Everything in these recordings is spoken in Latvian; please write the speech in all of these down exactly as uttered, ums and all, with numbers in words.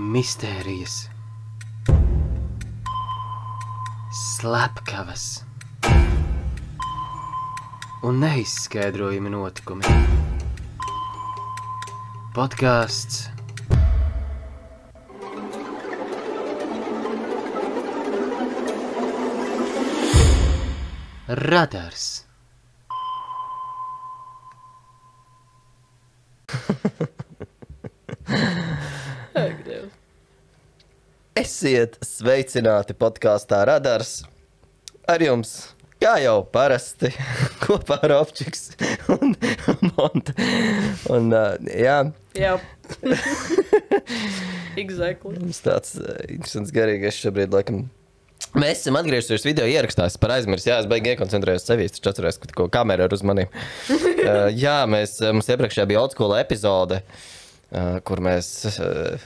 Mistērijas, slepkavas un neizskaidrojami notikumi. Podcasts Radars. Ak, Dievs. Esiet sveicināti podkāstā Radars. Ar jums, kā jau parasti, kopā ar Opčiks un Monte. Un, uh, jā. Jā. Exactly. Mums tāds uh, interesants garīgais šobrīd, laikam. Mēs esam atgriežušies video ierakstās par aizmirst. Jā, es baigi iekoncentrējos sevīs, taču atceros, ka ko kamera ir uz maniem. uh, jā, mēs, mums iepriekšējā bija old school epizode, uh, kur mēs uh,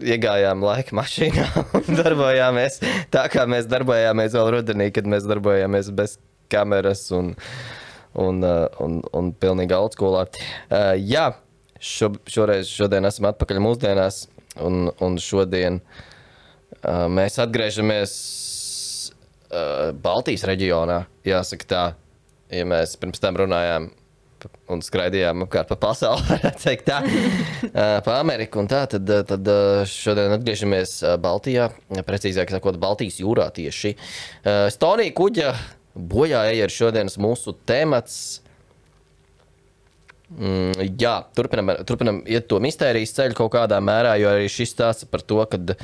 iegājām laika mašīnā un darbojāmies tā, kā mēs darbojāmies vēl rudenī, kad mēs darbojāmies bez kameras un, un, uh, un, un pilnīgi old schoolā. Uh, jā, šo, šoreiz, šodien esam atpakaļ mūsdienās un, un šodien Uh, mēs atgriežamies uh, Baltijas reģionā, jāsaka tā, ja mēs pirms tam runājām un skraidījām apkārt pa pasauli, varētu teikt tā, uh, pa Ameriku un tā, tad, tad uh, šodien atgriežamies uh, Baltijā, precīzāk sakot, Baltijas jūrā tieši. Uh, Stonija kuģa bojā eja ir šodienas mūsu temats. Mm, jā, turpinam, turpinam iet to mistērijas ceļu kaut kādā mērā, jo arī šis stāsta par to, kad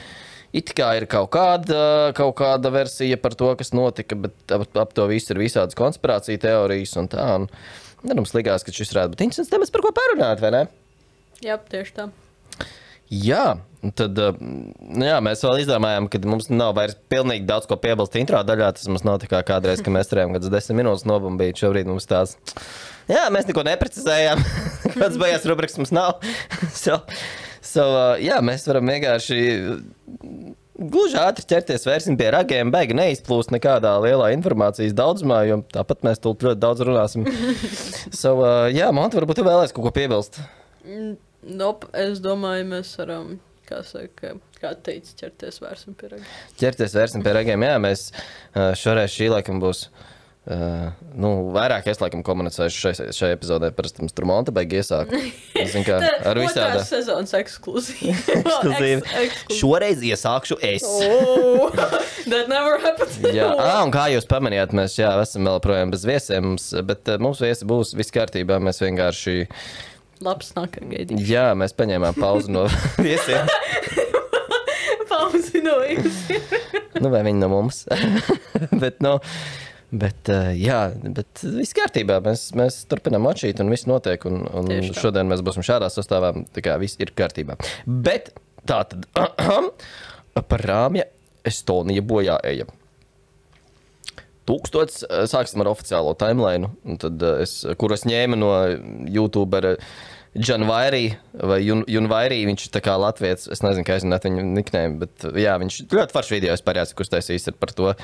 it kā ir kaut kāda, kaut kāda versija par to, kas notika, bet ap, ap to visu ir visādas konspirācija teorijas un tā. Un, un mums likās, ka šis varētu būt interesants temats, par ko parunāt, vai ne? Jā, tieši tā. Jā, un tad, jā, mēs vēl izdomājām, ka mums nav vairs pilnīgi daudz ko piebilst intro daļā. Tas mums nav tā kā kādreiz, ka mēs turējām kādas desmit minūtes nobumbīt. Šobrīd mums tās, jā, mēs neko neprecizējām. Kāds beigās rubrikas mums nav. so, so, jā, mēs varam vienkārši gluži ātri ķerties vērsim pie ragiem, beigi neizplūst nekādā lielā informācijas daudzumā, jo tāpat mēs tūlīt ļoti daudz runāsim. so, jā, Monte, varbūt tu vēlēs kaut ko piebilst? Nope, es domāju, mēs varam, kā saka, kā teica, ķerties vērsim pie ragiem. Ķerties vērsim pie ragiem, jā, mēs šoreiz šī laikam būs. Uh, nu, vairāk es laikam komunicēšu šai, šai epizodē, parasti mums tur Monte beig iesāk. Es zinu, kā ar visādā. Otrās sezonas ekskluzīvi. ekskluzīvi. Ekskluzīvi. Šoreiz iesākšu es. Oh, that never happened. jā, ā, un kā jūs pamanījāt, mēs jā, esam vēl projām bez viesiem, mums, bet uh, mums viesi būs viss kārtībā, mēs vienkārši... Labs nāk ar gaidīšu. Jā, mēs paņēmām pauzi no viesiem. Pauzi no viesiem. nu, vai viņi no mums. bet, nu... No, Bet, uh, jā, bet viss kārtībā, mēs, mēs turpinām atšīt un viss notiek, un, un šodien mēs būsim šādā sastāvā, tā kā viss ir kārtībā. Bet tā tad, par Rāmja Estonija bojā eja. Tūkstots, sāksim ar oficiālo timeline, un tad es, kur es ņēmu no YouTubera Janvairī vai Jun, Junvairī, viņš ir tā kā latviets, es nezinu, kā aizināt viņu nickname, bet jā, viņš ļoti faršs video, es parāds, kurš taisīs ir par to,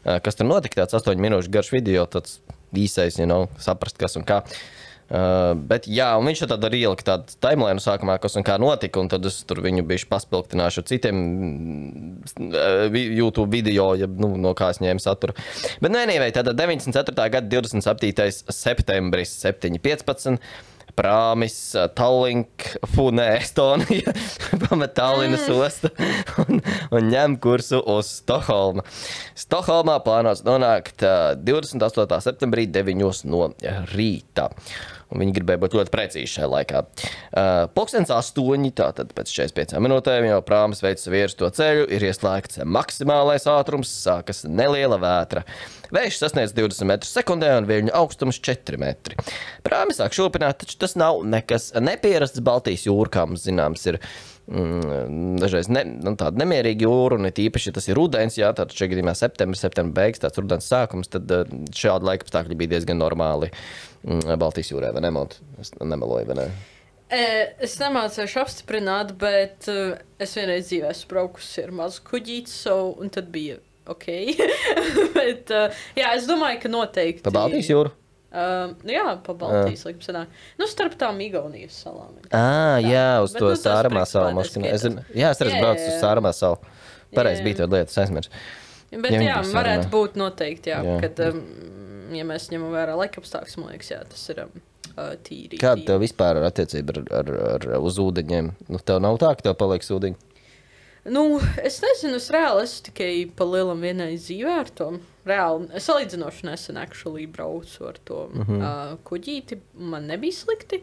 kas tur notika, tāds astoņu minūšu garš video, tāds īsais, you know, saprast, kas un kā. Uh, bet jā, un viņš tad arī ielika tādu timeline sākumā, kas un kā notika, un tad es tur viņu bijuši paspilgtināšu ar citiem uh, YouTube video, ja, nu, no kā es ņēmu saturu. Bet nē, nē, tātad deviņdesmit ceturtā gada divdesmit septītais septembris, septiņi piecpadsmit. Prāmis, Tallink, Funē, Estonija, pamet Tallinas ostu un, un ņem kursu uz Stokholmu. Stokholmā plānots nonākt divdesmit astotajā septembrī deviņos no rīta. Un viņi gribēja būt ļoti precīzi šajā laikā. Uh, Pulkstens astoņi, tātad pēc četrdesmit piecām minūtēm jau prāmis veic virs to ceļu, ir ieslēgts maksimālais ātrums, sākas neliela vētra. Vējš sasniedz divdesmit metrus sekundē un viļņu augstums četri metri. Prāmi sāk šūpināt, taču tas nav nekas nepierasts Baltijas jūra, kā mums zināms ir mm, dažreiz ne, nu, tāda nemierīga jūra, un it īpaši, ja tas ir rudens, jā, tātad šajā gadījumā septembris, septembra beigas, tāds rudens sākums, tad šādi laika apstākļi bija diezgan normāli mm, Baltijas jūrē, vai ne, Mont? Es nemeloju, vai ne? Es nemācēšu apstiprināt, bet es vienreiz dzīvē esmu braukusi ar mazu kuģīti, so, un tad bija ok. bet, jā, es domāju, ka noteikti... Pa Baltijas jūru? Uh, nu jā, pa Baltijas laikam sanāk. Nu, starp tām Igaunijas salām. Ā, jā, uz Bet to nu, tas Sāramā principā salu. mašīnu. Es, neskaitās. jā, es arī Jā, braucu jā, uz jā. Sāramā salu. Pareizi Jā, bija jā. tāda lieta, es aizmirsu. Bet Ja jā, viņi bija varētu sarunā. būt noteikti, jā, Jā. kad, um, ja mēs ņemam vērā laikapstākļus, man liekas, jā, tas ir um, uh, tīri. Kāda tīri. tev vispār ir attiecība ar, ar, ar uz ūdeņiem? Nu, tev nav tā, ka tev paliek ūdeņi? Nu, es nezinu, es reāli esmu tikai pa lielam vienai dzīvē ar to. Reāli, es salīdzinoši nesen actually braucu ar to mm -hmm. uh, kuģīti, man nebija slikti.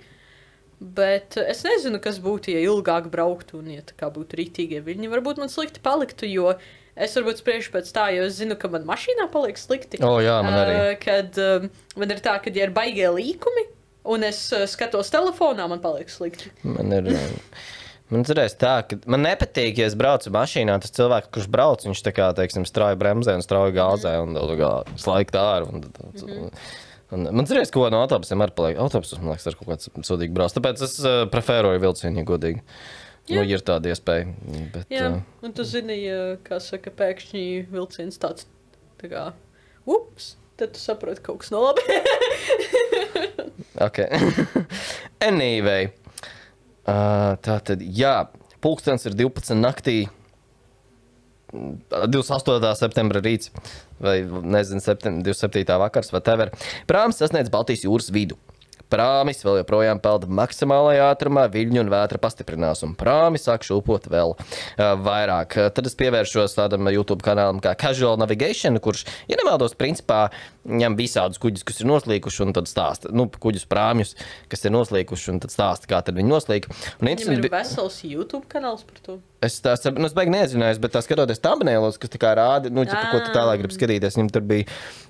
Bet uh, es nezinu, kas būtu, ja ilgāk brauktu un ja tā kā būtu rītīgie viļņi. Varbūt man slikti paliktu, jo es varbūt spriežu pēc tā, jo es zinu, ka man mašīnā paliek slikti. O, jā, man arī. Uh, kad um, man ir tā, ka ja ir baigie līkumi un es uh, skatos telefonā, man paliek slikti. Man ir. Man cerēs tā, ka man nepatīk, ja es braucu mašīnā, tas cilvēks, kurš brauc, viņš tā kā, teiksim, strauji bremzē un strauji gāzē un tā kā slaigt ārā. Un, un, un, un, man cerēs, ko no autobusiem arī paliek. Autobusus, man liekas, ar kaut kāds sodīgi brauc. Tāpēc es uh, preferoju vilcienu, ja godīgi. Jā. Nu, ir tāda iespēja. Bet, Jā, uh, un tu zini, ja, kā saka, pēkšņi vilciens tāds, tā kā, ups, tad tu saproti, kaut kas nav labi. ok. Anyway. Uh, tā tad, jā, pulkstens ir divpadsmit naktī, divdesmit astotā septembra rīts, vai, nezinu, divdesmit septītā vakars, vai tever. Prāmis sasniedz Baltijas jūras vidu. Prāmis vēl joprojām pelda maksimālajā ātrumā, viļņu un vētra pastiprinās, un prāmi sāk šūpot vēl uh, vairāk. Tad es pievēršos tādam YouTube kanālam kā Casual Navigation, kurš, ja nemaldos, principā ņem visādus kuģus, kas ir noslīkuši, un tad stāsta, nu, kuģus prāmjus, kas ir noslīkuši, un tad stāsta, kā tad viņi noslīka. Un Viņam ir vesels YouTube kanāls par to. Es tā saprotu, nu, es beig nezinājos, bet tā skatoties thumbnailos, kas tā kā rāda, nu, ķipa, ko tu tālāk gribi skatīties, viņam tur bija,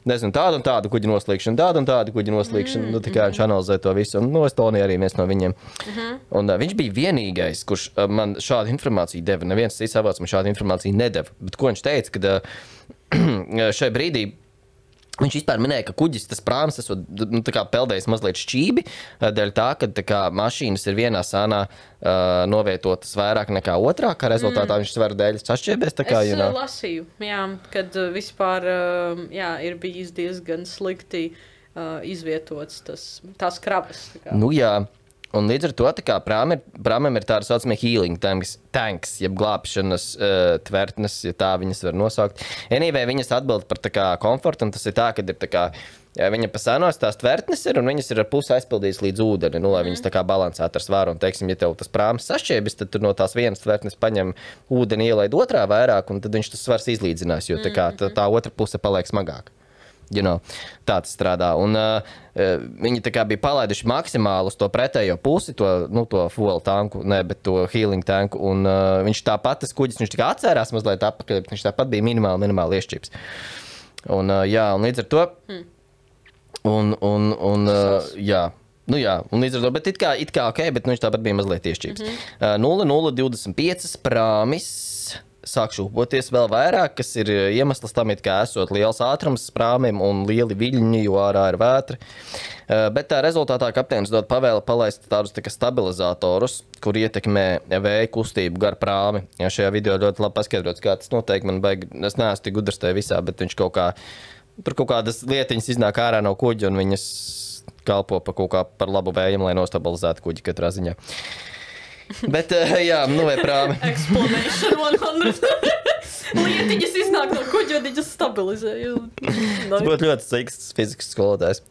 nezinu, tāda un tāda kuģa noslīkšana, tāda un tāda kuģa noslīkšana, mm, nu, tā kā viņš analizē to visu, un, nu, Estonija arī viens no viņiem. Mm -hmm. Un uh, viņš bija vienīgais, kurš uh, man šādu informāciju deva, neviens cits avots man šādu informāciju nedeva, bet ko viņš teica, kad uh, šai brīdī viņš vispār minēja, ka kuģis, tas prāms, esot, nu, tā kā peldējis mazliet šķībi, dēļ tā, ka tā kā mašīnas ir vienā sānā uh, novietotas vairāk nekā otrā, kā rezultātā mm. viņš svaru dēļ sašķiebies, tā kā, es you know. uh, lasīju, jā, kad uh, vispār, uh, jā, ir bijis diezgan slikti uh, izvietots tas, tās kravas. Tā kā. Nu jā. Un līdz ar to prāmam ir, prāmam ir tāda saucamie healing tanks, tanks jeb glābšanas uh, tvertnes, ja tā viņas var nosaukt. Anyway, viņas atbild par tā kā komfortu, un tas ir tā, ka ir tā kā, ja viņa pa senos tās tvertnes ir, un viņas ir ar pusi aizpildītas līdz ūdeni, nu, lai mm. viņas tā kā balansētu ar svaru. Un, teiksim, ja tev tas prāms sašķiebis, tad tu no tās vienas tvertnes paņem ūdeni, ielaid otrā vairāk, un tad viņš tas svars izlīdzinās, jo tā, kā, tā, tā otra puse paliek smagāk. You know, tā tas strādā. Un, uh, viņi tā kā bija palaiduši maksimāli uz to pretējo pusi, to, nu, to fuel tanku, ne, bet to healing tanku. Un uh, viņš tāpat, tas kuģis, viņš tikai atcērās mazliet atpakaļ, bet viņš tāpat bija minimāli, minimāli iešķīps. Un, uh, jā, un līdz ar to, hmm. un, un, un uh, jā, nu jā, un līdz ar to, bet it kā, it kā ok, bet nu, viņš tāpat bija mazliet iešķīps. Mm-hmm. uh, nulle nulle divdesmit pieci prāmis sāk šūpoties vēl vairāk, kas ir iemesls tam, it kā esot liels ātrums prāmiem un lieli viļņi, jo ārā ir vētra. Bet tā rezultātā kapteinis dod pavēli palaist tādus tā kā stabilizatorus, kur ietekmē vēja kustību gar prāmi. Ja šajā video ļoti labi paskaidrots, kā tas noteikti man baigi, es neesmu tik gudrs tajā visā, bet viņš kaut kā, tur kaut kādas lietiņas iznāk ārā no kuģa un viņas kalpo pa kaut kā par labu vējam, lai nostabilizētu kuģi katrā ziņā. Bet, uh, jā, nu vai prāmi. Explanation one hundred. Lietiņas iznāk no kuģa, un viņas stabilizē. Tas būtu ļoti sīks fizikas skolotājs.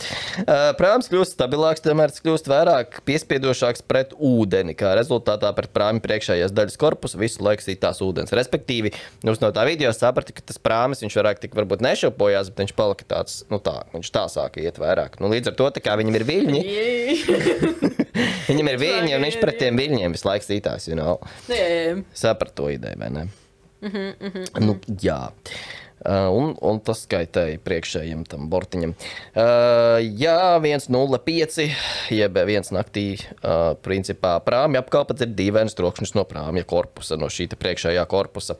Uh, prāms kļūst stabilāks, tomēr tas kļūst vairāk piespiedošāks pret ūdeni, kā rezultātā pret prāmi priekšējās daļas korpusu visu laiku sītās ūdens. Respektīvi, jūs no tā video saprati, ka tas prāmis, viņš vairāk tik varbūt nešaupojās, bet viņš palika tāds, nu tā, viņš tā sāka iet vairāk. Nu, līdz ar to, tā kā viņam ir viļņi, viņam ir viļņi, un viņš pret tiem viļņiem visu laiku sītās, you know. Saprat to ideju, vai ne? Mhm, mhm. Nu, jā. Uh, un, un tas skaitēja priekšējiem tam bortiņam. Uh, jā, viens nulle pieci, jeb viens naktī, uh, principā prāmja apkalpats ir dīvains trokšņus no prāmja korpusa, no šīta priekšējā korpusa.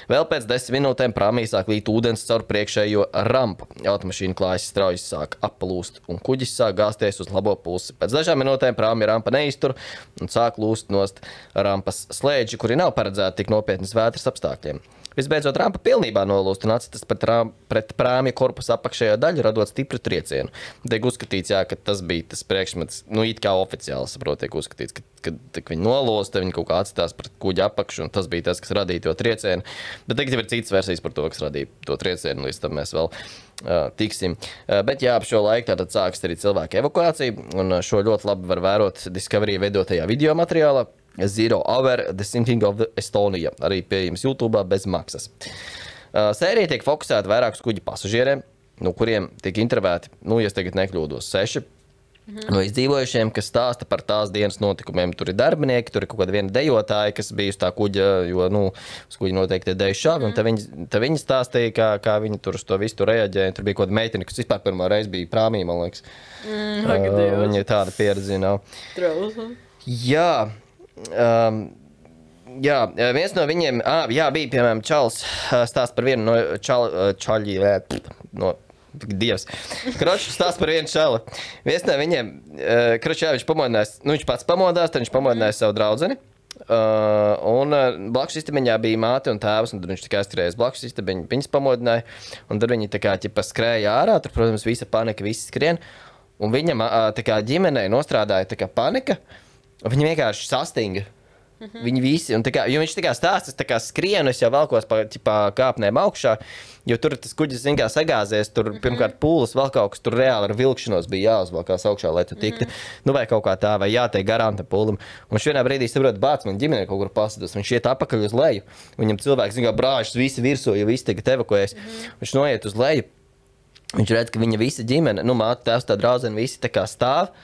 Vēl pēc desmit minūtēm prāmī sāk līt ūdens caur priekšējo rampu. Automašīna klājas strauji sāk aplūst, un kuģis sāk gāzties uz labo pusi. Pēc dažām minūtēm prāmja rampa neiztur un sāk lūst nost rampas slēdži, kuri nav paredzēti tik nopietnas vētras apstākļiem. Visbeidzot, rampa pilnībā nolūst un atstas pret, rām, pret prāmja korpusa apakšējā daļu, radot stipru triecienu. Tiek uzskatīts, jā, ka tas bija tas priekšmets, nu, it kā oficiāli, saprot, tiek uzskatīts, ka, kad, kad viņi nolūst, viņi kaut kā atstās pret kuģa apakšu, un tas bija tas, kas radīja to triecienu. Bet tagad ir citas versijas par to, kas radīja to triecienu, līdz tam mēs vēl uh, tiksim. Uh, bet jā, ap šo laiku tātad sākas arī cilvēku evakuācija, un šo ļoti labi var vērot Discovery veidotajā video materiālā. Zero Hour, The Sinking of Estonia, arī pieejams YouTube bez maksas. Uh, sērija tiek fokusēta vairāk uz kuģa pasažieriem, no kuriem tiek intervēti, nu, ja es tagad nekļūdos, seši mm-hmm. no izdzīvojušiem, kas stāsta par tās dienas notikumiem. Tur ir darbinieki, tur ir kaut kāda viena dejotāja, kas bija uz tā kuģa, jo, nu, uz kuģa noteikti ir deju šāvi, mm-hmm. un te viņi, te viņi stāstīja, kā, kā viņi tur uz to visu tur reaģēja. Tur bija kaut kāda meitene, kas vispār pirmā reize bija prāmī, man liekas. Mm, uh, viņa tāda pieredzi nav. Trausma. Jā. Um, jā, viens no viņiem, ā, jā, bija, piemēram, Čals, stāst par vienu no čal, čaļi, no, dievs, Kročs stāst par vienu čali. Viens no viņiem, Kročs, jā, viņš pamodinājās, nu, viņš pats pamodās, tad viņš pamodinājās savu draudzeni, uh, un blakus istabiņā bija māte un tēvs, un tad viņš tikai aizturējās blakus istabiņu, viņas pamodināja, un tad viņi tā kā, ķipa, skrēja ārā, tur, protams, visa panika, visi skrien, un viņam, tā kā, ģimenei nostrādāja, tā kā, panika. Viņi vienkārši sastinga. Mm-hmm. Viņi visi, un tā kā, jo viņš tā kā stāsta, tā kā skrienu, es jau valkos pa ķipā, kāpnēm augšā, jo tur tas kuģis, zin kā, sagāzies, tur mm-hmm. pirmkārt pūles, vēl kaut kas tur reāli ar vilkšanos bija jāuzvalkās augšā, lai tu tiktu, mm-hmm. nu vai kaut kā tā, vai jātiek garām tam pūlim. Un viņš vienā brīdī saprot, bāc, man ģimene kaut kur pasados, viņš iet apakaļ uz leju, viņam cilvēks, zin kā, brāžas visi virsū, jo visi tagad evakuējas, mm-hmm. viņš noiet uz leju, viņš redz, ka viņa visa ģimene, nu māte, tēvs, tā draudzene, visi tā kā stāv,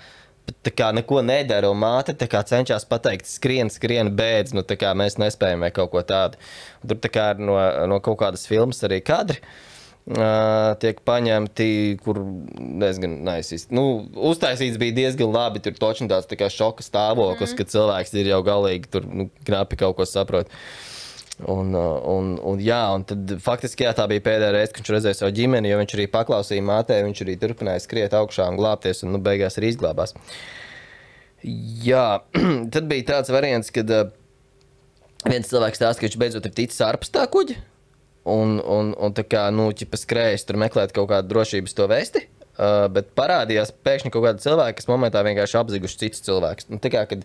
tā kā neko nedara, un māte tā kā cenšas pateikt, skrien, skrien, bēdz, nu tā kā mēs nespējam vai kaut ko tādu. Un tur tā kā no, no kaut kādas filmas arī kadri uh, tiek paņemti, kur diezgan nice. Nu, uztaisīts bija diezgan labi, tur točni tāds tā kā šoka stāvoklis, mm-hmm. kad cilvēks ir jau galīgi, tur nu, knapi kaut ko saprot. Un, un, un jā, un tad faktiski jā, tā bija pēdējā reize, kad viņš redzēja savu ģimeni, jo viņš arī paklausīja mātē, viņš arī turpināja skriet augšā un glābties, un nu beigās arī izglābās. Jā, tad bija tāds variants, kad uh, viens cilvēks stāsta, ka viņš beidzot ir ticis ārpus tā kuģa, un, un, un tā kā, nu, ķipa skrējis tur meklēt kaut kādu drošības to vesti, uh, bet parādījās pēkšņi kaut kādi cilvēki, kas momentā vienkārši apziguši citus cilvēkus. Nu, tā kā, kad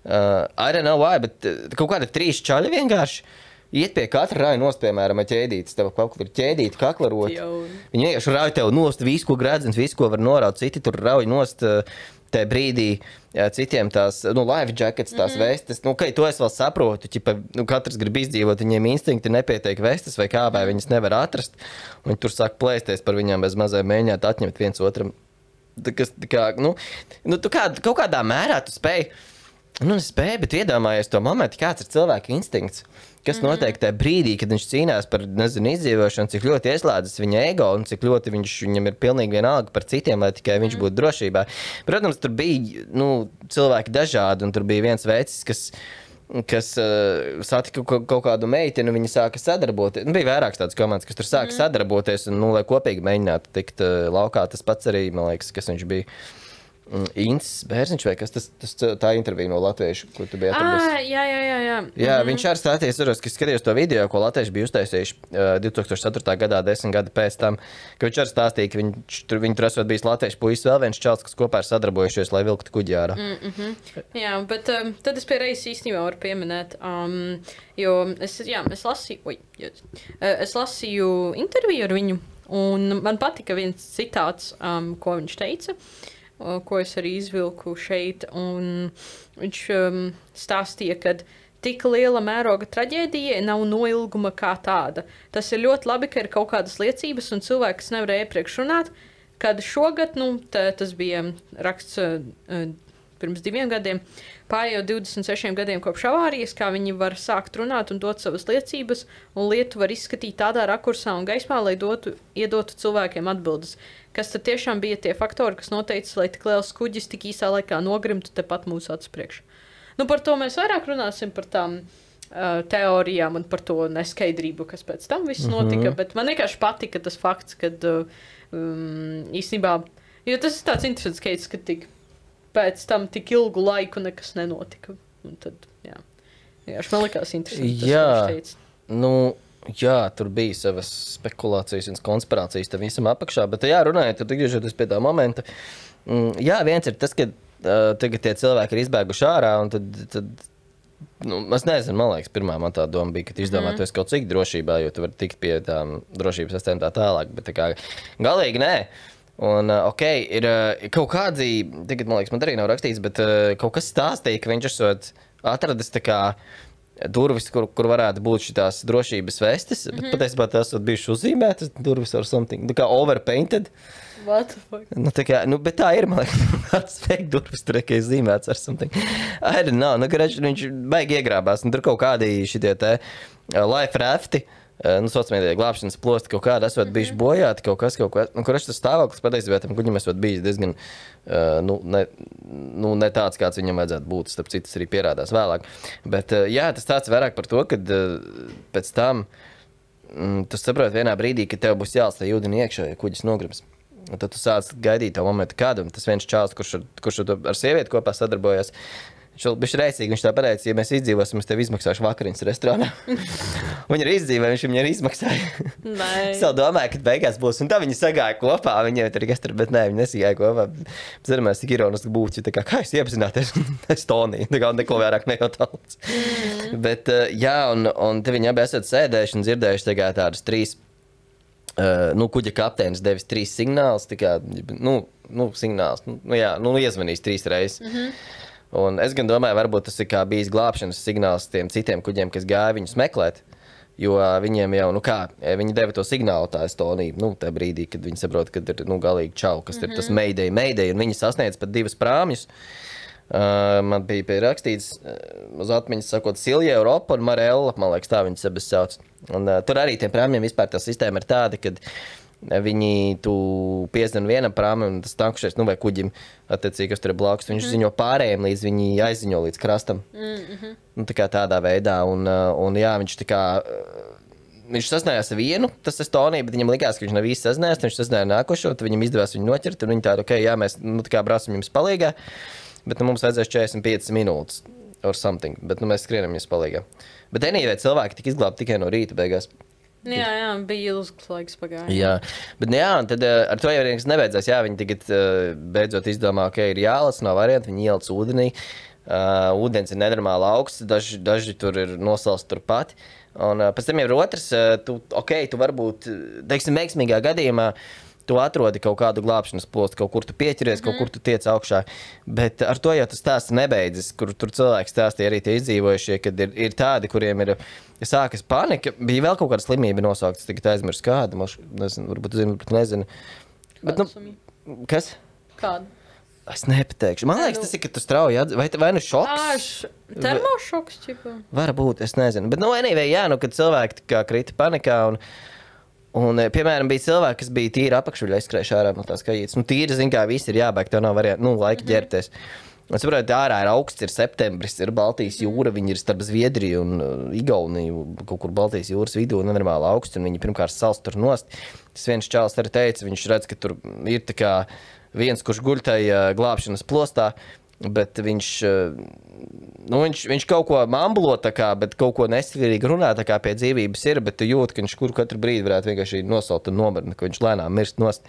Uh, I don't know why, bet kaut kāda trīs čaļi vienkārši iet pie katra rauj nost, piemēram, ar ķēdītes. Tev kaut kur ir ķēdīte, kaklarot. Viņi vienkārši rauj tev nost visu, ko gredzens, visu, ko var noraut. Citi tur rauj nost uh, tajā brīdī, jā, citiem tās, nu, life jackets, tās mm-hmm. vestes. Nu, kai to es vēl saprotu, ķipa, nu, katrs grib izdzīvot, viņiem instinkti nepietiek vestes vai kā, vai viņas nevar atrast. Viņi tur sāk plēsties par viņām bez mazai mēģināt atņemt viens otram. Tā, kas, tā kā, nu, nu, tu kā, kaut kādā mērā tu spēj. Nu, es spēju, bet iedomājies to momentu, kāds ir cilvēka instinkts, kas mm-hmm. notiek tajā brīdī, kad viņš cīnās par, nezinu, izdzīvošanu, cik ļoti ieslēdzas viņa ego un cik ļoti viņš, viņam ir pilnīgi vienalga par citiem, lai tikai viņš būtu drošībā. Protams, tur bija, nu, cilvēki dažādi, un tur bija viens vecis, kas, kas uh, satika kaut kādu meiteni, un viņi sāka sadarboties. Nu, bija vairākas tādas komandas, kas tur sāka mm-hmm. sadarboties, un, nu, lai kopīgi mēģinātu tikt uh, laukā. Tas pats arī, man liekas, kas viņš bija. Incis Bērziņš vai kas tas, tas tā intervija no latviešu, ko tu biji atradis? Ah, jā, jā, jā, jā. Jā, mm-hmm. viņš arī stāties, ka skatījos to video, ko latvieši bija uztaisījuši uh, divi tūkstoši ceturtā gadā, desmit gadi pēc tam, ka viņš arī stāstīja, ka viņš, tur, viņi tur esot bijis latviešu puisis vēl viens čals, kas kopā ir sadarbojušies, lai vilktu kuģi ārā. Mm-hmm. Jā, bet um, tad es pie reizes īstenībā varu pieminēt, um, jo es, jā, es lasīju, oj, es lasīju interviju ar viņu, un man patika viens citāts, um, ko viņš teica, ko es arī izvilku šeit, un viņš um, stāstīja, ka tik liela mēroga traģēdija nav noilguma kā tāda. Tas ir ļoti labi, ka ir kaut kādas liecības, un cilvēki, kas nevarēja iepriekš runāt, kad šogad, nu, tā, tas bija raksts uh, pirms diviem gadiem, pārējot divdesmit sešiem gadiem kopš avārijas, kā viņi var sākt runāt un dot savas liecības, un lietu var izskatīt tādā rakursā un gaismā, lai dotu, iedotu cilvēkiem atbildes. Kas tad tiešām bija tie faktori, kas noteica, lai tik liels kuģis tik īsā laikā nogrimtu tepat mūsu acu priekšā. Nu, par to mēs vairāk runāsim, par tām uh, teorijām un par to neskaidrību, kas pēc tam viss notika, mm-hmm. bet man vienkārši patika tas fakts, kad uh, um, īstenībā, jo tas ir tāds interesants skaits, ka tik pēc tam tik ilgu laiku nekas nenotika. Un tad, jā, vienkārši man likās interesanti tas, jā, ko viņš teica. Nu, Jā, tur bija savas spekulācijas un konspirācijas tam visam apakšā, bet jā, runājot, tad atgriežoties pie tā momenta, mm, jā, viens ir tas, ka uh, tagad tie cilvēki ir izbēguši ārā, un tad, tad nu, es nezinu, man liekas, pirmā man tā doma bija, ka tu izdomā, mm. tu esi kaut cik drošībā, jo tu vari tikt pie tām drošības sistēm tā tālāk, bet tā kā galīgi nē. Un, uh, ok, ir uh, kaut kādi, tagad, man liekas, man arī nav rakstīts, bet uh, kaut kas stāstīja, ka viņš esot atradis tā kā durvis, kur, kur varētu būt šitās drošības vestes, mm -hmm. bet patiesībā tās ir bijušas uzzīmētas durvis or something, tā kā overpainted. What the fuck? Nu, tā kā, nu, bet tā ir, man liekas, tāds fake durvis tur, ka ir zīmēts ar something. I don't know, nu, ka viņš baigi iegrābās, un tur kaut kādi šitie te uh, life rafti, uh, nu, sociālajā glābšanas plosti kaut kādi esot bijuši bojāti, kaut kas, kaut kas, un kurš tas stāvoklis patiesībā tam kuģim esot bijis diezgan, uh, nu, ne, nu, ne tāds, kāds viņam vajadzētu būt, starp citas arī pierādās vēlāk. Bet, uh, jā, tas tāds vairāk par to, kad uh, pēc tam mm, tu saproti vienā brīdī, ka tev būs jālst tā ūdeni iekšā, ja kuģis nogribas. Un tad tu sāc gaidīt to momentu kādu, un tas viens čāls, kurš ar, kurš ar sievieti kopā sadarbojas, viņš vēl bišķi reicīgi, viņš tā pateica, ja mēs izdzīvosim, es tev izmaksāšu vakariņas restorānā. Viņa arī izdzīvoja, viņš viņai arī izmaksāja. Es vēl domāju, ka beigās būs, un tā viņi sagāja kopā, viņa jau tur gastra, bet nē, viņi nesigāja kopā. Zināmās, tik ironiski būtu, tā kā, kā jūs iepazināties, es Tonī, tā kā neko vairāk nejautālīts. Mm. Bet, jā, un, un te viņi abi esat sēdējuši un dzirdējuši tagad tādas trīs, uh, nu, kuģa kapteinis devis trīs signālus, tā kā, nu, nu, signāls, nu, jā, nu, iezvanījis trīs reizes. Mm-hmm. Un es gan domāju, varbūt tas ir kā bijis glābšanas signāls tiem citiem kuģiem, kas gāja viņus meklēt, jo viņiem jau, nu kā, viņi deva to signālu tā Estonija, nu, tajā brīdī, kad viņi saprot, kad ir, nu, galīgi čau, kas mm-hmm. ir tas Mayday, Mayday, un viņi sasniedz pat divas prāmjus. Uh, man bija pierakstīts uh, uz atmiņas sakot Silja Europa un Marella, man liekas, tā viņas abas sauc. Un uh, tur arī tiem prāmjiem vispār tā sistēma ir tāda, kad viņi tu piezvan vienam prāmim, un tas tankušais, nu vai kuģim, attiecīgi, kas tur ir blakus, viņš mm-hmm. ziņo pārējiem, līdz viņi aizziņo līdz krastam. Mm-hmm. Nu, tā kā tādā veidā, un, un jā, viņš tā kā, viņš sazinājās ar vienu, tas Estonija, bet viņam likās, ka viņš nav īsti sazinājās, viņš sazināja nākošo, tad viņam izdevās viņu noķert, un viņi tādu, ok, jā, mēs, nu, tā kā brāsim jums palīgā, bet nu, mums vajadzēs četrdesmit piecas minūtes, or something, bet nu, mēs skrienam jums palīgā. Bet anyway, cilvēki tika izglābti tikai no rīta beigās. Jā, jā, bija ilgs laiks pagājis. Jā, bet jā, un tad uh, ar to jau nekas nebeidzās. Jā, viņi tagad uh, beidzot izdomā, ka ir jālas, nav varianti, viņi ielic ūdenī. Uh, ūdens ir nenormāli augsts, daži, daži tur ir nosalsti turpat. Un uh, pēc tam jau ir otrs, uh, tu, ok, tu varbūt, teiksim, veiksmīgā gadījumā, tu atrodi kaut kādu glābšanas postu, kaut kur tu pieķeries, mm. kaut kur tu tiec augšā. Bet ar to jau tas stāsts nebeidzas, kur tur cilvēki stāstīja arī tie izdzīvojušie, kad ir, ir tādi, kuriem ir sākas panika. Bija vēl kaut kāda slimība nosauktas, tagad aizmirst kāda, man nezinu, varbūt zinu, varbūt nezinu. Bet, nu, kas? Kāda? Es nepateikšu. Man liekas, tas ir, ka tu strauji atzīst, vai, vai nu šoks? Ā, š... termošoks, ķipa. Varbūt, es nezinu. Bet, nu, anyway, jā, nu, kad cilvēki kā krita panikā un Un, piemēram, bija cilvēki, kas bija tīri apakšuļā izskrējuši ārā no tās kajītes. Nu, tīri, zin kā, visi ir jābēg, tev nav varianti, nu, laika mm-hmm. ģērbties. Un, saprot, ārā ir augsts, ir septembris, ir Baltijas jūra, viņi ir starp Zviedriju un uh, Igauniju, kaut kur Baltijas jūras vidū, nenormāli augsts, un viņi pirmkārt sals tur nost. Tas viens čāls arī teica, viņš redz, ka tur ir tā kā viens, kurš guļ tajā glābšanas plostā, bet viņš, nu, viņš, viņš kaut ko mambulo tā kā, bet kaut ko nestilīgi runā tā kā pie dzīvības ir, bet tu jūt, ka viņš kur katru brīdi varētu vienkārši nosalt un nomirni, ka viņš lēnām mirst nost.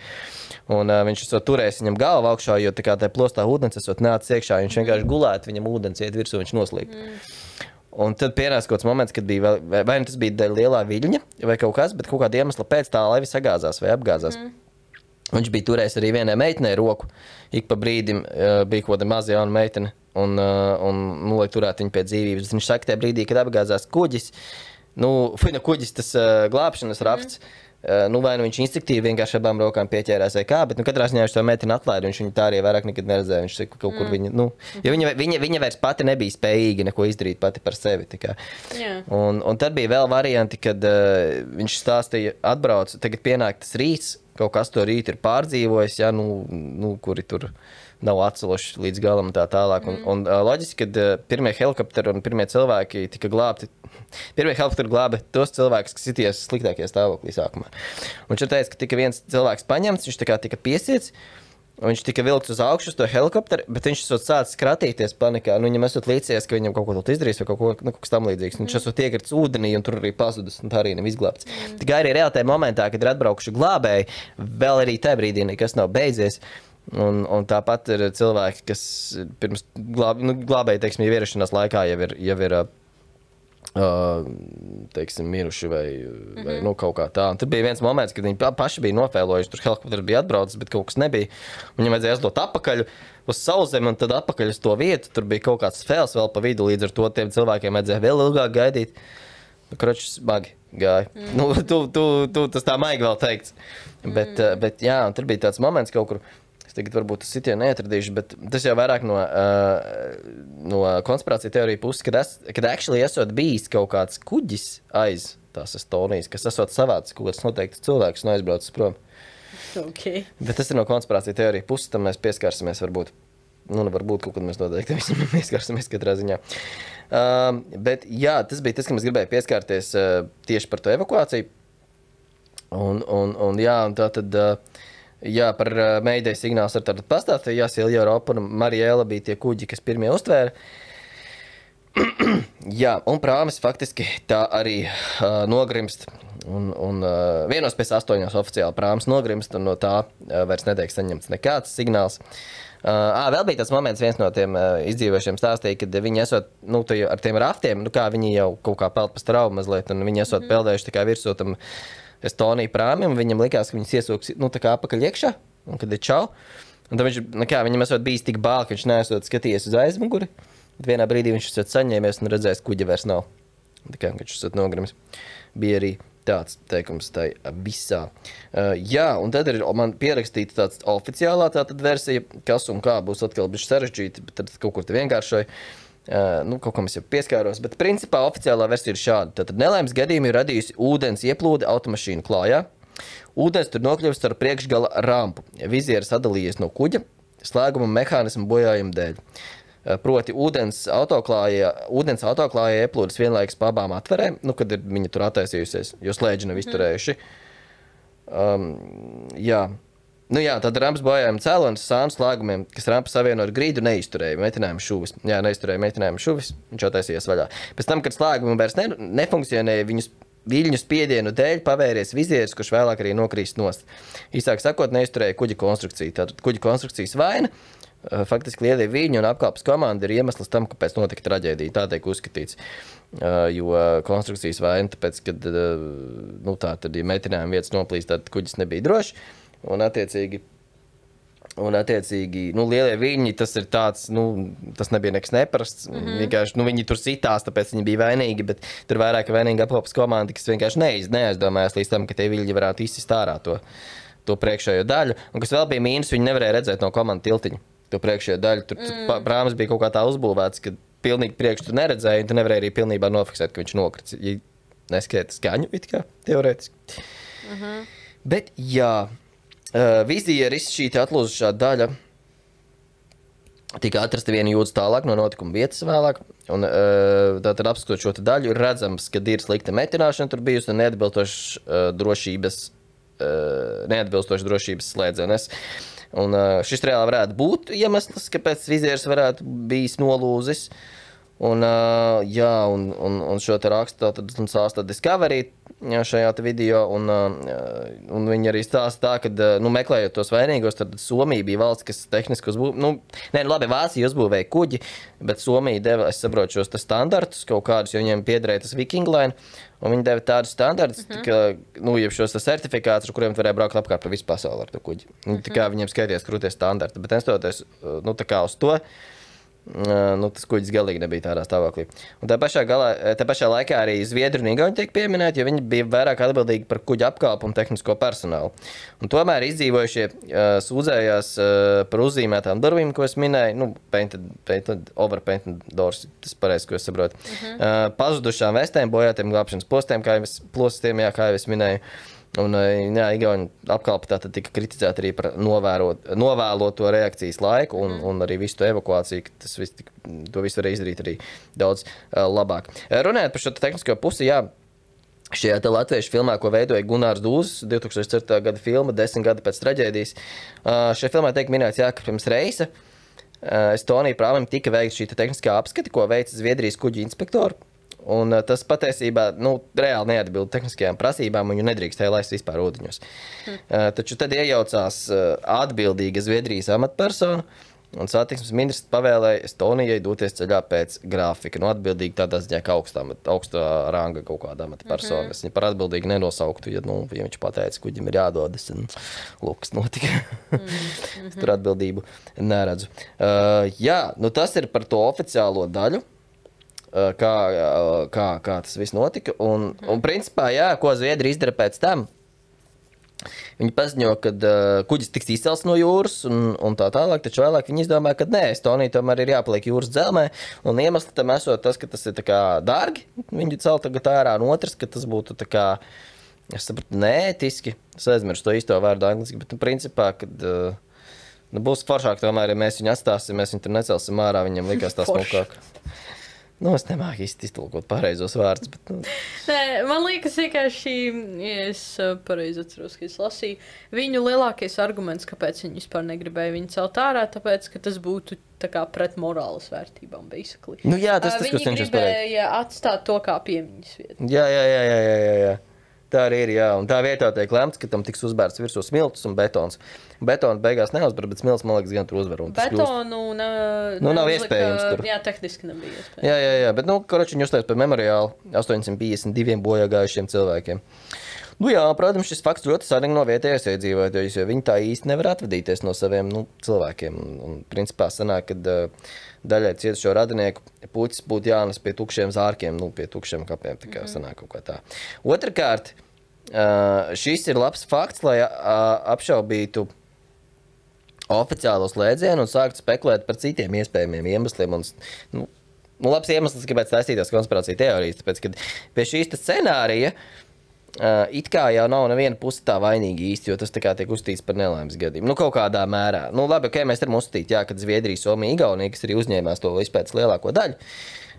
Un uh, viņš esot turējis viņam galvu augšā, jo tā kā tajā plostā ūdens esot nācis iekšā, viņš vienkārši gulētu, viņam ūdens iet virsū, viņš noslīgt. Mm. Un tad pienāca kaut kāds moments, kad bija vēl, vai, vai tas bija lielā viļņa vai kaut kas, bet kaut kāda iemesla pēc tā laiva sagāzās vai apgāzās. Mm. Viņš bija turējis arī vienai meitenei roku. Ik pa brīdim uh, bija kaut kāda maza jauna meitene, un, uh, un nu, lai turētu viņu pie dzīvības. Viņš saka, tajā brīdī, kad apgāzās kuģis, nu, fina kuģis tas uh, glābšanas rafts, mm. uh, nu, vai nu viņš instinktīvi vienkārši abām rokām pieķērās vai kā, bet, nu, katrā ziņā viņš to meiteni atlaida, viņš viņu tā arī vairāk nekad neredzēja. Viņš saka, kaut kur mm. viņa, nu, jo viņa, viņa, viņa vairs pati nebija spējīga neko izdarīt pati par sevi. Yeah. Un, un tad bija vēl varianti, kad uh, viņš stāstīja, atbrauc, tagad pienāk tas rīts, kaut kas to rīt ir pārdzīvojis, ja, nu, nu, kuri tur nav atceluši līdz galam un tā tālāk. Mm. Un, un uh, loģiski, kad uh, pirmie helikopteri un pirmie cilvēki tika glābti, pirmie helikopteri glāba tos cilvēkus, kas sities sliktākajā stāvoklī sākumā. Un viņš teica, ka tika viens cilvēks paņemts, viņš tā kā tika piesiets, Viņš tika vilkts uz augšu uz to helikopteru, bet viņš esot sācis kratīties panikā. Nu, viņam esot līdzies, ka viņam kaut ko tādu izdarīs vai kaut ko, nu, kaut kas tam līdzīgs. Mm. Viņš esot iekrits ūdenī un tur arī pazudis, un tā arī nav izglābts. Mm. Tikai arī reāli tajā momentā, kad ir atbraukuši glābēji, vēl arī tajā brīdī nekas nav beidzies. Un, un tāpat ir cilvēki, kas pirms glāb, nu, glābēji, teiksim, jau ierašanās laikā jau ir, jau ir Uh, teiksim, miruši vai, mm-hmm. vai nu, kaut kā tā. Un tur bija viens moments, kad viņi paši bija nofēlojuši, tur helikopters bija atbraucis, bet kaut kas nebija. Viņam vajadzēja aizdot atpakaļ uz sauszemi un tad atpakaļ uz to vietu. Tur bija kaut kāds fēls vēl pa vidu, līdz ar to tiem cilvēkiem vajadzēja vēl ilgāk gaidīt. Nu, kroči, smagi gāja. Mm. Nu, tu, tu, tu, tas tā maigi vēl teikts. Mm. Bet, bet jā, un tur bija tāds moments kaut kur, es tagad varbūt tas sitienu neatradīšu, bet tas jau vairāk no, uh, no konspirācija teorija puses, kad, es, kad actually esot bijis kaut kāds kuģis aiz tās Estonijas, kas esot savāds kaut kāds noteikts cilvēks un aizbraucis prom. Okay. Bet tas ir no konspirācija teorija puses, tam mēs pieskārsimies varbūt. Nu, varbūt kaut kad mēs noteikti visam pieskārsimies katrā ziņā. Uh, bet jā, tas bija tas, ka mēs gribēju pieskārties uh, tieši par to evakuāciju. Un, un, un jā, un tā tad... Uh, Jā, par uh, Mayday signāls ar tādu pastāstīju. Jā, Silja Europa un Mariela bija tie kuģi, kas pirmie uztvēra. Jā, un prāmis faktiski tā arī uh, nogrimst. Un, un uh, vienos pēc astoņos oficiāli prāmis nogrimst, un no tā uh, vairs netiek saņemts nekāds signāls. Uh, ā, vēl bija tas moments, viens no tiem uh, izdzīvošiem stāstīja, kad viņi esot, nu, ar tiem raftiem, nu kā viņi jau kaut kā peld pa straumu mazliet, un viņi esot mm. peldējuši tā kā virsūtam Estonija prāmim, viņam likās, ka viņas iesūks, nu, tā kā apakaļ iekšā, un kad ir čau. Un tad viņš, nu kā, viņam esot bijis tik bāl, ka viņš neesot skatījies uz aizmuguri. Bet vienā brīdī viņš esot saņēmies un redzējis, kuģa vairs nav. Tā kā viņš esot nogrimis. Bija arī tāds teikums tai visā. Uh, jā, un tad ir man pierakstīta tāds oficiālā tātad versija, kas un kā būs atkal bišķi sarežģīti, bet tad kaut kur te vienkāršoja. Uh, nu, kaut kam es jau pieskāros, bet principā oficiālā versija ir šāda. Tātad nelaimes gadījumi ir radījusi ūdens ieplūde automašīnu klājā. Ūdens tur nokļuvis ar priekšgala rampu. Vizieris sadalījies no kuģa, slēguma mehānismu bojājuma dēļ. Uh, proti ūdens autoklājā, ūdens autoklājā ieplūdes vienlaikus pa abām atverēm, nu, kad ir viņa tur attaisījusies, jo slēdži nav izturējuši. Um, jā. Nu jā, tad rampas bojājuma cēlonis sānu slēgumiem, kas rampa savieno ar grīdu, neizturēja metinājuma šuvis. Jā, neizturēja metinājuma šuvis, viņš attaisījās vaļā. Pēc tam, kad slēgumi vairs ne, nefunkcionēja, viņus viļņu spiedienu dēļ pavēries vizieris, kurš vēlāk arī nokrīst nost. Īsāk sakot, neizturēja kuģa konstrukciju. Tātad kuģa konstrukcijas vaina, faktiski lielie viļņi un apkalpes komanda ir iemesls tam, kāpēc notika traģēdija. Tā tiek uzskatīts. Jo konstrukcijas vaina, tāpēc, kad nu, tā, tad, ja metinājuma vietas noplīst, tad kuģis nebija drošs. Un attiecīgi, un attiecīgi, nu, lielie viļņi, tas ir tāds, nu, tas nebija nekas neparasts. Mm-hmm. Vienkārši, nu, viņi tur sitās, tāpēc viņi bija vainīgi, bet tur vairāk vainīgi apkalpes komanda, kas vienkārši neiz, neaizdomājās līdz tam, ka tie viļņi varētu izsist ārā to, to priekšējo daļu. Un kas vēl bija mīnus, viņi nevarēja redzēt no komanda tiltiņa to priekšējo daļu. Tur mm. prāmis bija kaut kā tā uzbūvēts, ka pilnīgi priekš tu neredzēji, un tu nevarēji arī pilnībā nofiksēt, ka viņš nokrits. Ja neskaita skaņu, it kā, teorētiski. Mm-hmm. Bet, jā. Uh, vizieris šī atlūzušā daļa tika atrasta viena jūdzes tālāk no notikuma vietas vēlāk. Un, uh, tātad apskatot šo daļu, ir redzams, ka ir slikta metināšana tur bijusi un neatbilstošas uh, drošības, uh, neatbilstošas drošības slēdzenes. Un uh, šis reāli varētu būt iemesls, kāpēc vizieris varētu bijis nolūzis. Un, uh, jā, un, un, un šo te rakstu tad sāsta Discovery jā, šajā te video, un, uh, un viņi arī stāsta tā, ka, nu, meklējot tos vainīgos, tad Somija bija valsts, kas tehniski uzbūvēja, nu, nē, nu, labi, Vācija uzbūvēja kuģi, bet Somija deva, es saprotu, šos te standartus kaut kādus, jo viņiem piederēja tas Viking Line, un viņi deva tādus standartus, uh-huh. ka, nu, jeb šos certifikātus, ar kuriem varēja braukt apkārt pa visu pasauli ar to kuģi. Uh-huh. Tā kā viņiem skaities krūties standarti, bet nestoties, nu, tā kā uz to, nu, tas kuģis galīgi nebija tādā stāvoklī. Un tā pašā, galā, tā pašā laikā arī Zviedri un Igauni tiek pieminēti, jo viņi bija vairāk atbildīgi par kuģa apkalpu un tehnisko personālu. Un tomēr izdzīvojušie uh, sūdzējās uh, par uzzīmētām durvīm, ko es minēju, nu, painted, painted, overpainted doors, tas pareizi, ko es saprotu. Uh-huh. uh, pazudušām vestēm, bojātiem glābšanas postiem, kā jau es, plostiem, jā, kā jau es minēju. Un, jā, Igauni apkalpa tātad tika kritizēta arī par novērot, novēloto reakcijas laiku un, un arī visu to evakuāciju, ka tas viss, to visu varēja izdarīt arī daudz uh, labāk. Runājot par šo tehnisko pusi, jā, Šajā te latviešu filmā, ko veidoja Gunārs Dūzis, divtūkstoš septītā gada filma, desmit gadi pēc traģēdijas. Uh, šajā filmā tiek minēts, jā, ka pirms reisa uh, Estonija prāvim tika veikta šī tehniskā apskati, ko veica Zviedrijas kuģu inspektori. Un uh, tas patiesībā nu, reāli neatbilda tehniskajām prasībām, un viņu nedrīkstēja laist vispār ūdeņos. Mm. Uh, taču tad iejaucās uh, atbildīga Zviedrijas amatpersona, un satiksmes ministrs pavēlēja Estonijai doties ceļā pēc grafika. Nu, atbildīgi tādā ziņā, ka augstā, augstā ranga kaut kāda amatpersona. Mm-hmm. Es viņu par atbildīgi nenosauktu, ja, nu, ja viņš pateica, kuģim ir jādodas, un lūk, kas notika. Mm-hmm. Tur atbildību neredzu. Uh, jā, nu tas ir par to oficiālo daļu. Kā, kā, kā tas viss notika. Un, un principā, jā, ko Zviedri izdara pēc tam, viņi paziņo, ka uh, kuģis tiks izcelts no jūras un, un tā tālāk, taču vēlāk viņi izdomāja, ka nē, Estonija tomēr ir jāpaliek jūras dzelmē, un iemesli tam esot tas, ka tas ir tā kā dārgi, viņi cel tagad ārā, un otrs, ka tas būtu tā kā, es sapratu, neētiski, es aizmirstu to īsto vārdu angliski, bet nu, principā, kad uh, nu, būs foršāk tomēr, ja mēs viņu atstāsim, mēs viņu tur necelsim ārā, viņam likās tā smukāk. Nu, es nemāku īsti iztulkot pareizos vārdus, bet... Nu... Nē, man liekas, vienkārši, ja es pareizi atceros, ka es lasīju, viņu lielākais arguments, kāpēc viņi vispār negribēja viņu celt ārā, tāpēc, ka tas būtu tā kā pret morāles vērtībām, basically. Nu jā, tas tas, kas cenšas pateikt. Viņi gribēja atstāt to kā piemiņas vietu. Jā, jā, jā, jā, jā, jā, jā. Tā arī ir, jā. Un tā vietā tiek lemts, ka tam tiks uzbērts virsū smiltis un betons. Betonu beigās neuzber, bet smiltis, man liekas, gan tur uzvar. Betonu ne, nu, nav iespējams tur. Jā, tehniski nebija iespējams. Jā, jā, jā, bet, nu, koroči viņi uzstājas par memoriālu astoņsimt piecdesmit diviem bojāgājušiem cilvēkiem. Nu jā, protams, šis fakts ļoti sarīgi no vietējais iedzīvotājus, jo viņi tā īsti nevar atvadīties no saviem, nu, cilvēkiem. Un, un principā sanāk, kad uh, daļai cietušo radinieku puķis būtu jānes pie tukšiem zārkiem, nu, pie tukšiem kapiem, tā kā sanāk kaut kā tā. Otrakārt, uh, šis ir labs fakts, lai uh, apšaubītu oficiālo slēdzienu un sāktu spekulēt par citiem iespējamiem iemesliem. Un, nu, nu, labs iemesls, kāpēc taisītās konspirācija teorijas, tāpēc, kad pie šīs scenārija Uh, it kā jau nav neviena puse tā vainīga īsti, jo tas tā kā tiek uzstīts par nelaimes gadījumu. Nu, kaut kādā mērā. Nu, labi, ok, mēs varam uzstīt, jā, kad Zviedrija, Somija, Igaunija, kas arī uzņēmās to vispēc lielāko daļu.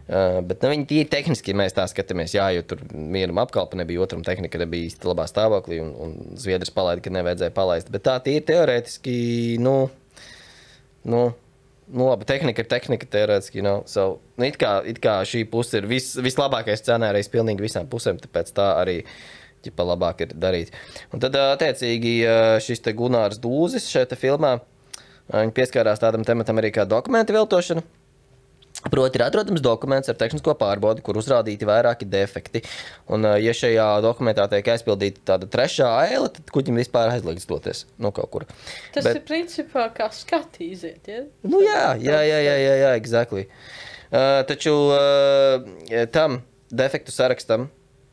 Uh, bet nu, viņi tīri tehniski, mēs tā skatāmies, jā, jo tur vienam apkalpa nebija, otram tehnika nebija īsti labā stāvoklī, un, un Zviedris palaida, ka nevajadzēja palaist. Bet tā tīri teorētiski, nu, nu, nu labi, tehnika ir tehnika, teorētiski, you know, so, nu, it kā, it kā šī puse ir vis, vislabākais scenārijs pilnīgi visām pusēm, tāpēc tā arī ķipa labāk ir darīt. Un tad, attiecīgi, šis te Gunārs Dūzis šeit filmā, viņi pieskārās tādam tematam arī kā dokumenta viltošana. Proti ir atrodams dokuments ar tehnisko pārbaudi, kur uzrādīti vairāki defekti. Un, ja šajā dokumentā tiek aizpildīta tāda trešā aile, tad kuģim vispār aizliegts doties no kaut kur. Tas Bet, ir principā kā skatīziet, ja? Nu jā, jā, jā, jā, jā, jā, exactly. Uh, taču uh, tam defektu sarakstam,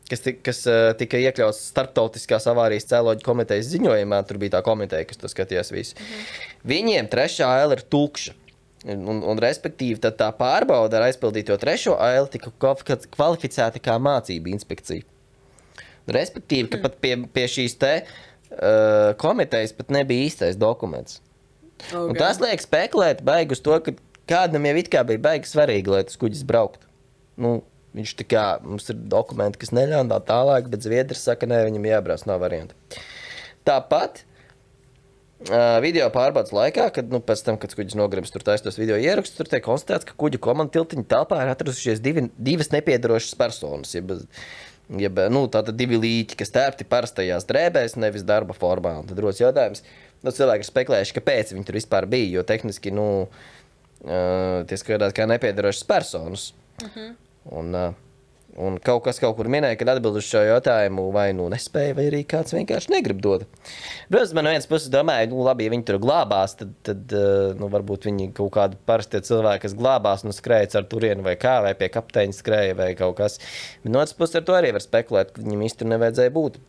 kas, kas uh, tika iekļauts starptautiskās avārijas cēloģu komitejas ziņojumā, tur bija tā komiteja, kas to skatījās visu. Mhm. Viņiem trešā aila ir tukša. Un, un respektīvi, tad tā pārbauda ar aizpildīto trešo aili tika kvalificēta kā mācība inspekcija. Respektīvi, ka pat pie, pie šīs te uh, komitejas pat nebija īstais dokuments. Okay. Un tas liek spekulēt baigi uz to, ka kādam jau it kā bija baigi svarīgi, lai tas kuģis brauktu. Nu, viņš tā kā, mums ir dokumenti, kas neļauj tā tālāk, bet Zviedris saka, nē, viņam jābrauc, nav varianti. Tāpat uh, video pārbaudas laikā, kad, nu, pēc tam, kad kuģis nogribas tur taistos video ierakstus, tur tiek konstatēts, ka kuģu komanda tiltiņa telpā ir atradušies divi, divas nepiedarošas personas, jeb, jeb, nu, tātad divi līķi, kas tērpti parastajās drēbēs, nevis darba formā. Un tad rodas jautājums, nu, cilvēki ir spekulējuši, kāpēc viņi tur vispār bija, jo tehniski, nu, uh, tie skatās kā nepiedarošas personas. Uh-huh. Un, un kaut kas kaut kur minēja, kad atbild uz šo jautājumu vai nu nespēja, vai arī kāds vienkārši negrib dot. Protams, man no vienas puses domāju, nu labi, ja viņi tur glābās, tad, tad nu, varbūt viņi kaut kādi parastie cilvēki, kas glābās, nu skrējas ar turienu vai kā, vai pie kapteiņa skrēja vai kaut kas. Bet no otras puses ar to arī var spekulēt, ka viņam īsti tur nevajadzēja būt.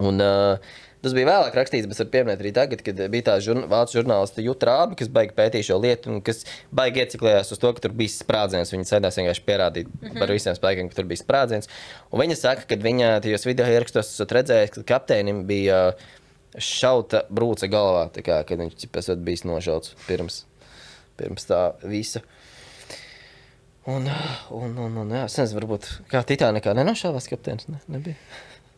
Un uh, tas bija vēlāk rakstīts, bet var pieminēt arī tagad, kad bija tā žurn vācu žurnālista Jutta Rābe, kas baigi pētīja šo lietu un kas baigi ieciklējās uz to, ka tur bija sprādziens. Viņa centās vienkārši pierādīt mm-hmm. par visiem spēkiem, ka tur bija sprādziens. Un viņa saka, ka viņa tajos video ierakstos esat redzējis, ka kapteinim bija šauta brūce galvā, tā kā, kad viņš esat bijis nošauts pirms, pirms tā visa. Un, un, un, un jā, es nezinu, varbūt kā Titanikā nenošāvās kapteinis, ne, nebija.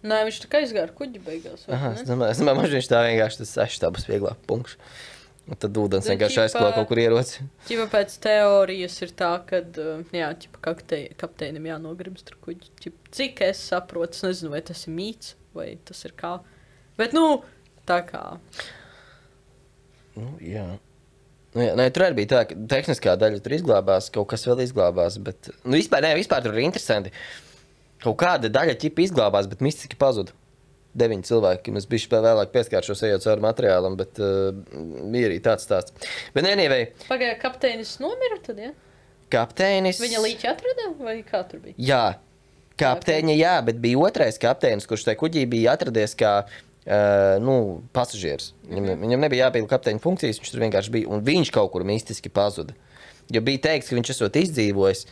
Nē, viņš tā kā izgāra kuģi beigās. Aha, es domāju, es domāju, viņš tā vienkārši tas seši tā būs vieglāk punkts. Un tad ūdens Nu, vienkārši ķipa- aizklā kaut kur ieroci. Ķipa pēc teorijas ir tā, ka, jā, ķipa kaptei, kapteinim jānogrimst ar kuģi. Ķipa, cik es saprotu, es nezinu, vai tas ir mīts, vai tas ir kā. Bet, nu, tā kā. Nu, jā. Nu, jā, nē, tur arī bija tā, ka tehniskā daļa tur izglābās, kaut kas vēl izglābās, bet, nu, vispār, nē, vispār tur ir interesanti. Kaut kāda daļa ķipa izglābās, bet mistiski pazuda. Deviņi cilvēki, mēs bišķi vēlāk pieskāršos ejot cauri materiālam, bet uh, bija arī tāds stāsts. Bet, anyway, Pagāja, kapteinis nomira tad, ja? kapteinis... Viņa līķi atrada, vai kā tur bija? Jā, kapteiņa, jā, bet bija otrais kapteinis, kurš tajā kuģī bija atradies kā, uh, nu, pasažieris. Viņam, mm-hmm. viņam nebija jāpilda kapteiņa funkcijas, viņš tur vienkārši bija, un viņš kaut kur mistiski pazuda. Jo bija teikts, ka viņš esot izdzīvojis,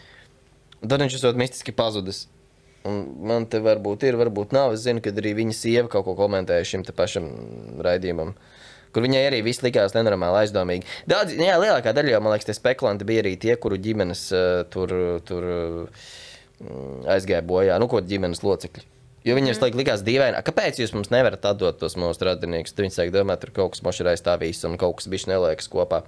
un tad viņš esot mistiski pazudis. Un man te varbūt ir, varbūt nav. Es zinu, ka arī viņa sieva kaut ko komentēja šim te pašam raidījumam, kur viņai arī viss likās nenormāli aizdomīgi. Daudz, jā, lielākā daļa jau, man liekas, tie spekulanti bija arī tie, kuru ģimenes uh, tur, tur uh, aizgāja bojā, nu, ko ģimenes locekļi. Jo viņiem mm. likās dīvaini, kāpēc jūs mums nevarat atdot tos mūsu radiniekus? Tad viņi sāk domāt, tur kaut kas moši ir aizstāvījis un kaut kas bišķi neliekas kopā.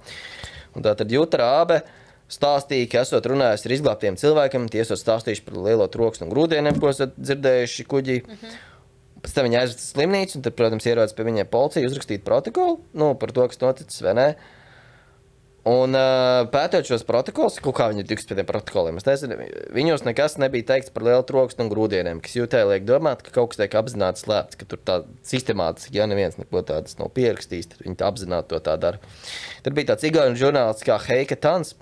Un tā tad Juta Rābe stāstīja, ka esot runājis ar izglābtiem cilvēkiem, tie esot stāstījuši par lielo troksni un grūdieniem, ko esat dzirdējuši kuģī. Mm-hmm. Pēc tam viņi aizvest slimnīcu, un tad, protams, ierodas pie viņiem policija uzrakstīt protokolu, nu, par to, kas noticis, vai ne. Un uh, pētot šos protokolus, kaut kā viņi tiks pie tiem protokoliem, es nezinu, viņos nekas nebija teikts par lielu troksni un grūdieniem, kas jūtēja liek domāt, ka kaut kas tiek apzināti slēpts, ka tur tā sistemātiski, ja neviens neko tādas nav pierakstījis, tad viņi tā apzināti to tā dara. Tad bija tāds igauņu žurnālists kā Heika Tans,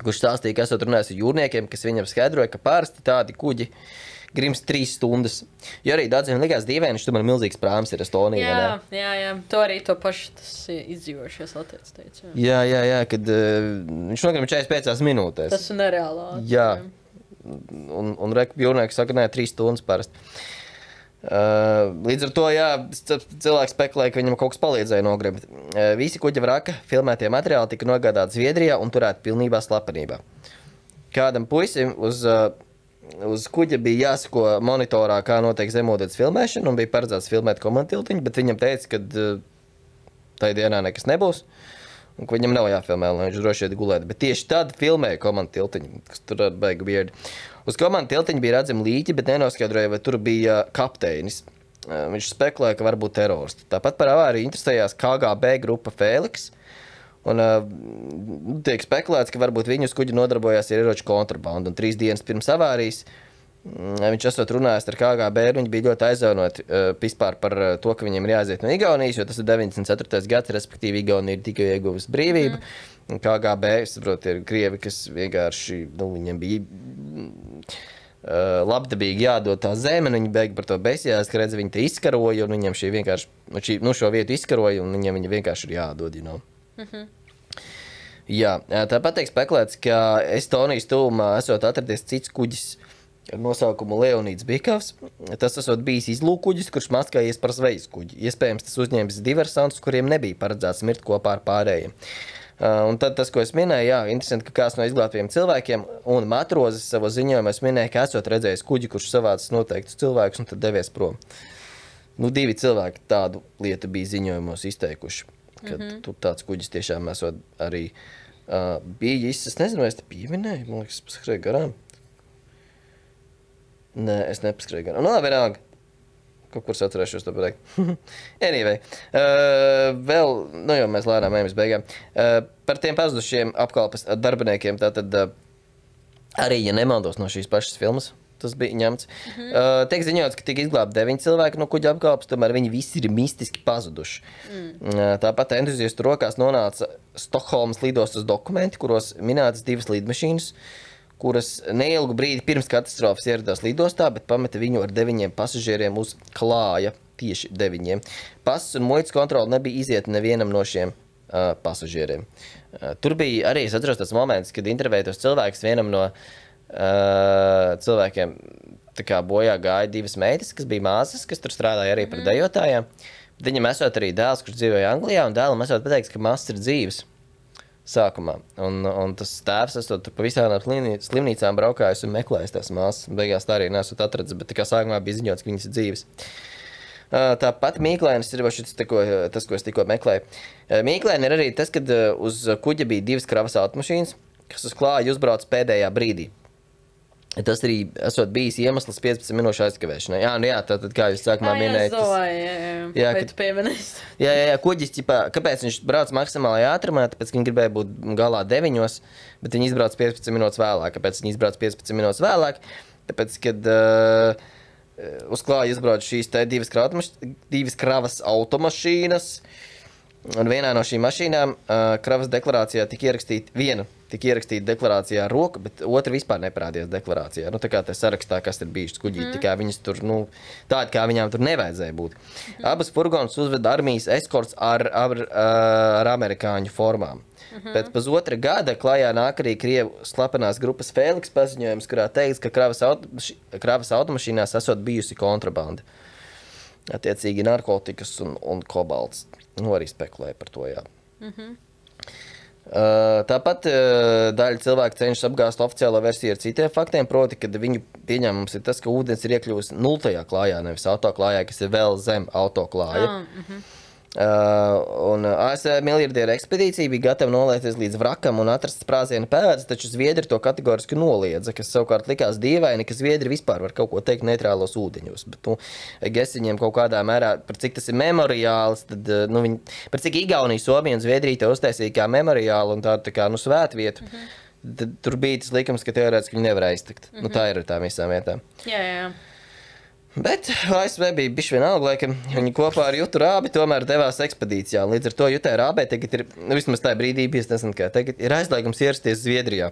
kurš stāstīja, ka esot runājis ar jūrniekiem, kas viņam skaidroja, ka pārsti tādi kuģi grimst trīs stundas. Jo arī daudziem likās dīvaini, viņš tomēr milzīgs prāms ir Estonija. Jā, jā, jā, to arī to pašu tas izdzīvojušies latviec teica. Jā, jā, jā, jā kad uh, viņš nogrim četrdesmit piecās minūtēs. Tas ir nereālā. Jā, un, un reka jūrnieki saka, nē, trīs stundas parasti. Uh, līdz ar to, jā, cilvēks spekulēja, ka viņam kaut kas palīdzēja nogrimt. Uh, visi kuģa vraka filmētie materiāli tika nogādāti Zviedrijā un turēti pilnībā slepenībā. Kādam puisim uz, uh, uz kuģa bija jāsako monitorā, kā notiek zemūdens filmēšana, un bija paredzēts filmēt komantiltiņu, bet viņam teica, ka uh, tajā dienā nekas nebūs, un ka viņam nav jāfilmē, lai viņš droši iet gulēt. Bet tieši tad filmēja komantiltiņu, kas tur beigu biedi. Uz komandu tiltiņa bija redzami līķi, bet nenoskaidroja, vai tur bija kapteinis. Viņš spekulēja, ka varbūt teroristi. Tāpat par avāriju interesējās K G B grupa Fēliks. Un tiek spekulēts, ka varbūt viņi uz kuģi nodarbojās ar ieroču kontrabandu. Un trīs dienas pirms avārijas viņš esot runājis ar K G B, un viņi bija ļoti aizvainoti vispār par to, ka viņiem ir jāaiziet no Igaunijas, jo tas ir deviņdesmit ceturtais gads, respektīvi Igaunija ir tikai ieguvusi brīvību. Mm. Un K G B, es saprotu, ir krievi, kas vienkārši, nu, viņiem bija uh, labdabīgi jādod tā zeme, un viņi beig par to besījās, ka redz, viņi te izkaroja, un viņiem šī vienkārši, nu, šī, nu šo vietu izkaroja, un viņiem viņi vienkārši ir jādod, you know. Mm-hmm. Jā, tāpat tiek spekulēts, ka Estonijas tuvumā esot atradies cits kuģis ar nosaukumu Leonīds Bikavs. Tas esot bijis izlūkuģis, kurš maskājies par zvejas kuģi. Iespējams, tas uzņēmis diversantus, kuriem nebija paredzēts mirt kopā ar pārējiem. Uh, un tad tas, ko es minēju, jā, interesanti, ka kāds no izglābtiem cilvēkiem un matrozes savo ziņojumā minēja, ka esot redzējis kuģi, kurš savācis noteiktus cilvēkus un tad devies prom. Nu, divi cilvēki tādu lietu bija ziņojumos izteikuši, kad mm-hmm. tur tāds kuģis tiešām esot arī uh, bijis. Es nezinu, vai es te pieminēju, man liekas, es paskrēju garām. Nē, es nepaskrēju garām. Nu, labi, vienalga. Kaut kur atcerēšos to pateikt. Anyway, uh, vēl, nu jau mēs lēnām ejam uz beigām. Uh, par tiem pazudušiem apkalpes darbiniekiem, tātad uh, arī, ja nemaldos no šīs pašas filmas, tas bija ņemts. Mm-hmm. uh, tiek ziņots, ka tika izglābti deviņi cilvēki no kuģa apkalpes, tomēr viņi visi ir mistiski pazuduši. Mm. Uh, tāpat entuziastu rokās nonāca Stokholmas lidostas dokumenti, kuros minētas divas lidmašīnas, kuras neilgu brīdi pirms katastrofas ieradās lidostā, bet pameta viņu ar deviņiem pasažieriem uz klāja, tieši deviņiem. Pasas un muitas kontroli nebija iziet nevienam no šiem uh, pasažieriem. Uh, tur bija arī, es atceros tas moments, kad intervētos cilvēks vienam no uh, cilvēkiem tā kā bojā gāja divas meitas, kas bija māsas, kas tur strādāja arī par dejotājām. Viņam esot arī dēls, kurš dzīvoja Anglijā, un dēlam esot pateikts, ka māsas ir dzīves. sākumā. Un, un tas tēvs, esot pa visām slimnīcām braukājis un meklējis tās māsas. Beigās tā arī nesot atradzis, bet tā kā sākumā bija ziņots, ka viņas ir dzīves. Tāpat Mīklēnis ir šis, ko, tas, ko es tikko meklēju. Mīklēni ir arī tas, kad uz kuģa bija divas kravas automašīnas, kas uz klāju uzbrauc pēdējā brīdī. Tas arī esot bijis iemesls piecpadsmit minūšu aizkavēšanai. Jā, nu jā, tātad, kā jūs sākumā minējat. Jā, jā, jā, jā, vai tu pieminēsi? Jā, jā, jā, kuģis, ķipā, kāpēc viņš brauc maksimālajā ātrumā, tāpēc, ka viņi gribēja būt galā deviņos, bet viņi izbrauc piecpadsmit minūtes vēlāk. Kāpēc viņi izbrauc piecpadsmit minūtes vēlāk? Tāpēc, kad uh, uz klāju izbrauc šīs te divas, divas kravas automašīnas, un vienā no šīm mašīnām uh, kravas deklarācijā tika ierakstīta viena. Tika ierakstīta deklarācijā ar roku, bet otra vispār neparādījās deklarācijā. Nu, tā kā tā sarakstā, kas ir bijuši kuģī, mm. tā kā viņas tur, nu, tādi, kā viņām tur nevajadzēja būt. Mm. Abas furgonas uzveda armijas eskorts ar, ar, ar amerikāņu formām. Mm-hmm. Pēc pusotra gada klājā nāk arī Krievu slepenās grupas Fēliks paziņojums, kurā teiks, ka kravas, automaši, kravas automašīnās esot bijusi kontrabanda. Attiecīgi narkotikas un, un kobalts. Nu, arī spekulēja par to, jā. Mm-hmm. Uh, tāpat uh, daļa cilvēku cenšas apgāzt oficiālo versiju ar citiem faktiem, proti, kad viņu pieņēmums ir tas, ka ūdens ir iekļuvis nultajā klājā, nevis autoklājā, kas ir vēl zem autoklāja. Ah, uh-huh. uh, un A S V miljardieru ekspedīcija bija gatava nolēties līdz vrakam un atrast sprādziena pēdas, taču Zviedri to kategoriski noliedza, kas savukārt likās dīvaini, ka Zviedri vispār var kaut ko teikt neitrālos ūdeņos. Bet, nu, es viņiem kaut kādā mērā, par cik tas ir memoriāls, tad, nu, viņi, par cik Igaunija, Somija un Zviedrija te uztaisīja kā memoriālu un tādu tā kā, nu, svētvietu, uh-huh. tad tur bija tas likums, ka teorētiski viņi nevar aiztikt. Uh-huh. Nu, tā ir ar tām visām vietām. Jā, jā, jā. Bet A S V bija bišķi vienalga, lai, ka viņi kopā ar Jutu Rābi tomēr devās ekspedīcijā. Līdz ar to Jutai Rābē tagad ir, nu, vismaz tā brīdī bijis, nezinu kā, tagad ir aizliegums ierasties Zviedrijā.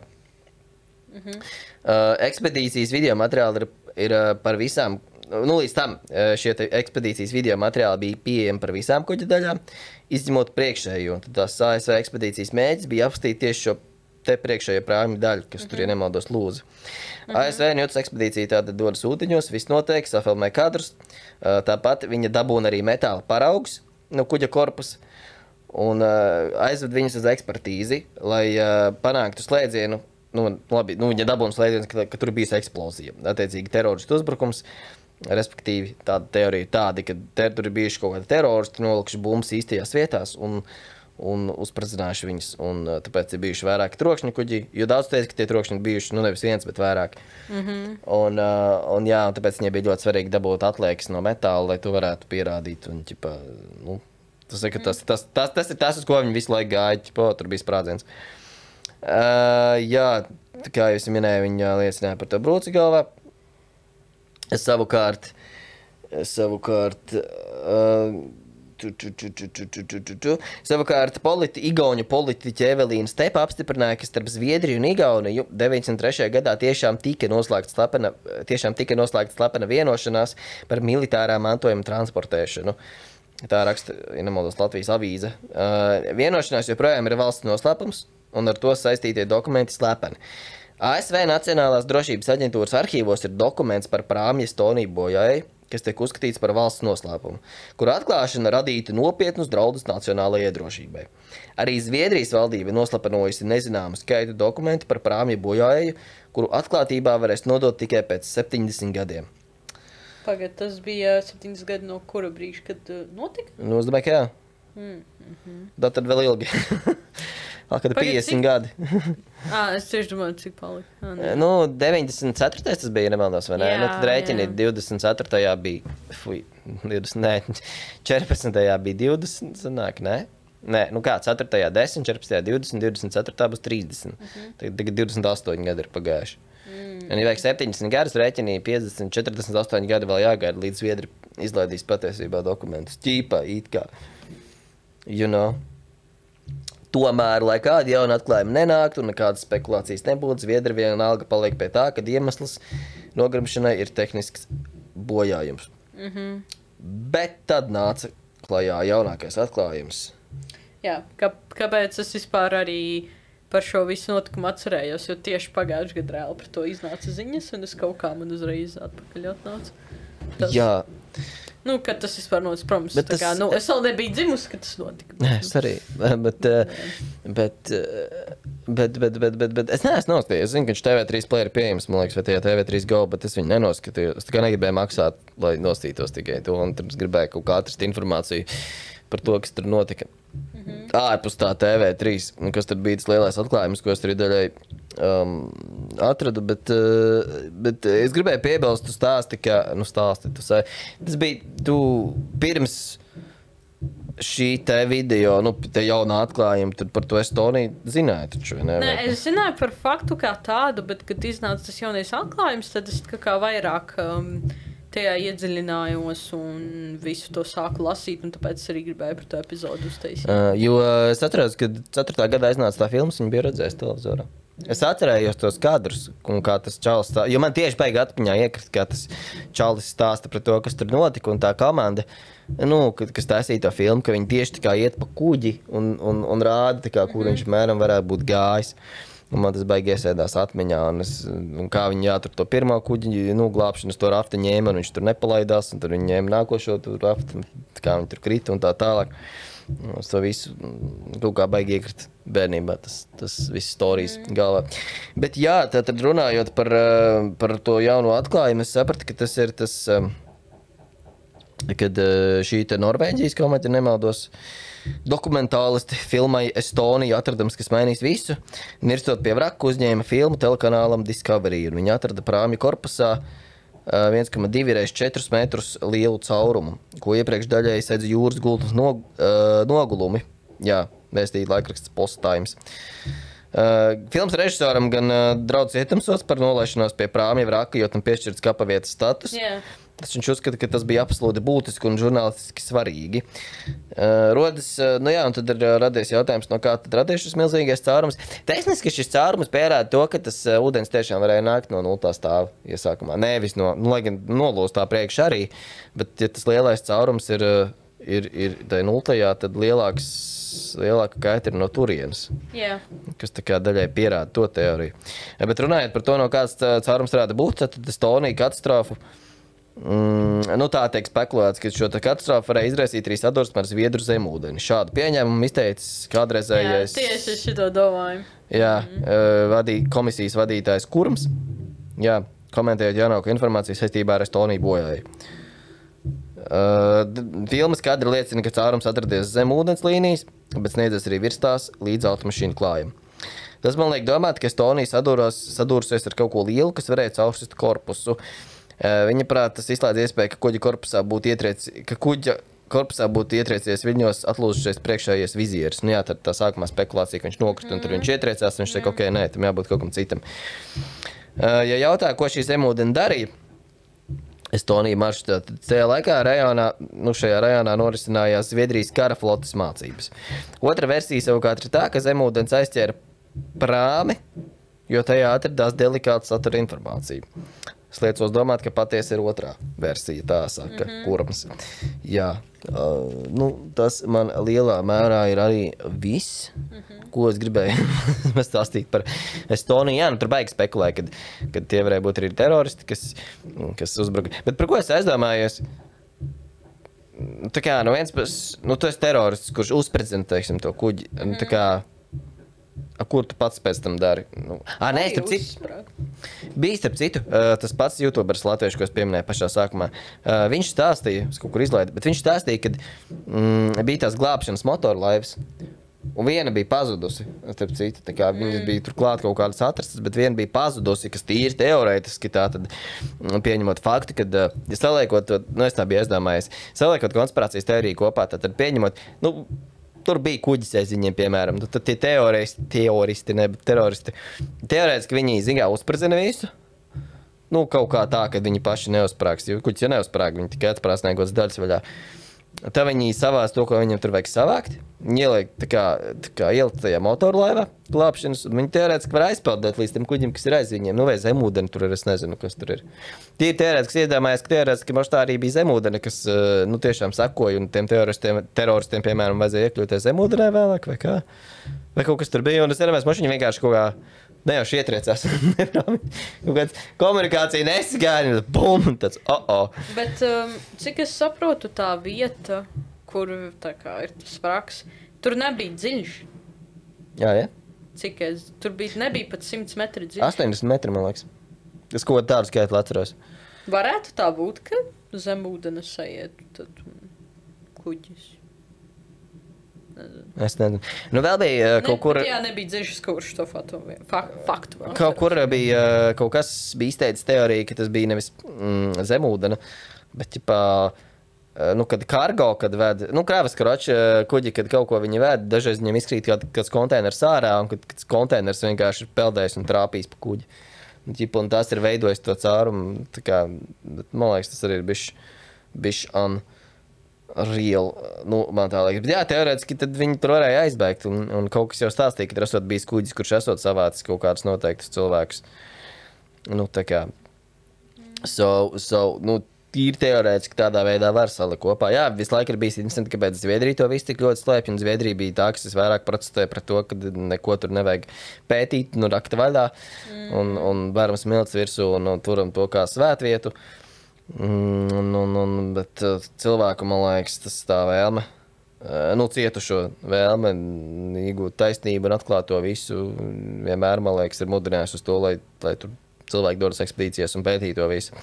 Uh-huh. Uh, ekspedīcijas video materiāli ir, ir uh, par visām, nu, līdz tam uh, šie ekspedīcijas video materiāli bija pieejami par visām kuģa daļām, izņemot priekšējo. Tad tās A S V ekspedīcijas mēģis bija apstīt tieši šo te priekšējo prāmi daļu, kas uh-huh. tur, ja nemaldos, lūza. Uh-huh. A S V un Jutas ekspedīcija tātad dodas ūdeņos, viss notiek, safilmē kadrus. Uh, tāpat viņa dabūna arī metāla paraugs no kuģa korpusa un uh, aizved viņus uz ekspertīzi, lai uh, panāktu slēdzienu. Nu, labi, nu, viņa dabūna slēdziens, ka, ka tur bijis eksplozija. Attiecīgi teroristu uzbrukums, respektīvi tāda teorija tāda, ka ter, tur ir bijuši kaut kādi teroristi, nolikuši bumbas īstajās vietās un un uzspridzinājuši viņus, un tāpēc ir bijuši vairāki trokšņi kuģi, jo daudz teica, ka tie trokšņi ir bijuši, nu, nevis viens, bet vairāk. Mm-hmm. Un, un jā, un tāpēc viņai bija ļoti svarīgi dabūt atliekas no metāla, lai to varētu pierādīt, un, ķipa, nu, tas, ir, tas, tas, tas, tas ir tas, uz ko viņi visu laiku gāja, ķipa, tur bija sprādziens. Uh, jā, tā kā jūs minēju, viņa liecināja par to brūci galvā. Es savukārt, es savukārt, uh, Tu, tu, tu, tu, tu, tu, tu, tu. Savukārt politi, Igauņu politiķa Evelīna Stepa apstiprināja, ka starp Zviedriju un Igauniju deviņdesmit trešajā gadā tiešām tika noslēgta slepena, tiešām tika noslēgta slepena vienošanās par militārā mantojuma transportēšanu. Tā raksta, ja nemaldos, Latvijas avīze. Uh, vienošanās joprojām ir valsts noslēpums, un ar to saistītie dokumenti slepeni. A S V Nacionālās drošības aģentūras arhīvos ir dokuments par prāmja Estoniju bojājai, kas tiek uzskatīts par valsts noslēpumu, kur atklāšana radītu nopietnus draudus nacionālajai drošībai. Arī Zviedrijas valdība noslepenojusi nezināmu skaitu dokumentu par prāmja bojājēju, kuru atklātībā varēs nodot tikai pēc septiņdesmit gadiem. Pagad, tas bija septiņdesmit gadi no kura brīža, kad uh, notika? Nu, es domāju, ka jā. Mm, mm-hmm. Tā tad vēl ilgi. Kad ir piecdesmit gadi. Ā, es tieši domāju, cik palika. Ā, nu, deviņdesmit ceturtais tas bija, nemaldos, vai ne? Jā, nu, tad rēķini divdesmit ceturtajā bija, fuj, divdesmit, nē, četrpadsmitajā bija divdesmit, sanāk, ne? Nē, nu kā, ceturtajā desmit, četrpadsmitajā divdesmit, divdesmit ceturtajā būs trīsdesmit. Uh-huh. Tagad divdesmit astoņi gadi ir pagājuši. Mm. Un, ja vajag septiņdesmit gadus rēķinī, piecdesmit, četrdesmit astoņi gadi vēl jāgaida, līdz Zviedri izlaidīs patiesībā dokumentus. Ķīpā, it kā. You know. Tomēr, lai kādi jauni atklājumi nenāktu un nekādas spekulācijas nebūtu, Zviedri vienalga paliek pie tā, ka iemesls nogremšanai ir tehnisks bojājums. Mm-hmm. Bet tad nāca klajā jaunākais atklājums. Jā, kā, kāpēc es vispār arī par šo visu notikumu atcerējos, jo tieši pagājuši gadu reāli par to iznāca ziņas, un es kaut kā man uzreiz atpakaļ atnācu. Tas... Jā. Nu, kad tas vispār notic, protams, Bet tā kā, tas- nu, es vēl nebiju dzimusi, kad tas notika. Nē, es arī. Bet, eh, bet, eh, bet, bet, bet, bet, bet es neesmu noskatījies. Es zinu, ka viņš T V trīs play ir pieejams, man liekas, vai tajā T V trīs Go, bet es viņu nenoskatījos. Es tikai negribēju maksāt, lai nostītos tikai to, un tad es gribēju kaut kā atrast informāciju par to, kas tur notika. Mm-hmm. Ārpus tā T V trīs, un kas tur bija tas lielais atklājums, ko es tur daļai um, atradu, bet, uh, bet es gribēju piebilst, tu stāsti, ka, nu stāsti, tu sāji, tas bija, tu pirms šī te video, nu, te jaunā atklājuma, tad par to Estoniju zināju taču, vai ne? Nē, Vai- es zināju par faktu kā tādu, bet, kad iznāca tas jaunais atklājums, tad es kā, kā vairāk um, tajā iedziļinājos un visu to sāku lasīt, un tāpēc arī gribēju par to epizodu uztaisīt. Uh, jo uh, es atceros, kad ceturtā gadā iznāca tā filmas, viņa bija redzējis televizorā. Es atcerējos tos kadrus, un kā tas čalis stāsta, jo man tieši beig atmiņā iekrist, kā tas čalis stāsta par to, kas tur notika, un tā komanda, nu, kad- kas taisīja to filmu, ka viņi tieši tā kā iet pa kuģi un, un, un rāda, tā kā, kur viņš mēram varētu būt gājis. Un man tas baigi iesēdās atmiņā, un, es, un kā viņi jātur to pirmo kuģi, nu, glābšanas to rafti ņēma, un viņš tur nepalaidās, un tur viņi ņēma nākošo tur rafti, kā viņi tur krita un tā tālāk. Es to visu mm, kaut kā baigi iekrist bērnībā, tas, tas viss storijas galvā. Bet jā, tad runājot par, eh, par to jauno atklājumu, es sapratu, ka tas ir tas, eh, kad eh, šī te Norvēģijas komēdija nemaldos, dokumentālisti filmai Estoniju atradams, kas mainīs visu. Nirstot pie vraku uzņēma filmu telekanālam Discovery, un viņi atrada prāmju korpusā viens komats divi reiz četrus metrus lielu caurumu, ko iepriekš daļēji sedz jūras gultas nog, uh, nogulumi. Jā, vēstīja laikraksts Post Times. Uh, filmas režisoram gan uh, draudz ietamsos par nolaišanos pie prāmja vraka, jo tam piešķirts kapavietas status. Jā. Tas viņš uzskata, ka tas bija absolūti būtiski un žurnālistiski svarīgi. Uh, rodas, uh, nu jā, un tad ir uh, radies jautājums, no kā tad radies šis milzīgais caurums. Tehniski šis caurums pierāda to, ka tas uh, ūdens tiešām varēja nākt no nultā stāva iesākumā. Nevis no, nu, lai gan nolūstā priekš arī, bet ja tas lielais caurums ir, uh, ir, ir tai nultajā, tad lielāks, lielāka kaita ir no turienes. Jā. Kas tā kā daļai pierāda to teoriju. Bet runājot par to, no kāds uh, caurums varētu būt, tad Estonija katastrofu. Mm, nu tā tiek spekulēts, ka šo katastrofu varēja izraisīt arī sadursme ar Zviedru zemūdeni. Šādu pieņēmumu izteicis Jā, kādreizējais tieši es šito domāju. jā, mm. vadī, komisijas vadītājs Kurms, jā, komentējot jaunāko informāciju saistībā ar Estoniju bojāju. Uh, filmas kadri liecina, ka caurums atradies zem ūdens līnijas, bet sniedzas arī virs tās līdz automašīnu klājam. Tas man liek domāt, ka Estonija sadūros, sadūrusies ar kaut ko lielu, kas varēja caursist korpusu. Viņa prāt, tas izslēdz iespēju, ka kuģa korpusā būtu ietriec, ka kuģa korpusā būtu ietriecies viņos atlūzušies priekšējais vizieris. Nu jā, tad tā sākumā spekulācija, ka viņš nokrita un tur viņš ietriecās, un viņš teica, ok, nē, tam jābūt kaut kam citam. Ja jautā, ko šī zemūdeni darīja, Estonija maršrutā, tad tajā laikā rajonā, nu šajā rajonā norisinājās Zviedrijas kara flotes mācības. Otra versija savukārt ir tā, ka zemūdens aizķēra prāmi, jo tajā atradās delikāta satura informācija. Es liecos domāt, ka patiesi ir otrā versija, tā saka, mm-hmm. Kurams. Jā, uh, nu, tas man lielā mērā ir arī viss, mm-hmm. ko es gribēju stāstīt par Estoniju. Jā, nu tur baigi spekulēja, kad, kad tie varēja būt arī teroristi, kas, kas uzbruka. Bet par ko es aizdomājos? Tā kā, no viens pēc, nu tu esi terorists, kurš uzprezentē, teiksim, to kuģi, mm-hmm. tā kā, a, kur tu pats pēc tam dari? Nu, ā, nē, starp citu. Bija starp citu, uh, tas pats YouTuberis latviešu, ko es pieminēju pašā sākumā. Uh, viņš stāstīja, es kaut kur izlaidu, bet viņš stāstīja, ka mm, bija tās glābšanas motorlaivas, un viena bija pazudusi, starp citu, tā kā viņas bija turklāt kaut kādas atrastas, bet viena bija pazudusi, kas tīri teorētiski tā tad mm, pieņemot faktu, kad, uh, ja saliekot, nu es tā biju aizdomājies, saliekot konspirācijas teoriju kopā, tad pieņemot, nu, tur bija kuģis aiz viņiem, piemēram. Tad tie teoristi, teoristi, ne, bet teroristi. Teorētiski viņi zigā uzprezina visu. Nu, kaut kā tā, ka viņi paši neuzprāks. Jo kuģis, ja neuzprāk, viņi tikai atprāsnēgots daļas vaļā. Tā viņi savās to, ko viņiem tur vajag savākt. Viņi ieliek, tā kā, tā kā ielikt tajā motorlaivā glābšanas, un viņi teorētiski var aizpeldēt līdz tiem kuģim, kas ir aiz viņiem. Nu, vai zemūdeni tur ir, es nezinu, kas tur ir. Tie teorētiski iedomājas, ka teorētiski mums tā arī bija zemūdeni, kas, nu, tiešām sakoja, un tiem teroristiem, teroristiem, piemēram, vajadzēja iekļūt zemūdenē vēlāk, vai kā? Vai kaut kas tur bija, un es iedomājos, mašiņi vienkārši kaut kā Ne jau šie ietriecās. Kaut kāds komunikācija nesagāja, un bum, tāds, oh, oh. Bet, um, cik es saprotu, tā vieta, kur tā kā ir tas vraks, tur nebija dziļš. Jā, jā. Cik es, tur bija, nebija pat simts metri dziļš. astoņdesmit metri, man liekas. Es kaut kādu tādu skaitli atceros. Varētu tā būt, ka zem ūdenes saietu tad kuģis. Es nezinu. Nu, vēl bija uh, kaut ne, kur... Jā, nebija dziļš, kurš to faktu. faktu kaut kur bija uh, kaut kas bija izteicis teorija, ka tas bija nevis mm, zemūdena, bet, ķipā, uh, nu, kad kargo, kad ved, nu, krāvas karoči kuģi, kad kaut ko viņi ved, dažreiz viņiem izkrīt kāds, kāds konteiners ārā, un kad kāds konteiners vienkārši ir peldējis un trāpījis pa kuģi. Un, ķipa, un tas ir veidojis to cārumu, tā kā, bet, man liekas, tas arī ir bišķi, bišķi un... real, nu, man tā liekas. Bet jā, teorētiski tad viņi tur varēja aizbēgt, un, un kaut kas jau stāstīja, ka tur esot bijis kuģis, kurš esot savācis kaut kādus noteiktus cilvēkus. Nu, tā kā. So, so, nu, tīri teorētiski tādā veidā var salikt kopā. Jā, visu laiku ir bijis interesanti, kāpēc Zviedrija to visu tik ļoti slēpj, un Zviedrija bija tā, kas es vairāk protestēju par to, ka neko tur nevajag pētīt, nu, rakta vaļā, mm. un, un vērams milts virsū, un, un turam to kā svētvietu. Mm, un, un, un, bet uh, cilvēku, man liekas, tas tā vēlme, uh, nu, cietušo vēlme iegūt taisnību un atklāt to visu, vienmēr, man liekas, ir mudinājuši uz to, lai, lai tur cilvēki dodas ekspedīcijas un pētītu to visu.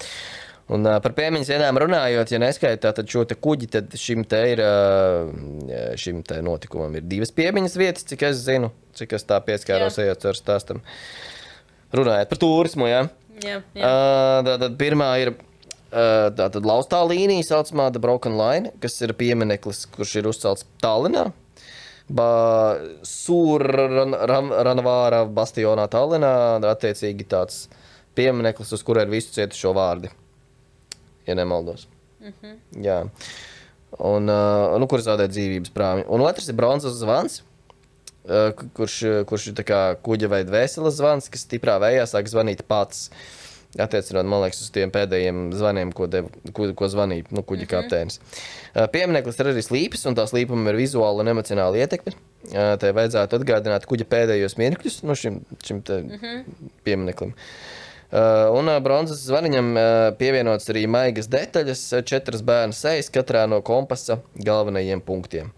Un uh, par piemiņas dienām runājot, ja neskaitā, tad šo te kuģi, tad šim te ir, uh, šim te notikumam ir divas piemiņas vietas, cik es zinu, cik es tā pieskāros ejot ar stāstam. Runājot par turismu, jā? Jā, jā. Uh, tad, tad pirmā ir tātad laustā līnija saucamā The Broken Line, kas ir piemineklis, kurš ir uzcelts Tallinā. Sūr-Ranavāra bastionā Tallinā, attiecīgi tāds piemineklis, uz kura ir visu cietušo vārdi, ja nemaldos. Mm-hmm. Jā. Un, nu, kur zaudē dzīvības prāmi. Un otrs ir bronzas zvans, kurš, kurš ir tā kā kuģa vai dvēseles zvans, kas stiprā vējā sāk zvanīt pats. Attiecinot, man liekas, uz tiem pēdējiem zvaniem, ko, dev, ko, ko zvanīja nu, kuģa mm-hmm. kapteinis. Piemineklis ir arī slīpes, un tā slīpuma ir vizuāla un emocionāla ietekme. Te vajadzētu atgādināt kuģa pēdējos mirkļus nu, šim, šim te mm-hmm. piemineklim. Un bronzas zvaniņam pievienots arī maigas detaļas, četras bērnu sejas katrā no kompasa galvenajiem punktiem.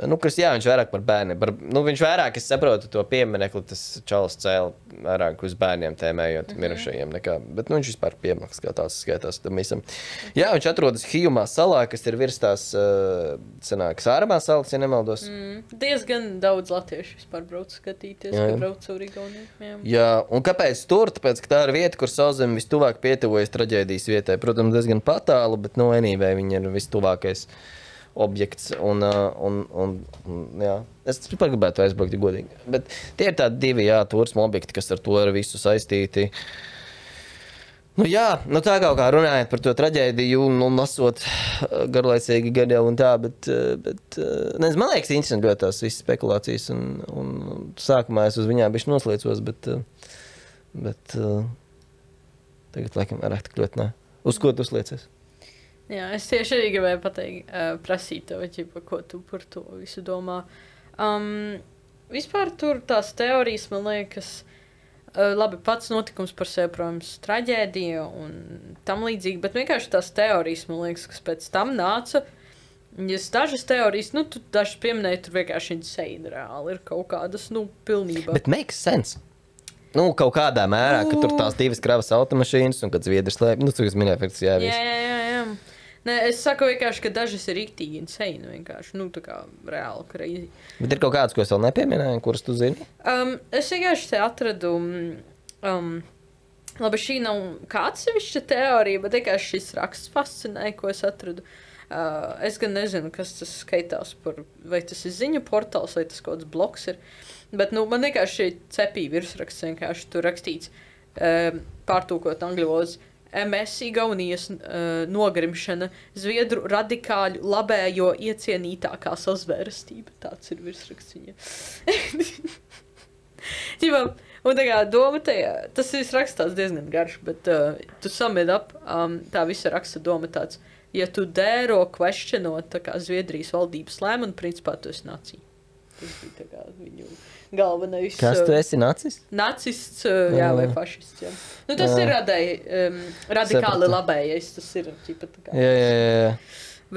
Nu, kas, jā, viņš vairāk par bērniem. Par, nu, viņš vairāk, es saprotu, to pieminekli, tas čalis cēla vairāk uz bērniem tēmējot mm-hmm. mirušajiem nekā. Bet, nu, viņš vispār piemineklis kā tāds skaitās tam visam. Jā, viņš atrodas Hijumā salā, kas ir virs tās, uh, senākas ārmā salas, ja nemaldos. Mm, diezgan daudz latviešu vispār brauc skatīties, jā, jā. Ka brauc caur Igauniju. Jā. jā, un kāpēc tur? Tāpēc, ka tā ir vieta, kur Sauszeme vistuvāk pietuvojas traģēdijas vietai. Protams, diezgan patālu, bet, nu, anyway, viņa ir vistuvākais objekts, un, un, un, un jā, es vispār gribētu aizbraukt, ja godīgi. Bet tie ir tādi divi, jā, turismu objekti, kas ar to ir visu saistīti. Nu jā, nu tā kaut kā runājot par to traģēdiju un, un lasot garlaicīgi gadi jau un tā, bet, bet nezinu, man liekas interesanti ļoti tās visas spekulācijas, un, un sākumā es uz viņām bišķi noslēcos, bet, bet tagad, laikam, vairāk tik ļoti nē. Uz ko tu sliecies? Jā, es tieši arī gribēju pateikt, uh, prasīt tev, ķipa, ko tu par to visu domā. Um, vispār tur tās teorijas, man liekas, uh, labi, pats notikums par sevi, protams, traģēdija un tam līdzīgi, bet vienkārši tās teorijas, man liekas, kas pēc tam nāca. Ja dažas teorijas, nu, tu dažas pieminēji, tur vienkārši insane reāli ir kaut kādas, nu, pilnībā. Bet makes sense. Nu, kaut kādā mērā, ka tur tās divas kravas automašīnas un kad Zviedri slēp, nu, tu, kas minēja, faktiski jā, visu. Jā, jā, jā, jā. Nē, es saku vienkārši, ka dažas ir riktīgi insane, vienkārši, nu, tā kā reāli crazy. Bet ir kaut kāds, ko es vēl nepieminēju, kuras tu zini? Um, es vienkārši te atradu, um, labi, šī nav kā atsevišķa teorija, bet vienkārši šis raksts fascinēja, ko es atradu. Uh, es gan nezinu, kas tas skaitās par, vai tas ir ziņu portāls, vai tas kaut kāds blogs ir, bet, nu, man vienkārši cepīja virsraksts, vienkārši tur rakstīts, uh, pārtūkot angļu valodas. M S Igaunijas uh, nogrimšana, Zviedru radikāļu labējo iecienītākā sazvērestība. Tāds ir virsraksts viņa. Ķipā, un tā kā doma tajā, tas viss rakstās diezgan garš, bet uh, tu samid up, um, tā visa raksta doma tāds, ja tu dēro questionot tā kā Zviedrijas valdības lēmumu, principā tu esi nacija. Tas bija tā kā viņu galvenais. Kas tu esi, nacists? Nacists, jā, vai fašists, jā. Nu, tas jā. ir radēji, um, radikāli Sapratu. labējais, tas ir, ķipa, tā kā. Jā, jā, jā.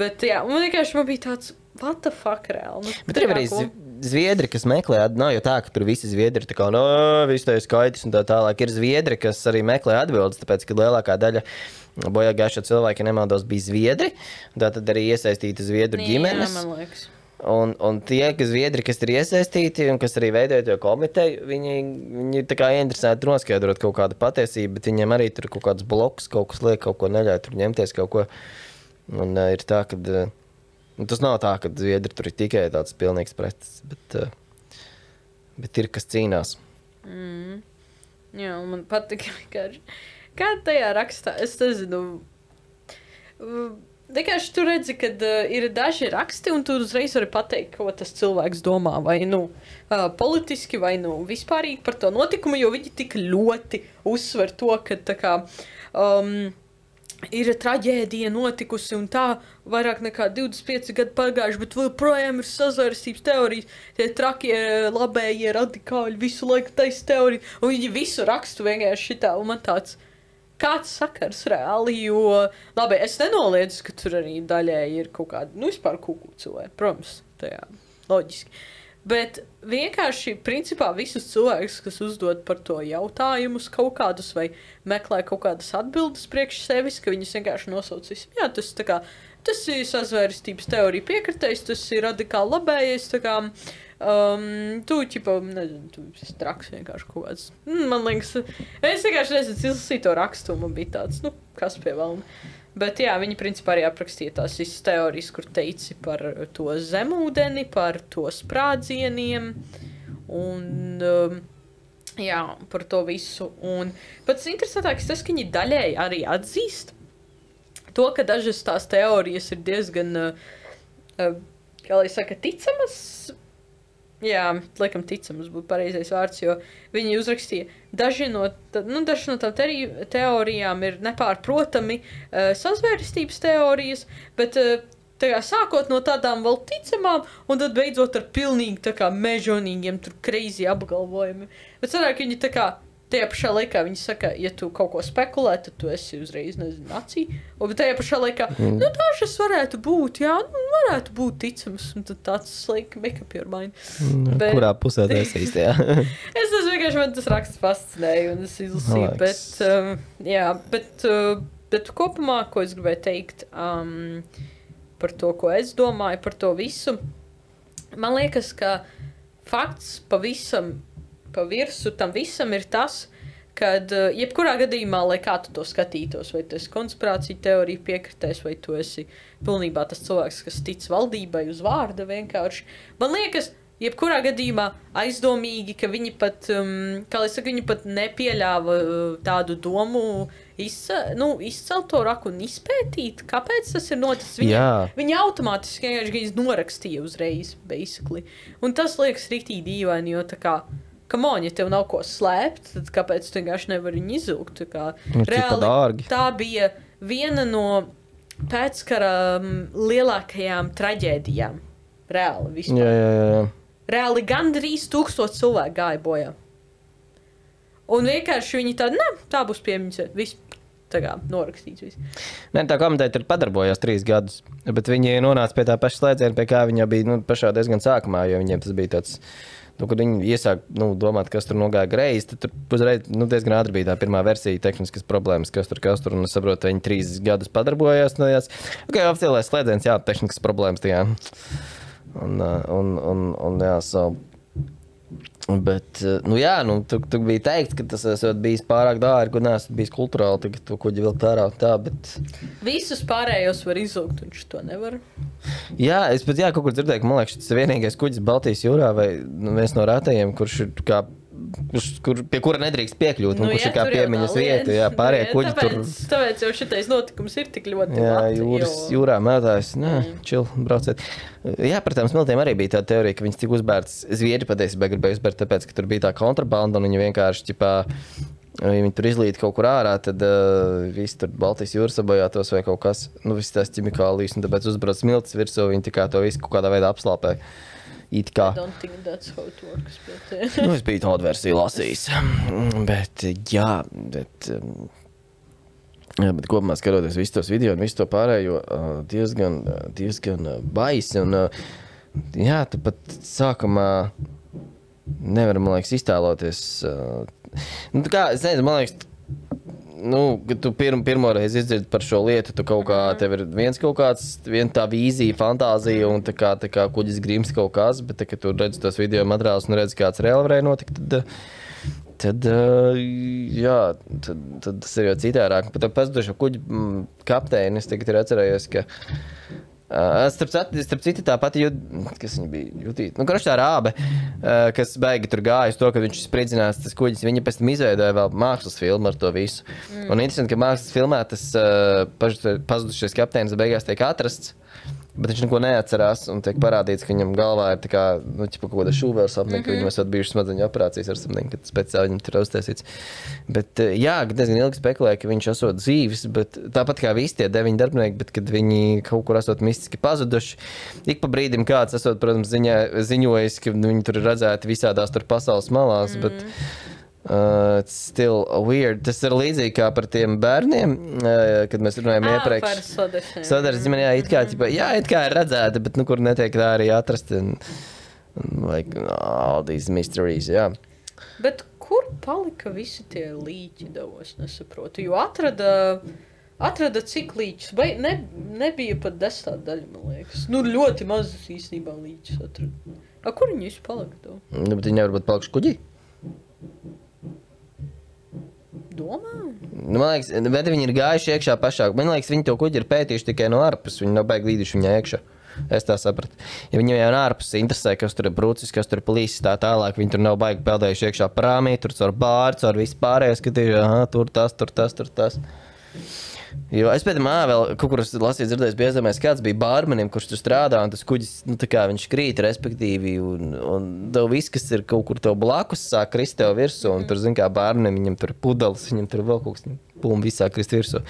Bet, jā, man vienkārši man bija tāds, what the fuck, reāli. Nu, Bet ir arī ko... zviedri, kas meklē, nav jau tā, ka tur visi zviedri tā kā, no, viss tā ir skaitis un tā tālāk. Ir zviedri, kas arī meklē atbildes, tāpēc, ka lielākā daļa bojā gājušo cilvēku, ja nemaldos, bija zviedri, tā tad arī iesaistīta zviedru ģimenes. Jā, man liekas. Un, un tie, kas zviedri, kas ir iesaistīti un kas arī veidoja to komiteju, viņi, viņi tā kā ieinteresēti noskaidrot kaut kādu patiesību, bet viņiem arī tur kaut kāds bloks, kaut kas liek, kaut ko neļauj tur ņemties kaut ko. Un uh, ir tā, ka uh, tas nav tā, ka zviedri tur ir tikai tāds pilnīgs pretis, bet, uh, bet ir, kas cīnās. Mm. Jā, man patika vienkārši. Kā tajā rakstā, es nezinu, vienkārši tu redzi, kad uh, ir daži raksti, un tu uzreiz vari pateikt, ko tas cilvēks domā, vai nu uh, politiski, vai nu vispārīgi par to notikumu, jo viņi tik ļoti uzsver to, ka tā kā um, ir traģēdija notikusi, un tā vairāk nekā divdesmit pieci gadi pagājuši, bet vēl projām ir sazvērstības teorijas, tie trakie, labējie, radikāļi, visu laiku taisa teoriju, un viņi visu rakstu vienkārši šitā, un man tāds... Kāds sakars reāli, jo, labi, es nenoliedzu, ka tur arī daļēji ir kaut kādi, nu, vispār kuku cilvēki, protams, tajā, loģiski. Bet vienkārši, principā, visus cilvēkus, kas uzdod par to jautājumus kaut kādus vai meklē kaut kādas atbildes priekš sevis, ka viņus vienkārši nosauc visam. Jā, tas tā kā, tas ir sazvērstības teorija piekritējs, tas ir radikāli labējais, tā kā, Um, tu, ķipa, nezinu, tu esi traks vienkārši kaut kāds. Mm, man liekas, es vienkārši nezinu, izlasīju to rakstu, man bija tāds, nu, kas pie valna. Bet jā, viņi principā arī aprakstīja tās visas teorijas, kur teici par to zemūdeni, par to sprādzieniem un, um, jā, par to visu. Un pats interesantākais tas, ka viņi daļēji arī atzīst to, ka dažas tās teorijas ir diezgan, uh, uh, kā lai saka, ticamas. Jā, laikam ticams būtu pareizais vārds, jo viņi uzrakstīja, daži no, nu, daži no tām teorijām ir nepārprotami uh, sazvērstības teorijas, bet uh, tā kā sākot no tādām vēl ticamām, un tad beidzot ar pilnīgi tā kā mežonīgiem tur crazy apgalvojumi. Bet sanāk, viņi tā kā, tajā pašā laikā viņi saka, ja tu kaut ko spekulē, tad tu esi uzreiz, nezinu, nacija. Un tajā pašā laikā, mm. nu dažas varētu būt, jā, nu varētu būt ticams. Un tad tāds, like, make up your mind. Mm, bet, kurā pusē tu esi īstajā? es tas vienkārši, man tas raksts fascinēja, un es izlasīju, Laiks. bet, um, jā, bet, uh, bet kopumā, ko es gribēju teikt um, par to, ko es domāju, par to visu, man liekas, ka fakts pavisam pa virsu tam visam ir tas, kad uh, jebkurā gadījumā, lai kā tu to skatītos, vai tu esi konspirācija teorija piekritējis, vai tu esi pilnībā tas cilvēks, kas tic valdībai uz vārda vienkārši. Man liekas, jebkurā gadījumā aizdomīgi, ka viņi pat, um, kā lai saka, viņi pat nepieļāva uh, tādu domu izce, nu, izcelt to raku un izpētīt, kāpēc tas ir noticis. Viņi, viņi automātiski vienkārši viņas norakstīja uzreiz, basically. Un tas liekas riktīgi dīvaini, jo tā kā come on, ja tev nav ko slēpt, tad kāpēc tu vienkārši nevari viņu izilgt? Tā kā, reāli, tā bija viena no pēckara um, lielākajām traģēdijām. Reāli vispār. Jā, jā, jā. Reāli gandrīz tūkstoši cilvēku gāja bojā. Un vienkārši viņi tādi, ne, tā būs piemiņas, viss tā kā norakstīts viss. Nē, tā komiteja tur padarbojās trīs gadus, bet viņi nonāca pie tā paša slēdziena, pie kā viņa bija, nu, pašā diezgan sākumā, jo viņiem tas bija tāds... Nu, kad viņi iesāk nu, domāt, kas tur nogāja greizi, tad tur uzreiz nu, diezgan ātri bija tā pirmā versija, tehniskas problēmas, kas tur, kas tur, un es saprotu, viņi trīs gadus padarbojās. Nu, jās, ok, oficiālais slēdziens, jā, tehniskas problēmas tajā. Un, un, un, un jā, so. Bet, nu jā, nu, tu, tu biji teikt, ka tas esot bijis pārāk dārgi, un neesat bijis kulturāli, tagad to kuģi vilkt ārā un tā, bet... Visus pārējos var izlūgt, un šito nevar. Jā, es pat jā, kaut kur dzirdēju, ka man liekas, šis vienīgais kuģis Baltijas jūrā vai nu, viens no rētajiem, kurš ir kā, kurš, kur, pie kura nedrīkst piekļūt, nu, un kurš jā, ir kā piemiņas vieta, jā, pārējie kuģi tāpēc, tur... Tāpēc jau šitais notikums ir tik ļoti jā, lati, jūras, jo... jūrā mētājs, nē, Mm. čil, brauciet. Jā, par tām smiltiem arī bija tā teorija, ka viņas tik uzbērts, zviedri patiesībā gribēja uzbērt, tāpēc, ka tur bija tā kontrabanda, un viņi vienkārši, ķipā, viņi tur izlīd kaut kur ārā, tad uh, visi tur Baltijas jūras sabojātos vai kaut kas, nu, visi tās ķimikālijas, un tāpēc uzbrauc smiltis virsū, viņi tā kā to visu kaut kādā veidā apslāpē. it kā. I don't think that's how it works, bet... Nu, es biju tādu versiju lasījis. Bet, jā, bet... Jā, bet kopumā skatoties visu tos video un visu to pārējo, diezgan, diezgan baisi. Un, jā, tu pat sākumā nevar, man liekas, iztēloties. Nu, kā, es nezinu, man liekas, nu, kad tu pirm, pirmo reizi izdzirdi par šo lietu, tu kaut kā, tev ir viens kaut kāds, viena tā vīzija, fantāzija un tā kā, tā kā kuģis grims kaut kas, bet tā, kad tu redzi tos video materiālus un redzi, kāds reāli varēja notikt, tad, tad, jā, tad, tad tas ir jau citārāk. Pat ar pazudušo kuģi kapteini es tagad ir atcerējies, ka Uh, starp, starp citu tā pati jūt, kas viņa bija jutīt. Nu, kroši tā rābe, uh, kas baigi tur gāja uz to, ka viņš spridzinās tas kuģis. Viņa pēc tam izveidoja vēl mākslas filmu ar to visu. Mm. Un interesanti, ka mākslas filmā tas uh, pazudušais kapteinis beigās tiek atrasts, bet viņš neko neatcerās un tiek parādīts, ka viņam galvā ir tā kā, nu, ķipa kaut kāda šūvēra sapniņa, mm -hmm. ka viņam esot bijušas smadzeņu operācijas ar sapniņu, kad speciāli viņam tur uztaisīts. Bet, jā, diezgan ilgi spekulēja, ka viņš esot dzīvis, bet tāpat kā visi tie deviņi darbinieki, bet kad viņi kaut kur esot mistiski pazuduši, ik pa brīdim kāds esot, protams, ziņā, ziņojis, ka viņi tur ir redzēti visādās tur pasaules malās, mm -hmm. bet Uh, it's still weird. Tas ir līdzīgi kā par tiem bērniem, uh, kad mēs runājam ah, iepriekš. Par sodašiem. Sodašiem, ģimene, jā, it kā, ķipa, jā, it kā ir redzēta, bet nu, kur netiek tā arī atrast. Un, un, like, all these mysteries, jā. Bet kur palika visi tie līķi, davos, nesaprotu? Jo atrada, atrada cik līķus, vai ne, nebija pat desmit daļa, man liekas. Nu, ļoti mazus īstenībā līķus atrada. A, kur viņi visi palika, dav? Nu, bet viņi nevar būt palikuši kuģī? Domā? Nu, man liekas, bet viņi ir gājuši iekšā pašā. Man liekas, viņi to kuģi ir pētījuši tikai no ārpus. Viņi nav baigi līduši viņā iekšā. Es tā sapratu. Ja viņiem jau no ārpus interesē, kas tur ir brūcis, kas tur ir plīsis, tā tālāk, viņi tur nav baigi peldējuši iekšā prāmī, tur caur bāri, caur visu pārējo skatīju, aha, tur tas, tur tas, tur tas. Jo es pēc tam vēl kaut kur lasīju, dzirdējis, bija aizdomājis, kāds bija bārmenim, kurš tur strādā, un tas kuģis, nu tā kā viņš krīt, respektīvi, un, un tev viss, kas ir kaut kur tev blakus, sāk krist tev virsū, un tur, zin kā, bārmenim, viņam tur pudelis, viņam tur vēl kaut kas, pum, visā krist virsū.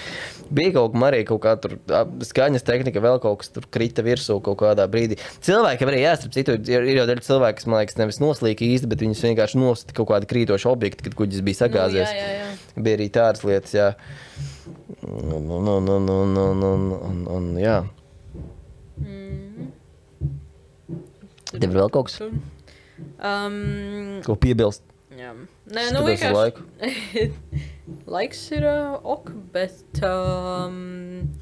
Bija kaut kā arī kaut kā tur skaņas tehnika, vēl kaut kas tur krita virsū kaut kādā brīdī. Cilvēkiem arī jāstrap citu, ir, ir jau daļa cilvēki, kas, man liekas, nevis noslīka īsti, bet viņus vienkārši nosita kaut kādi krītoši objekti, kad kuģis bija sagāzies. Nu, jā, jā, jā. Bija arī tādas lietas, jā. Un, un, un, un, un, un, un, un, un jā. Mm. Tev ir vēl kaut kas? Um, Ko piebilst? jā. Nē, nu vienkārši... Laiks ir uh, ok, bet... Um,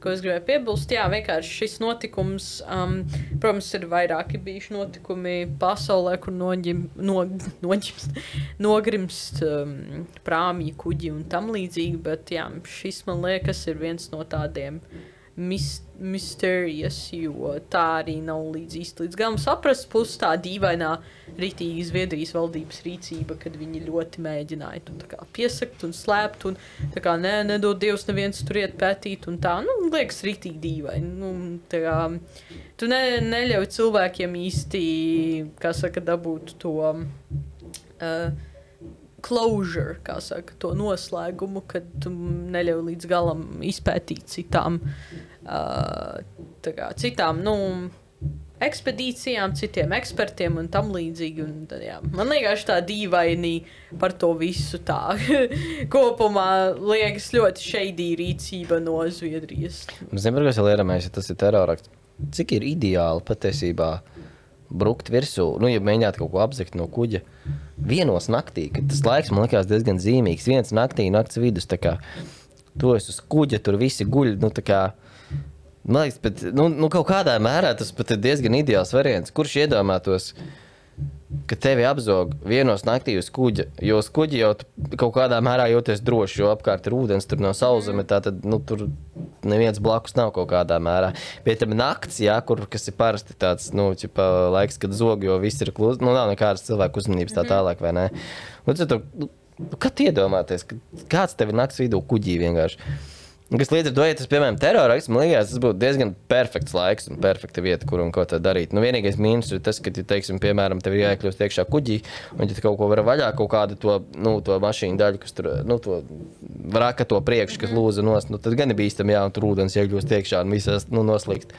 ko es gribēju piebilst, jā, vienkārši šis notikums, um, protams, ir vairāki bijuši notikumi pasaulē, kur noģim, no, noģimst, nogrimst um, prāmji, kuģi un tam līdzīgi, bet jā, šis, man liekas, ir viens no tādiem mis, mysterious, jo tā arī nav līdz īsti līdz galam saprast, plus tā dīvainā ritīgi Zviedrijas valdības rīcība, kad viņi ļoti mēģināja to tā kā piesakt un slēpt un tā kā nē, nedod Dievs neviens tur iet pētīt un tā, nu, liekas ritīgi dīvaini. Nu, tā kā, tu ne, neļauj cilvēkiem īsti, kā saka, dabūt to uh, closure, kā saka, to noslēgumu, kad tu neļauj līdz galam izpētīt citām, uh, tā kā, citām, nu, ekspedīcijām, citiem ekspertiem un tam līdzīgi. Un, tad, jā, man liekas tā dīvaini par to visu tā. Kopumā liekas ļoti shady rīcība no Zviedrijas. Zinu, par ko es vēl ieramēju, ja tas ir terorakts. Cik ir ideāli patiesībā brukt virsū, nu, ja mēģināt kaut ko apzakt no kuģa, vienos naktī, kad tas laiks man likās diezgan zīmīgs, viens naktī, nakts vidus, tā kā, tu esi uz kuģa, tur visi guļ, nu, tā kā, man liekas, bet, nu, nu, kaut kādā mērā tas pat ir diezgan ideāls variants, kurš iedomātos, ka tevi apzog vienos naktī uz kuģa, jo uz kuģa jau kaut kādā mērā jūties droši, jo apkārt ir ūdens, tur nav sauszeme, tā tad, nu, tur neviens blakus nav kaut kādā mērā. Bet tam nakts, jā, kur, kas ir parasti tāds, nu, ķipa, laiks, kad zog, jo viss ir klūst, nu, nav nekādas cilvēku uzmanības tā tālāk, vai ne? Un tu, nu, kad iedomāties, ka kāds tevi nakts vidū kuģī vienkārši? Kas līdz ar to, ja tas, piemēram, terorists, man liekas, tas būtu diezgan perfekts laiks un perfekta vieta, kur un ko tā darīt. Nu, vienīgais mīnus ir tas, ka, ja, teiksim, piemēram, tev ir jāiekļūst iekšā kuģī, un ja tu kaut ko var vaļā, kaut kādu to, nu, to mašīnu daļu, kas tur, nu, to vraka to priekšu, kas lūza nost, nu, tad gan ir bīstam, jā, un tur ūdens iekļūst iekšā un visās, nu, noslīkst.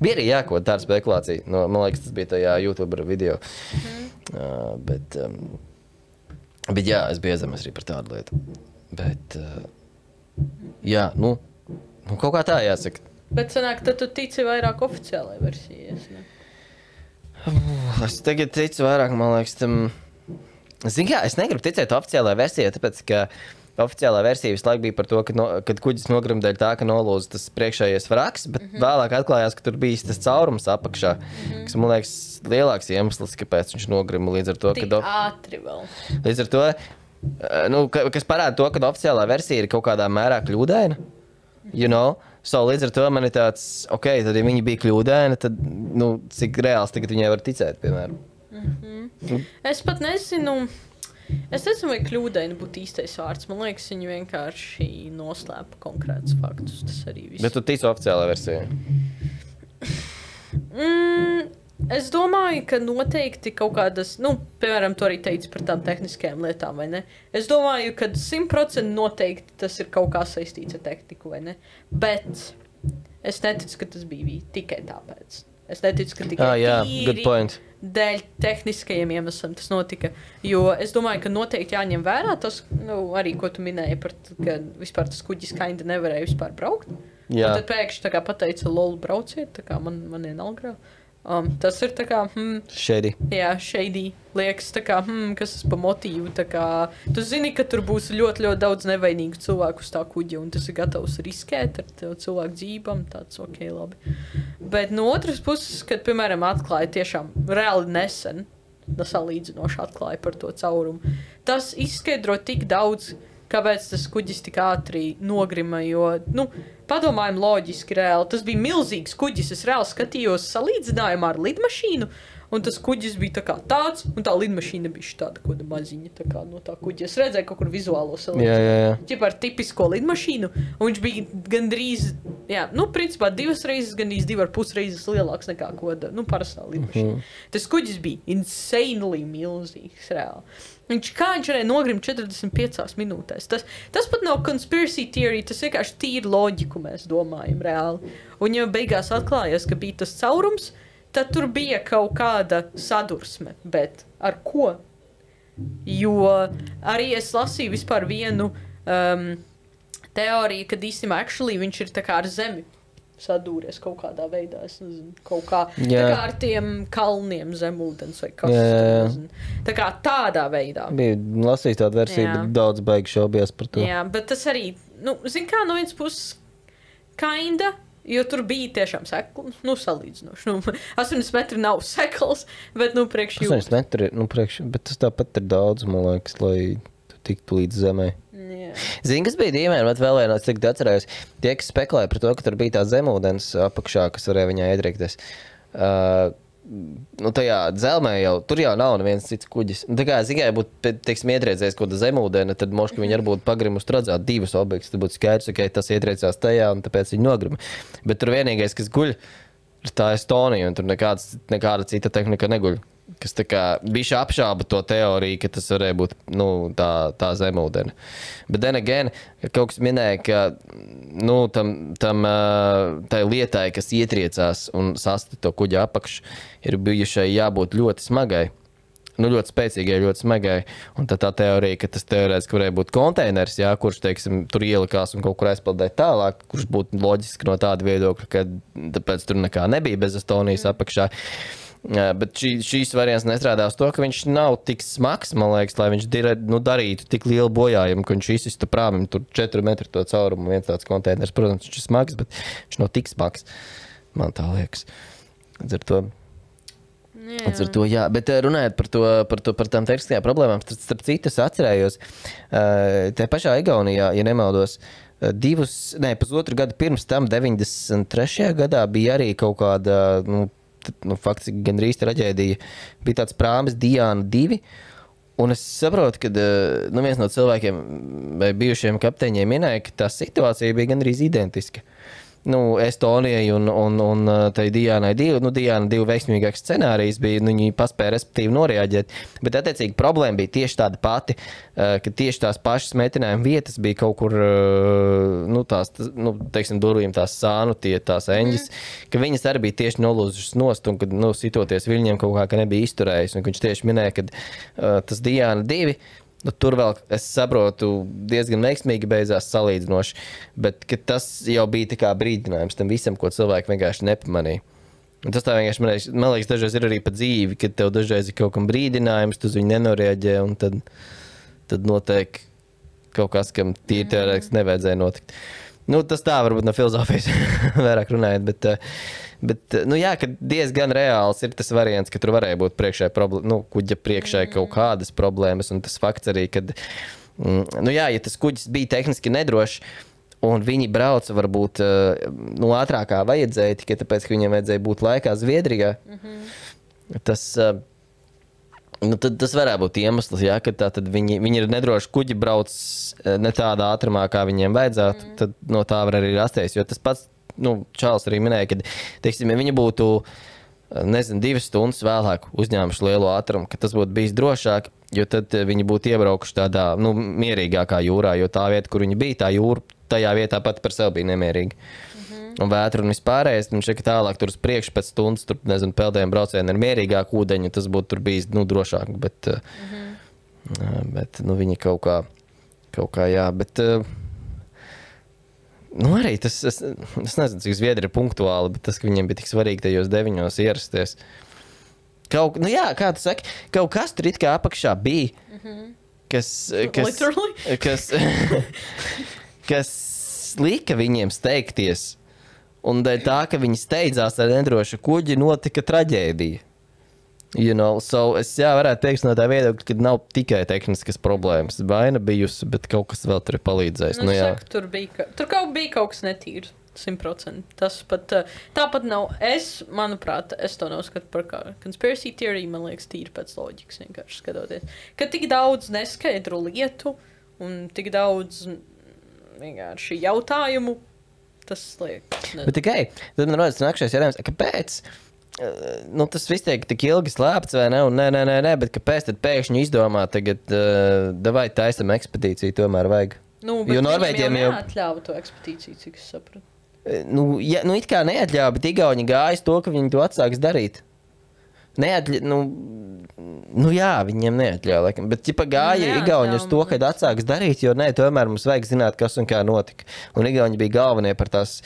Bija arī jākot tāda spekulācija. Nu, man liekas, tas bija tajā YouTube video. Mm. Uh, bet, um, bet, jā, es biju iezemies arī par tādu lietu. Bet, uh, jā, nu, nu, kaut kā tā jāsaka. Bet sanāk, tad tu tici vairāk oficiālai versijai, ne? Uh, es tagad ticu vairāk, man liekas, tam... Zini kā, es negribu ticēt oficiālai versijai, tāpēc, ka oficiālā versija visu laiku bija par to, ka no, kad kuģis nogrim dēļ tā, ka nolūza tas priekšējais vraks, bet mm -hmm. vēlāk atklājās, ka tur bija tas caurums apakšā, mm -hmm. kas, man liekas, lielāks iemesls, kāpēc viņš nogrima līdz ar to, Tik ka... ātri vēl. Līdz ar to, nu, kas parāda to, ka oficiālā versija ir kaut kādā mērā kļūdaina, you know? So, līdz ar to man ir tāds, ok, tad, ja viņi bija kļūdaini, tad, nu, cik reāls tagad viņai var ticēt, piemēram. Mm-hmm. Mm. Es pat nezinu, es nezinu, vai kļūdaini būtu īstais vārds. Man liekas, viņi vienkārši noslēpa konkrētus faktus. Tas arī viss. Bet tu tici oficiālā versijā? Mm, es domāju, ka noteikti kaut kādas, nu, piemēram, to arī teica par tām tehniskajām lietām, vai ne? Es domāju, ka simt procenti noteikti tas ir kaut kā saistīts ar tehniku, vai ne? Bet es neticu, ka tas bija tikai tāpēc. Es neticu, ka tikai ah, jā, tīri good point. dēļ tehniskajiem iemesliem tas notika. Jo es domāju, ka noteikti jāņem vērā tas, nu, arī, ko tu minēji par, ka vispār tas kuģis kinda nevarēja vispār braukt. Jā. Un tad pēkšņi tā kā pateica, lol, brauciet, tā kā man, man ienalgrā. Um, tas ir tā kā, hmm, shady. Jā, shady. Liekas, tā kā, hmm, kas tas pa motīvu, tā kā, tu zini, ka tur būs ļoti, ļoti daudz nevainīgu cilvēku uz tā kuģa, un tas ir gatavs riskēt ar tev cilvēku dzīvām, tāds, ok, labi. Bet no otras puses, kad, piemēram, atklāja tiešām reāli nesen, salīdzinoši atklāja par to caurumu, tas izskaidro tik daudz, kāpēc tas kuģis tik ātri nogrima, jo, nu, padomājam loģiski reāli, tas bija milzīgs kuģis, es reāli skatījos salīdzinājumā ar lidmašīnu, un tas kuģis bija tā kā tāds, un tā lidmašīna bija tāda koda maziņa, tā kā no tā kuģa. Es redzēju kaut kur vizuālo salīdzinājumu. Jā, jā, jā. Ķip ar tipisko lidmašīnu, un viņš bija gandrīz, jā, nu, principā divas reizes, gandrīz divi ar pus reizes lielāks nekā koda, nu, parastā lidmašīna. Mm -hmm. Tas kuģis bija insanely milzīgs, reāli. Viņš kā viņš varēja nogrimt četrdesmit piecās minūtēs. Tas, tas pat nav conspiracy theory, tas vienkārši tīri loģiku mēs domājam reāli. Un ja beigās atklājās, ka bija tas caurums, tad tur bija kaut kāda sadursme, bet ar ko? Jo arī es lasīju vispār vienu um, teoriju, kad īstenībā actually viņš ir tā kā ar zemi sadūries kaut kādā veidā, es nezinu, kaut kā, jā. tā kā ar tiem kalniem zemūdens vai kas, jā, jā. nezinu. Tā kā tādā veidā. Bija lasījis tādu versiju, jā. Bet daudz baigi šaubījās par to. Jā, bet tas arī, nu, zin kā, no viens puses kinda, jo tur bija tiešām sekls, nu, salīdzinoši. Nu, astoņdesmit metri nav sekls, bet, nu, priekš jūtas. astoņdesmit metri, nu, priekš, bet tas tāpat ir daudz, man liekas, lai tu tiktu līdz zemē. Jā. Zini, kas bija dīvaini, bet vēl viena, es tagad atcerējos, tie, kas spekulēja par to, ka tur bija tā zemūdens apakšā, kas varēja viņā iedrīkties. Uh, nu, tajā dzelmē jau, tur jau nav neviens cits kuģis. Un tā kā, zini, ja būtu, teiksim, ietriecējis kaut kāda zemūdena, tad moški viņi arī būtu pagrimuši redzēt divas objektus, tad būtu skaidrs, ka tas ietriecās tajā, un tāpēc viņi nogrima. Bet tur vienīgais, kas guļ, ir tā Estonija, un tur nekāds, nekāda cita tehnika neguļ. Kas tā kā bišķi apšāba to teoriju, ka tas varēja būt, nu, tā, tā zemūdena. Bet then again, kaut kas minēja, ka, nu, tam, tam tai lietai, kas ietriecās un sasti to kuģa apakšu, ir bijušai jābūt ļoti smagai. Nu, ļoti spēcīgai, ļoti smagai. Un tad tā teorija, ka tas teorētiski varēja būt konteiners, jā, kurš, teiksim, tur ielikās un kaut kur aizpildēja tālāk, kurš būtu loģiski no tāda viedokļa, ka tāpēc tur nekā nebija bez Estonijas apakšā. Jā, bet šī, šīs variants nestrādā uz to, ka viņš nav tik smags, man liekas, lai viņš dir, nu, darītu tik lielu bojājumu, ka viņš izsistu prāmim tur četri metri to caurumu, viens tāds konteiners. Protams, viņš ir smags, bet viņš nav tik smags, man tā liekas. Līdz ar to, līdz ar to, jā. Bet runājot par to, par to, par tām tehniskajām problēmām, starp citu es atcerējos, te pašā Igaunijā, ja nemaldos, divus, ne, pusotru gadu pirms tam, deviņdesmit trešajā gadā bija arī kaut kāda, nu, nu, faktiski gandrīz traģēdija. Bija tāds prāmis Diana divi, Un es saprotu, ka nu, viens no cilvēkiem vai bijušiem kapteiņiem minēja, ka tā situācija bija gandrīz identiska. Nu, Estonijai un, un, un tai Diānai divi, nu, Diāna divi veiksmīgāks scenārijs bija, nu, viņi paspēja respektīvi noreaģēt, bet attiecīgi problēma bija tieši tāda pati, ka tieši tās pašas metinājuma vietas bija kaut kur, nu, tās, nu, teiksim, durvīm tās sānu, tie, tās eņģis, mm. ka viņas arī bija tieši nolūzušas nost, un, kad, nu, sitoties viņiem kaut kā, ka nebija izturējis, un viņš tieši minēja, ka uh, tas Diāna divi, nu, tur vēl, es saprotu, diezgan veiksmīgi beidzās salīdzinoši, bet tas jau bija tā kā brīdinājums tam visam, ko cilvēki vienkārši nepamanīja. Un tas tā vienkārši, man liekas, man liekas, dažreiz ir arī pa dzīvi, kad tev dažreiz ir kaut kam brīdinājums, tu uz viņu nenoreaģē, un tad, tad notiek kaut kas, kam tīri teorētiski nevajadzēja notikt. Nu, tas tā varbūt no filozofijas vairāk runājot, bet, bet nu jā, ka diezgan reāls ir tas variants, ka tur varēja būt priekšē problēma, nu, kuģa priekšē kaut kādas problēmas, un tas fakts arī, kad, nu jā, ja tas kuģis bija tehniski nedrošs, un viņi brauca varbūt, nu, ātrākā vajadzēja, tikai tāpēc, ka viņiem vajadzēja būt laikā Zviedrijā, mm-hmm. tas... Nu, tad tas varētu būt iemesls, ja, ka tā, tad viņi, viņi ir nedroši kuģi brauc ne tādā ātrumā, kā viņiem vajadzētu, mm. tad no tā var arī rasties, jo tas pats, nu, Čārls arī minēja, ka, teiksim, ja viņi būtu, nezinu, divas stundas vēlāk uzņēmuši lielu ātrumu, ka tas būtu bijis drošāk, jo tad viņi būtu iebraukuši tādā, nu, mierīgākā jūrā, jo tā vieta, kur viņi bija, tā jūra, tajā vietā pati par sevi bija nemierīga. Un vētru un vispārējais, un šeit tālāk tur uz priekšu pēc stundas, tur, nezinu, peldējiem braucieni ir mierīgāk ūdeņi, tas būtu tur bijis, nu, drošāk, bet, mm-hmm. bet, nu, viņi kaut kā, kaut kā, jā, bet, nu, arī tas, es, es nezinu, cik Zviedri ir punktuāli, bet tas, ka viņiem bija tik svarīgi tajos deviņos ierasties. Kaut, nu, jā, kā tu saki, kaut kas tur it kā apakšā bija, mm-hmm. kas, kas, Literally? kas, kas lika viņiem steigties. Un dēļ tā, ka viņi steidzās ar nedrošu kuģi, notika traģēdija. You know, so es jā, varētu teikt no tā viedokļa, ka nav tikai tehniskas problēmas. Vaina bijusi, bet kaut kas vēl tur ir palīdzējis. Nu, nu, jā. saku, tur bija, tur kaut bija kaut kas netīrs. simt procenti. Tas pat, tāpat nav. Es, manuprāt, es to neuzskatu par kā conspiracy theory, man liekas, tīri pēc loģikas vienkārši skatoties. Ka tik daudz neskaidru lietu un tik daudz vienkārši jautājumu, tas liekas. Bet tikai, tad man rodas nākšais jautājums, kāpēc? Nu, tas viss tiek tik ilgi slēpts, vai ne? Un nē, nē, nē, nē, bet kāpēc tad pēkšņi izdomā tagad, uh, davai taisam ekspedīciju, tomēr vajag? Nu, bet jo Norvēģiem jau neatļāva to ekspedīciju, cik es sapratu. Nu, ja, nu, it kā neatļāva, bet Igauni gājas to, ka viņi to atsāks darīt. Neatļa, nu, nu jā, viņiem neatļāva, laikam, bet ķipa gāja Igauni uz to, kad atsāks darīt, jo nē, tomēr mums vajag zināt, kas un kā notika. Un Igauni bija galvenie par tās,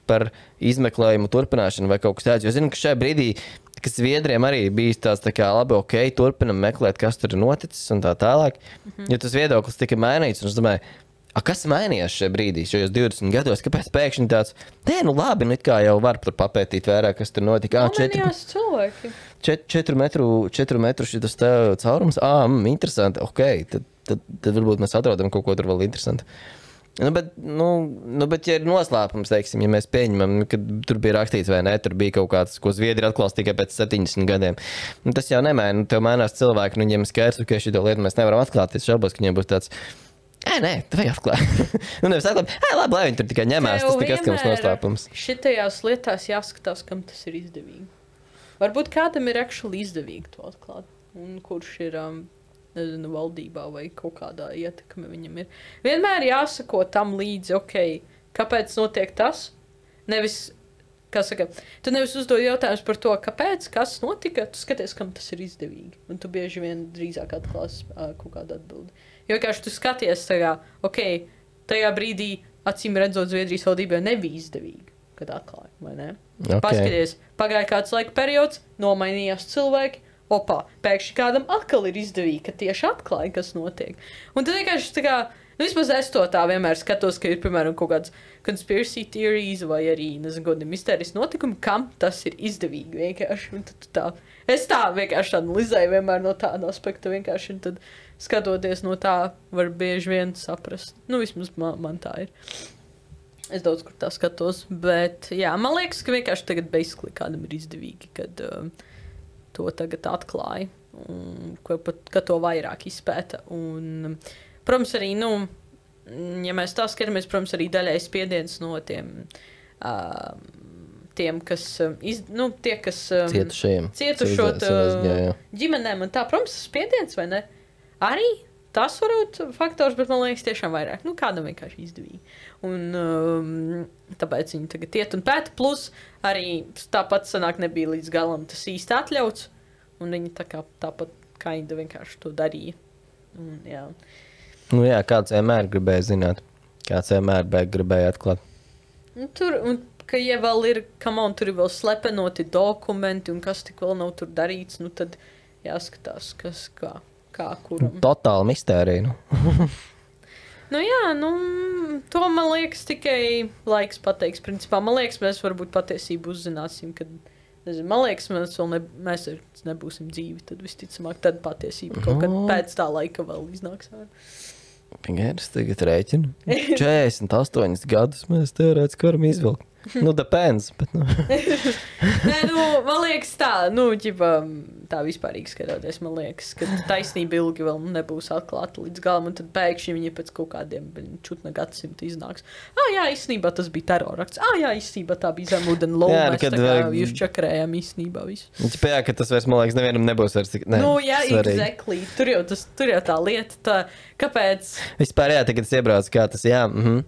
par izmeklējumu turpināšanu vai kaut kas tāds, jo zinu, ka šajā brīdī, kas Zviedriem arī bijis tāds tā kā labi, ok, turpinam meklēt, kas tur ir noticis un tā tālāk, mm-hmm. jo tas viedoklis tika mainīts, un es domāju, a, kas mainījās šajā brīdī, šajos divdesmit gados, kāpēc pēkšņi tāds, nē, nu labi, nu it kā jau var tur papētīt vairāk, kas tur notika. Ā, četri, cilvēki. Čet, četru metru, četru metru šitas tā caurums, ā, mm, interesanti, ok, tad, tad, tad varbūt mēs atrodam kaut ko tur vēl interesanti. Nu, bet, nu, nu, bet, ja ir noslēpums, teiksim, ja mēs pieņemam, kad tur bija rakstīts vai ne, tur bija kaut kāds, ko Zviedri atklās tikai pēc septiņdesmit gadiem. Nu, tas jau nemaina, nu, tev mainās cilvēki, nu, viņiem skaidrs, ka šito lietu mēs nevaram atklāt, es šaubos, ka viņiem būs tāds, ē, nē, tu vajag atklāt. Nu, nevis atklāt, ē, labi, lai viņi tur tikai ņemās, tas nekas, ka mums noslēpums. Šitajās lietās jāskatās, kam tas ir izdevīgi. Varbūt kādam ir actually izdevīgi to atklāt, un kurš ir... Um, nezinu, valdībā vai kaut kādā ietekme viņam ir. Vienmēr jāsako tam līdzi, ok, kāpēc notiek tas? Nevis, kā saka, tu nevis uzdod jautājums par to, kāpēc, kas notika, tu skaties, kam tas ir izdevīgi. Un tu bieži vien drīzāk atklās uh, kaut kādu atbildi. Jo vienkārši tu skaties tajā, ok, tajā brīdī, acīm redzot, Zviedrijas valdībai nebija izdevīgi, kad atklāja, vai ne? Okay. Paskaties, pagāja kāds laika periods, nomainījās cilvēki, opā, pēkšņi kādam atkal ir izdevīgi, ka tieši atklāja, kas notiek. Un tad vienkārši tā kā, nu vismaz es to tā vienmēr skatos, ka ir, piemēram, kaut kāds conspiracy theories vai arī, nezinu, godi mistērijas notikumi, kam tas ir izdevīgi vienkārši. Un tad tā, es tā vienkārši analizēju vienmēr no tāda aspekta vienkārši, un tad skatoties no tā var bieži vien saprast. Nu, vismaz man, man tā ir. Es daudz kur tā skatos, bet jā, man liekas, ka vienkārši tagad basically kādam ir izdevīgi, kad... Uh, to tagad atklāja. Un ka, ka to vairāk izpēta. Un, protams, arī, nu, ja mēs tā skatāmies, protams, arī daļai spiediens no tiem, uh, tiem kas, iz, nu, tie, kas um, cietušajiem, cietušot uh, ģimenēm un tā, protams, spiediens, vai ne? Arī tas var būt faktors, bet man liekas tiešām vairāk. Nu, kādam vienkārši izdevīgi. Un um, tāpēc viņi tagad iet un pēta. Plus arī tāpat sanāk nebija līdz galam tas īsti atļauts. Un viņi tā kā tāpat kaida vienkārši to darīja. Un, jā. Nu jā, kāds vienmēr gribēja zināt. Kāds vienmēr gribēja atklāt. Un tur, un, ka ja vēl ir, come on, tur ir vēl slepenoti dokumenti un kas tik vēl nav tur darīts, nu tad jāskatās, kas kā. Kā kuram. Totāla mistērija, nu. Nu jā, nu, to man liekas tikai laiks pateiks. Principā, man liekas, mēs varbūt patiesību uzzināsim, kad, nezinu, man liekas, mēs vēl ne, mēs nebūsim dzīvi, tad visticamāk, tad patiesība kaut kad pēc tā laika vēl iznāks. Pagaidas tagad rēķinu. četrdesmit astoņus gadus mēs teorētiski varam izvilkt. Nu, depends, bet, nu. Nē, nu, man liekas tā, nu, ģipa, tā vispārīgi skatoties, man liekas, ka taisnība ilgi vēl nebūs atklāta līdz galam, un tad pēkšņi viņi pēc kaut kādiem čutna gadsimta iznāks. Ā, jā, īstenībā tas bija terorakts. Ā, jā, īstenībā tā bija zemūdena loma. Jā, mēs kad tā kā vajag- jūs čakarējām īstenībā visu. Jā, ka tas vairs, man liekas, nevienam nebūs vairs tik, ne, Nu, jā, svarīgi. exactly. Tur jau, tas, tur jau tā lieta, tā, kāpēc, Vispār, jā, tagad es iebraucu, kā tas, jā, mhm.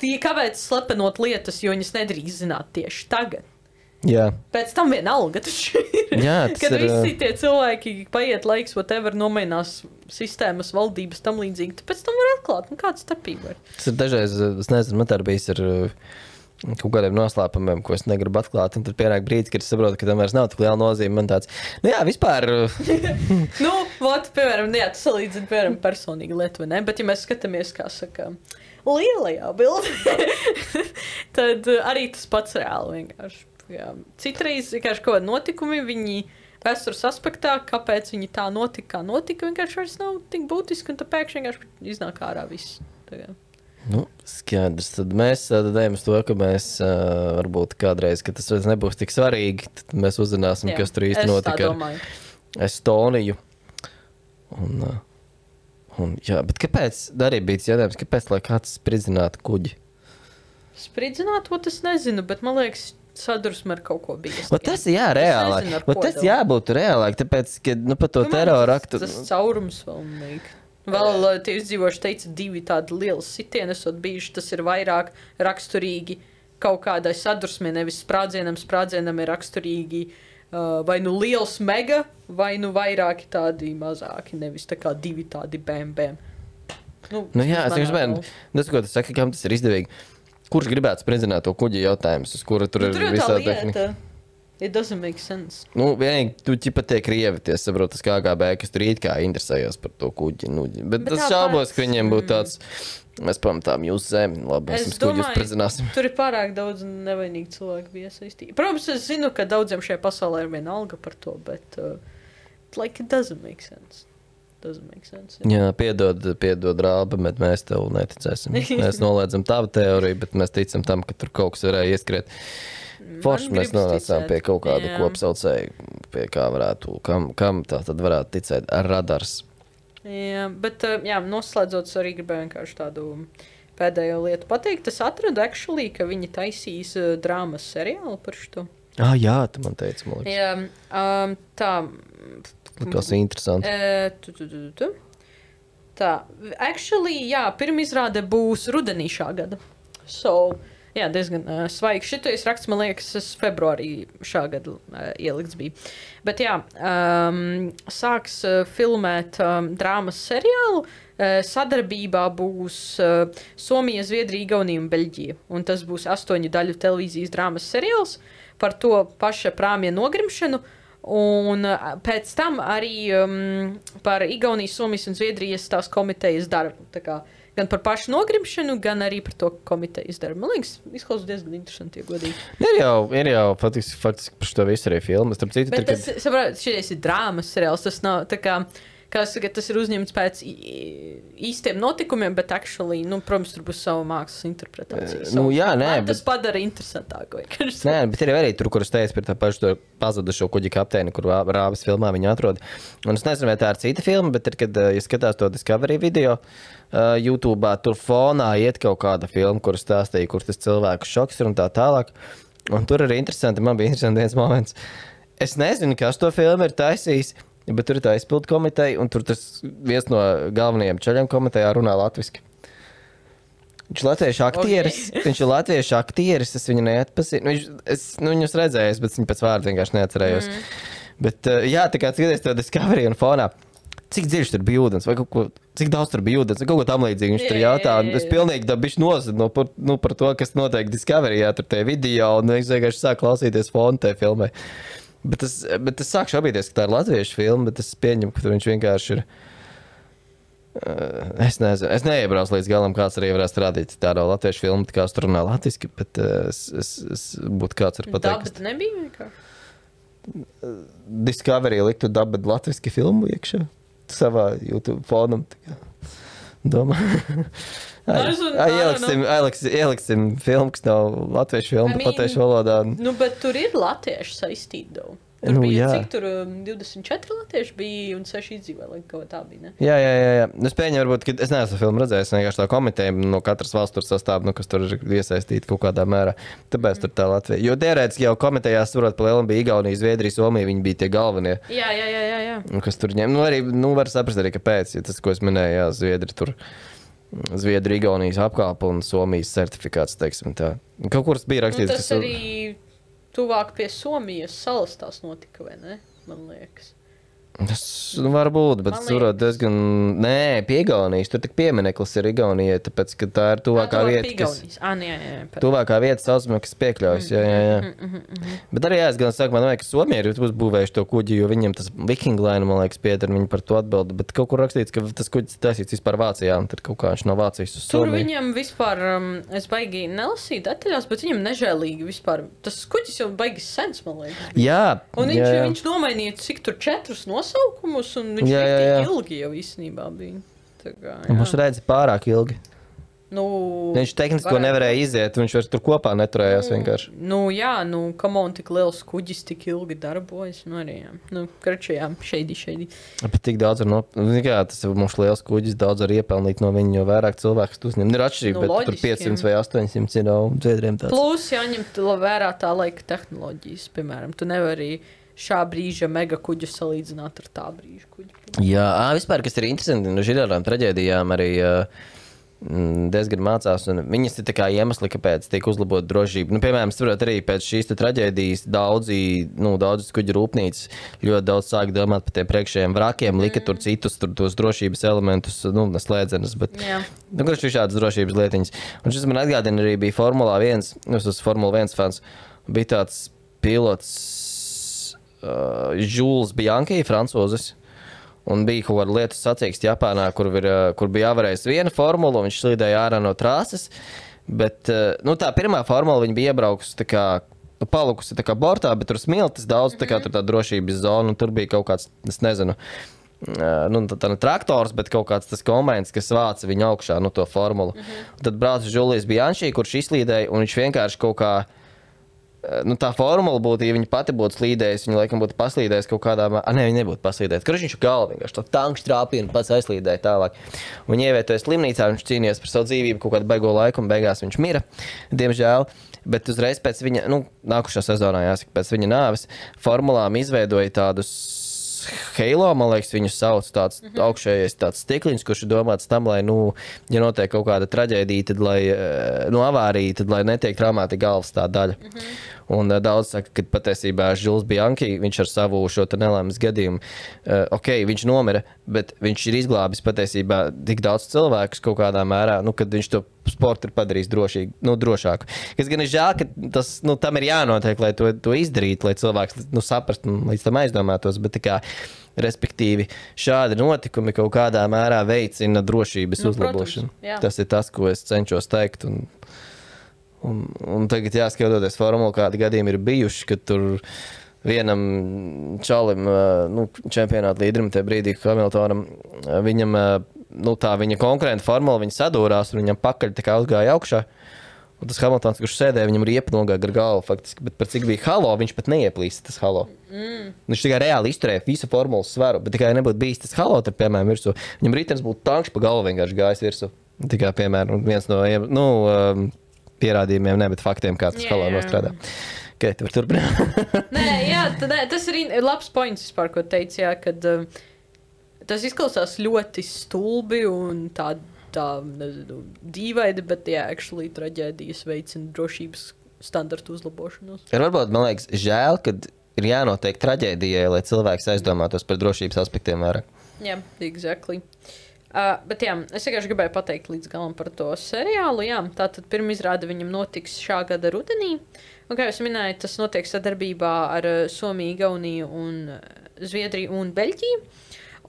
tie, kāpēc slepenot lietas, jo viņas nedrīkst zināt tieši tagad. Jā, Pēc tam vienalga taču ir. jā, tas Kad ir, visi tie cilvēki paiet laiks, whatever, nomainās sistēmas, valdības, tam līdzīgi, tad pēc tam var atklāt, nu kāda starpība ir. tas ir dažreiz, es nezinu, man tā ir bijis ar uh, kaut kādiem noslēpumiem, ko es negribu atklāt, un tad pienāk brīdis, kad es saprotu, ka tam vairs nav tik liela nozīme, man tāds, nu jā, vispār, uh, Nu, vot, piemēram, jā, tas salīdzina, piemēram, personīgi lietu, vai ne? Bet, ja mēs skatāmies, kā saka, lielajā bildē, tad uh, arī tas pats reāli vienkārši. Jā. Citreiz vienkārši kaut kādi notikumi, viņi vēstures aspektā, kāpēc viņi tā notika, kā notika, vienkārši vairs nav tik būtiski, un tad pēkšņi vienkārši iznāk ārā viss. Tagad. nu, skaidrs, tad mēs uh, tad ejam uz to, ka mēs uh, varbūt kādreiz, ka tas vairs nebūs tik svarīgi, tad mēs uzzināsim, Jā, kas tur īsti es tā notika ar domāju. Estoniju. Un, uh, un, jā, bet kāpēc, arī bija jautājums, kāpēc, lai kāds spridzinātu kuģi? Spridzināt, to es nezinu, bet man liekas, sadursme ar kaut ko bija. Vat tas jā, reālāk. nezinu, ar Vat ko tas vēl. jābūt reālāk, tāpēc, ka, nu, par to terora aktu. Tas caurums vēl nāk. Vēl uh, tie izdzīvojuši teica, divi tādi lieli sitieni esot bijuši, tas ir vairāk raksturīgi kaut kādai sadursmē, nevis sprādzienam, sprādzienam ir raksturīgi uh, vai nu liels mega, vai nu vairāki tādi mazāki, nevis tā kā divi tādi bēm bēm. Nu, Nu jā, es manā vienkārši mēģinu, tas, ko tu saki, kam tas ir izdevīgi. Kurš gribētu spridzināt to kuģi jautājums, uz kura tur Nu, ir tur jau tā visā tehnika? lieta. It doesn't make sense. Nu, vienīgi, tu ķipa tie krievi, tie saprot, tas K G B, kas tur it kā interesējās par to kuģi. Nu, bet, bet tas tāpat, šaubos, ka viņiem būtu tāds, mēs pamatām jūsu zemi, labi, mēs Es jums kuģi domāju, spridzināsim. Tur ir pārāk daudz nevainīgu cilvēku bija iesaistīti. Protams, es zinu, ka daudziem šajā pasaulē ir viena alga par to, bet uh, like it doesn't make sense. Doesn't make sense. Jā, piedod, piedod rāba, bet mēs tev neticēsim. Mēs noliedzam tavu teoriju, bet mēs ticam tam, ka tur kaut kas varēja ieskriet. Forši Man mēs gribas nonācām ticēt. pie kaut kāda Jā. kopsaucēja, pie kā varētu, kam, kam tā tad varētu ticēt ar radars. Jā, bet, uh, jā, noslēdzot, es arī gribēju vienkārši tādu pēdējo lietu pateikt. Es atradu, actually, ka viņi taisīs uh, drāmas seriālu par šo. Ah, jā, tu man teici, man liekas. Jā, um, tā. Tas ir interesanti. Uh, tu, tu, tu, tu. Tā, actually, jā, pirmizrāde būs rudenī šā gada. So, jā, diezgan uh, svaigi. Šitais raksts, man liekas, es februārī šā gada uh, ielikts bija. Bet jā, um, sāks uh, filmēt um, drāmas seriālu. Uh, sadarbībā būs uh, Somija, Zviedrija, Igaunija un Beļģija. Un tas būs astoņu daļu televīzijas drāmas seriāls par to paša prāmja nogrimšanu. Un uh, pēc tam arī um, par Igaunijas, Somijas un Zviedrijas tās komitejas darbu. Tā kā gan par pašu nogrimšanu, gan arī par to komitejas darbu. Man liekas, izklausās diezgan interesanti, ja godīgi. Ir jau, ir jau faktiski, faktiski par šo visu arī filmas. Starp citu, Bet tur, tas, saprāt, šitais ir drāmas seriāls, tas nav tā kā, kā saka, tas ir uzņemts pēc īstiem notikumiem, bet actually, nu, protams, tur būs sava mākslas interpretācija. Nu, jā, nē, bet... Tas padara interesantāk. Nē, bet ir arī tur, kur es teicu par tā pašu to pazudušo kuģi kapteini, kur Rābas filmā viņu atrod. Un es nezinu, vai tā ir cita filma, bet ir, kad, ja skatās to Discovery video uh, YouTube'ā, tur fonā iet kaut kāda filma, kur stāstīja, kur tas cilvēku šoks ir un tā tālāk. Un tur arī interesanti, man bija interesanti viens moments. Es nezinu, kas to filmu ir taisījis, bet tur ir tā izpildu komiteja, un tur tas viens no galvenajiem čaļiem komitejā runā latviski. Viņš ir latviešu aktieris, okay. viņš ir latviešu aktieris, es viņu neatpazinu. Viņš, es nu, viņus redzējos, bet viņu pēc vārdu vienkārši neatcerējos. Mm. Bet, jā, tā kā skaties to Discovery un fonā, cik dziļš tur bija ūdens, vai kaut ko, cik daudz tur bija ūdens, vai kaut ko tam līdzīgi viņš tur jautā. Es pilnīgi tā bišķi nozadu no, par, nu, par to, kas notiek Discoveryjā, tur tie video, un es vienkārši sāku klausīties fonu tajā filmai. Bet es, bet es sāku šaubīties, ka tā ir latviešu filma, bet es pieņemu, ka tur viņš vienkārši ir... Uh, es nezinu, es neiebraucu līdz galam, kāds arī varētu strādīt tādu latviešu filmu, kā es tur runā latviski, bet uh, es, es, es būtu kāds var pateikt. Dabba nebija vienkārši? Discovery liktu dabba latviski filmu iekšā. Savā YouTube fonam. Domā. Ieliksim, ieliksim filmu, kas nav latviešu filmu, I mean, latviešu valodā. Nu, bet tur ir latviešu saistīti, daudz. Tur nu, bija, jā. Cik tur divdesmit četri latvieši bija un seši izdzīvoja, lai kaut kā tā bija, ne? Jā, jā, jā, jā. Es pieņemu, varbūt, ka es neesmu filmu redzējis, vienkārši tā komiteja no katras valsts tur sastāv, nu, kas tur ir iesaistīti kaut kādā mērā. Tāpēc mm. tur tā Latvija. Jo teorētiski jau komitejās, varot pa lielam, bija Igaunija, Zviedrija, Somija, viņi bija tie galvenie. Jā, jā, jā, jā, jā. Kas tur ņem, nu, arī, nu, var saprast arī, kāpēc, ja tas, ko es minēju, jā, Zviedri tur, Zviedri, Igaunijas apkalpa un Somijas certifikāts, teiksim tā. Kaut kur bija rakstīts, nu, tas arī... Tuvāk pie Somijas salas tās notika, vai ne? Man liekas. Tas nu, var būt, bet es varu diezgan... Nē, pie Igaunijas. Tur tik piemineklis ir Igaunijai, tāpēc, ka tā ir tuvākā à, vieta, kas... À, jā, jā, jā. Tuvākā vieta saucamā, kas piekļaujas, jā, jā, jā. Mm, mm, mm, mm. Bet arī, jā, es gan saku, man vajag, ka Somija ir uzbūvējuši to kuģi, jo viņiem tas Viking Line, man liekas, pieder, viņi par to atbilda, bet kaut kur rakstīts, ka tas kuģis taisīts vispār Vācijā, un tad kaut kā viņš no Vācijas uz Somiju. Tur viņam vispār, um, es baigi nelasīju detaļās, bet viņam nežēlīgi vispār, tas kuģis jau baigi sens, man liekas. Jā, un viņš, jā, jā. viņš nomainīja cik tur četrus nosaukumus, un viņš jā, jā, jā. ilgi jau īstenībā bija. Tā kā, mums redzi pārāk ilgi. Nu, viņš tehniski to nevarēja iziet, viņš vairs tur kopā neturējās nu, vienkārši. Nu jā, nu, come on, tik liels kuģis, tik ilgi darbojas, nu arī, jā. Nu, kračajām, šeidi, šeidi. Bet tik daudz var no... Jā, tas ir mums liels kuģis, daudz var iepelnīt no viņa, jo vairāk cilvēks tu uzņem. Ir atšķirība, nu, bet loģiski, tur piecsimt vai astoņsimt ir no Zviedriem tāds. Plus jāņemt vērā tā laika tehnoloģijas, piemēram, tu nevari šā brīža mega kuģu salīdzināt ar tā brīža kuģu. Jā, ā, vispār, kas ir interesanti, no žirārām traģēdijām arī uh, diezgan mācās, un viņas ir tā kā iemesli, kāpēc tiek uzlabot drošību. Nu, piemēram, saprot, arī pēc šīs traģēdijas daudzi, nu, daudzas kuģu rūpnīcas ļoti daudz sāk domāt par tiem priekšējiem vrakiem, mm. lika tur citus, tur tos drošības elementus, nu, neslēdzenes, bet, yeah. nu, kurš ir šādas drošības lietiņas. Un šis man atgādina arī bija Formulā viens, es esmu Formula viens fans, bija tāds pilots uh, Jules Bianchi, francūzis. Un bija kaut kāda lietu sacīkst Japānā, kur, ir, kur bija jāvarējis viena formula, un viņš slīdēja ārā no trāses. Bet, nu, tā pirmā formula, viņa bija iebraukusi tā kā, nu, palikusi tā kā bortā, bet tur smiltis daudz, tā kā tur tā drošības zona, un tur bija kaut kāds, es nezinu, nu, tā, tā ne traktors, bet kaut kāds tas kombains, kas vāca viņu augšā, nu, to formulu. Mm-hmm. Tad brauc Julijs Bianchi, kurš izslīdēja, un viņš vienkārši kaut kā, nu, tā formula būtu, ja viņa pati būtu slīdējusi, viņa laikam būtu paslīdējusi kaut kādā... A, ne, viņa nebūtu paslīdējusi. Kurš viņš galva vienkārši to tanku trāpīja un pats aizslīdēja tālāk. Viņa ievietoja slimnīcā, viņš cīnījās par savu dzīvību kaut kādu baigo laiku un beigās viņš mira, diemžēl. Bet uzreiz pēc viņa, nu, nākušā sezonā jāsaka, pēc viņa nāves formulām izveidoja tādus Halo, man liekas, viņu sauc tāds mm -hmm. augšējais tāds stikliņš, kurš ir domāts tam, lai, nu, ja notiek kaut kāda traģēdija, tad, lai, nu, avārija, tad, lai netiek traumēta galvas tā daļa. Mm -hmm. Un uh, daudz saka, ka patiesībā Jules Bianchi, viņš ar savu šo te nelaimes gadījumu, uh, ok, viņš nomira, bet viņš ir izglābis patiesībā tik daudz cilvēkus kaut kādā mērā, nu, kad viņš to sportu ir padarījis drošīgi, nu, drošāku. Kas gan ir žēl, ka tas, nu, tam ir jānotiek, lai to, to izdarītu, lai cilvēks, nu, saprast un līdz tam aizdomātos, bet tā kā, respektīvi, šādi notikumi kaut kādā mērā veicina drošības nu, uzlabošanu. Protams, tas ir tas, ko es cenšos teikt, un Un, un tagad jāskatoties formulu, kādi gadījumi ir bijuši, kad tur vienam čalim, nu, čempionāta līderim tajā brīdī, Hamiltonam, viņam, nu, tā viņa konkurenta formula, viņa sadūrās un viņam pakaļ tā kā uzgāja augšā. Un tas Hamiltons, kurš sēdēja, viņam riepa nogāja gar galvu faktiski, bet par cik bija halo, viņš pat neieplīsta tas halo. Mm. Viņš tikai reāli izturēja visu formulas svaru, bet tikai nebūtu bijis tas halo, tad, piemēram, virsū. Viņam ritenis būtu tankš pa galvu vienkārši gājis virsū. Tikai, piemēram, viens no, nu, pierādījumiem, ne, bet faktiem, kā tas yeah, halo nostrādā. Okay, tu var turpināt. Nē, jā, tad, tas ir labs points vispār, ko teici, jā, kad uh, tas izklausās ļoti stulbi un tādi, tā, nezinu, dīvaini, bet, jā, actually traģēdijas veicina drošības standartu uzlabošanos. Ir varbūt, man liekas, žēl, kad ir jānotiek traģēdijai, lai cilvēks aizdomātos par drošības aspektiem vairāk. Jā, yeah, exactly. Uh, bet, jā, es vienkārši gribēju pateikt līdz galam par to seriālu, jā. Tātad pirmizrāde viņam notiks šā gada rudenī. Un, kā jūs minējat, tas notiek sadarbībā ar Somiju, Igauniju un Zviedriju un Beļģiju.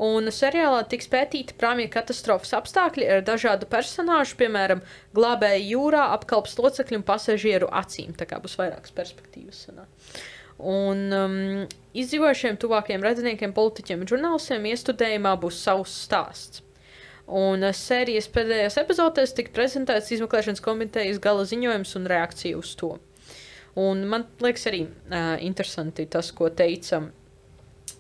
Un seriālā tiks pētīti prāmju katastrofas apstākļi ar dažādu personāžu, piemēram, glābēju jūrā, apkalpes locekļu un pasažieru acīm. Tā kā būs vairākas perspektīvas. Sanā. Un um, izdzīvojušiem tuvākajiem radiniekiem, politiķiem un žurnālistiem iestudējumā būs savs stāsts. Un uh, sērijas pēdējās epizodēs tika prezentēts izmeklēšanas komitejas gala ziņojums un reakcija uz to. Un man liekas arī uh, interesanti tas, ko teica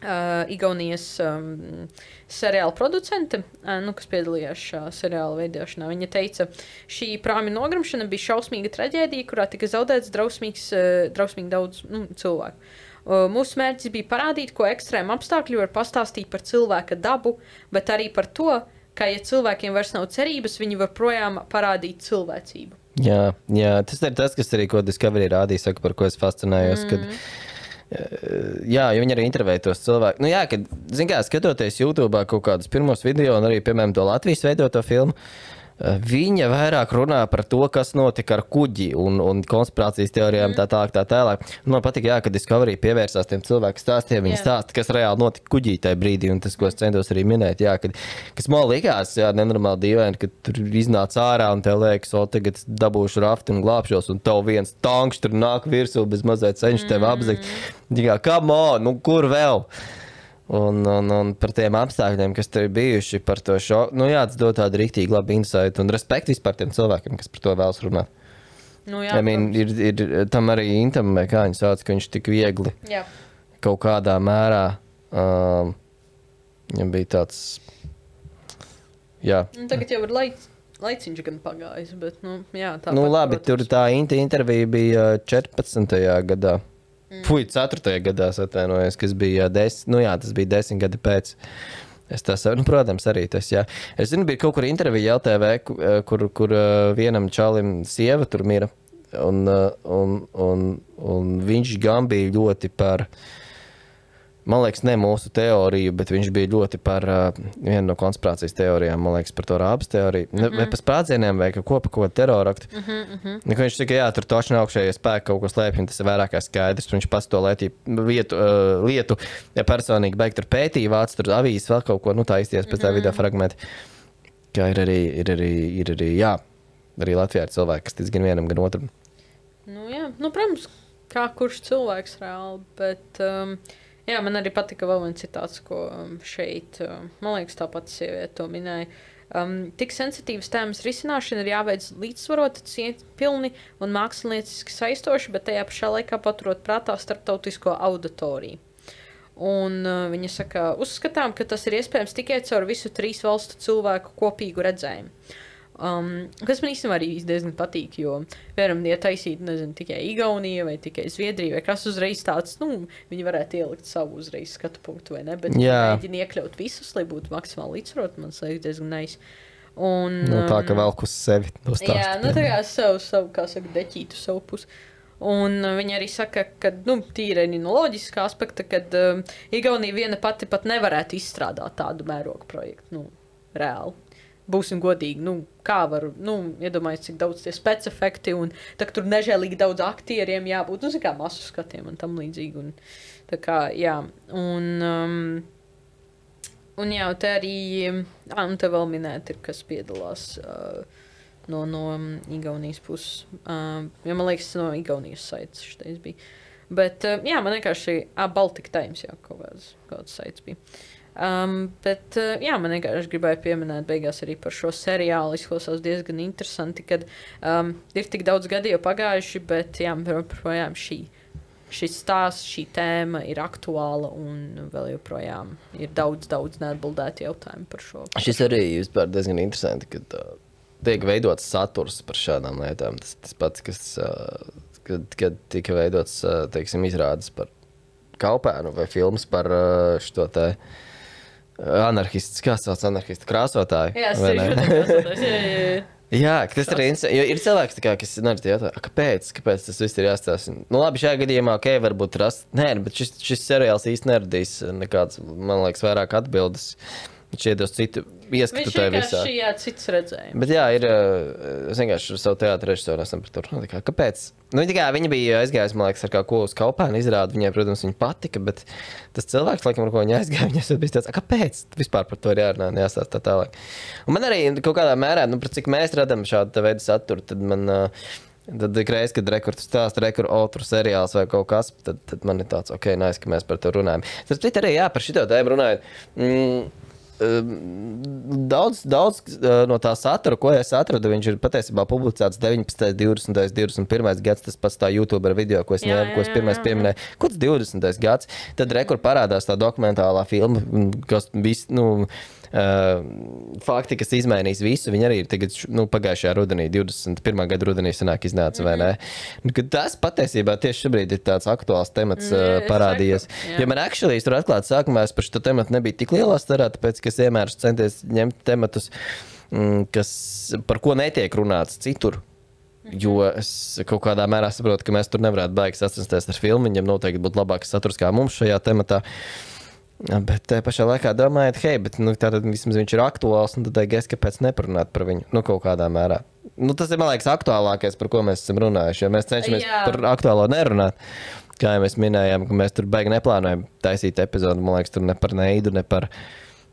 Uh, Igaunijas um, seriāla producente, uh, nu, kas piedalījās šā seriāla veidošanā. Viņa teica, šī prāmju nogrimšana bija šausmīga traģēdija, kurā tika zaudēts drausmīgs, uh, drausmīgi daudz nu, cilvēku. Uh, mūsu mērķis bija parādīt, ko ekstrēma apstākļi var pastāstīt par cilvēka dabu, bet arī par to, ka, ja cilvēkiem vairs nav cerības, viņi var projām parādīt cilvēcību. Jā, jā, tas ir tas, kas arī, ko Discovery rādīja, saka, par ko es fascinējos, mm. kad jā, jo viņi arī intervēja tos cilvēkus. Nu jā, kad, zin kā, skatoties YouTube'ā kaut kādus pirmos video un arī, piemēram, to Latvijas veidoto filmu, viņa vairāk runā par to, kas notika ar kuģi un, un konspirācijas teorijām, mm. tā tālāk, tā tālāk. Man patīk, jā, ka Discovery pievērsās tiem cilvēku stāstiem, viņi yeah. stāsta, kas reāli notika kuģī tajā brīdī, un tas, ko es centos arī minēt, jā, kad, kas man likās, jā, nenormāli dīvaini, kad tur iznāc ārā un tev liekas, o, tagad dabūšu rafti un glābšos, un tev viens tankš tur nāk virsū, bez mazliet cenš tev apzegt. Jā, come on, nu kur vēl? Un, un, un par tiem apstākļiem, kas tur ir bijuši, par to šoku. Nu jā, tas dod tādu rīktīgi labu insight un respektu vispār tiem cilvēkiem, kas par to vēlas runāt. Nu jā, I mean, ir, ir tam arī Intam, kā viņi sauc, ka viņš tik viegli jā. Kaut kādā mērā, um, viņam bija tāds, jā. Un tagad jau ir laic, laiciņš gan pagājis, bet, nu, jā. Tāpat, nu labi, protams. tur tā Inta intervija bija četrpadsmitajā gadā. Mm. Fui, ceturtajā gadā atvainojos, kas bija desmit, nu jā, tas bija desmit gadi pēc. Es tā savu, nu, protams, arī tas, jā. Es zinu, bija kaut kur intervija L T V, kur, kur vienam čalim sieva tur mira, un, un, un, un viņš gan bija ļoti par, man liekas, ne mūsu teoriju, bet viņš bija ļoti par uh, vienu no konspirācijas teorijām, man liekas, par to rābas teoriju. Mm -hmm. Vai par sprādzieniem vai ko par ko teroraktu. Mm -hmm, mm -hmm. Viņš saka, jā, tur toši augšējie spēki kaut ko slēpj, tas ir vairāk kā skaidrs. Viņš pats to lietu, vietu, uh, lietu ja personīgi beigt tur pētīja, vāc tur avīzes vēl kaut ko, nu tā izties pēc tā mm -hmm. video fragmenti. Kā ir arī, ir arī, ir arī, jā, arī Latvijā ir cilvēki, kas tic gan vienam, gan otram. Nu jā, nu protams, kā kurš cilvēks reāli, bet... Um... Jā, man arī patika vēl viens citāts, ko šeit, man liekas, tā pati sieviete to minēja. Um, tik sensitīvas tēmas risināšana ir jāveic līdzsvarota, cieņpilni un mākslinieciski saistoši, bet tajā pašā laikā paturot prātā starptautisko auditoriju. Un uh, viņa saka, uzskatām, ka tas ir iespējams tikai caur visu trīs valstu cilvēku kopīgu redzējumu. Um, kas man īstenībā arī diezgan patīk, jo varam, ja taisīt, nezinu, tikai Igaunija vai tikai Zviedrija vai kas uzreiz tāds, nu, viņi varētu ielikt savu uzreiz skatu punktu, vai ne, bet mēģina iekļaut visus, lai būtu maksimāli līdzsvarot, man liekas, diezgan nice. Un, nu, tā, ka velk uz sevi no stāstu. Jā, nu, tā kā savu, savu, kā saka, deķītu savu pusi. Un uh, viņa arī saka, ka, nu, tīri no loģiskā aspekta, kad um, Igaunija viena pati pat nevarētu izstrādāt tādu mērogu projektu, nu, reāli. Būsim godīgi, nu, kā var, nu, iedomājies, cik daudz tie specifekti un tā, tur nežēlīgi daudz aktieriem jābūt, nu, zin kā masu skatiem un tam līdzīgi, un tā kā, jā, un, um, un jā, te arī, ā, un te vēl minēt ir, kas piedalās uh, no, no um, Igaunijas puses, uh, jo man liekas, no Igaunijas saites šitais bija. Bet, uh, jā, man vienkārši, ah, Baltic Times, jā, kaut kāds, kaut kāds saits bija. Um, bet, uh, jā, man vienkārši gribēja pieminēt beigās arī par šo seriālu. Izklausās diezgan interesanti, kad um, ir tik daudz gadi jau pagājuši, bet, jā, projām šī, šis stāsts, šī tēma ir aktuāla un vēl joprojām ir daudz, daudz neatbildētu jautājumu par šo. Šis arī vispār diezgan interesanti, kad uh, tiek veidots saturs par šādām lietām. Tas, tas pats, kas, uh, kad, kad tika veidots, uh, teiksim, izrādes par Kaupēnu vai filmas par uh, šo te anarchists, kā sauc anarchistu krāsotāju? Jā, krāsotājs, jā, jā, jā. Jā, tas ir interesanti, jo ir cilvēks, kā, kas nerad jautā, kāpēc, kāpēc tas viss ir jāstāsta. Nu labi, šajā gadījumā, ok, varbūt rast, nē, bet šis, šis seriāls īsti neradīs nekāds, man liekas, vairāk atbildes. Viņš iedos citu ieskatu tajā visā. Viņš vienkārši, jā, cits redzējums. Bet jā, ir, es vienkārši savu teātru režisoru esam par to. Kāpēc? Nu, tikai viņi bija aizgājis, man liekas, ar kā ko uz Kaupēnu izrādi. Viņai, protams, viņa patika, bet tas cilvēks, laikam, ar ko viņa aizgāja, viņai bija tāds, kāpēc? Vispār par to ir jārunā, jāstāst tā tālāk. Un man arī kaut kādā mērā, nu, par cik mēs radam šādu veidu saturu, tad man, tad ikreiz, kad rekords stāsta, rekord otru seriāls vai kaut kas, tad, tad man ir tāds, ok, nice, ka mēs par to runājam. Tas bet arī, jā, par šito tēmu runājot. Mm, Daudz, daudz no tā satura, ko es atradu, viņš ir patiesībā publicēts deviņpadsmitais, divdesmitais, divdesmit pirmais gads, tas pats tā YouTuber video, ko es, ņēmu, ko es pirmais pieminēju. Kāds divdesmitais gads, tad rekur parādās tā dokumentālā filma, kas viss, nu, uh, fakti, kas izmainīs visu, viņi arī ir tagad, nu, pagājušajā rudenī, divdesmit pirmā gada rudenī sanāk iznāca, vai ne? Mm-hmm. Tas patiesībā tieši šobrīd ir tāds aktuāls temats uh, parādījies. Ja man actually, es tur atklāt sākumā, es par šo tematu nebija tik lielā starā, tāpēc, ka es vienmēr centies ņemt tematus, kas, par ko netiek runāts citur. Jo es kaut kādā mērā saprotu, ka mēs tur nevarētu baigi sacensties ar filmu, viņam noteikti būtu labāks saturs kā mums šajā tematā. Bet te pašā laikā domājot, hei, bet nu, tātad vismaz viņš ir aktuāls, un tad es kāpēc neparunāt par viņu, nu kaut kādā mērā. Nu, tas ir, man liekas, aktuālākais, par ko mēs esam runājuši, jo mēs cenšamies Jā. par aktuālo nerunāt. Kā jau mēs minējām, ka mēs tur baigi neplānojam taisīt epizodu, man liekas, tur ne par Neidu, ne par,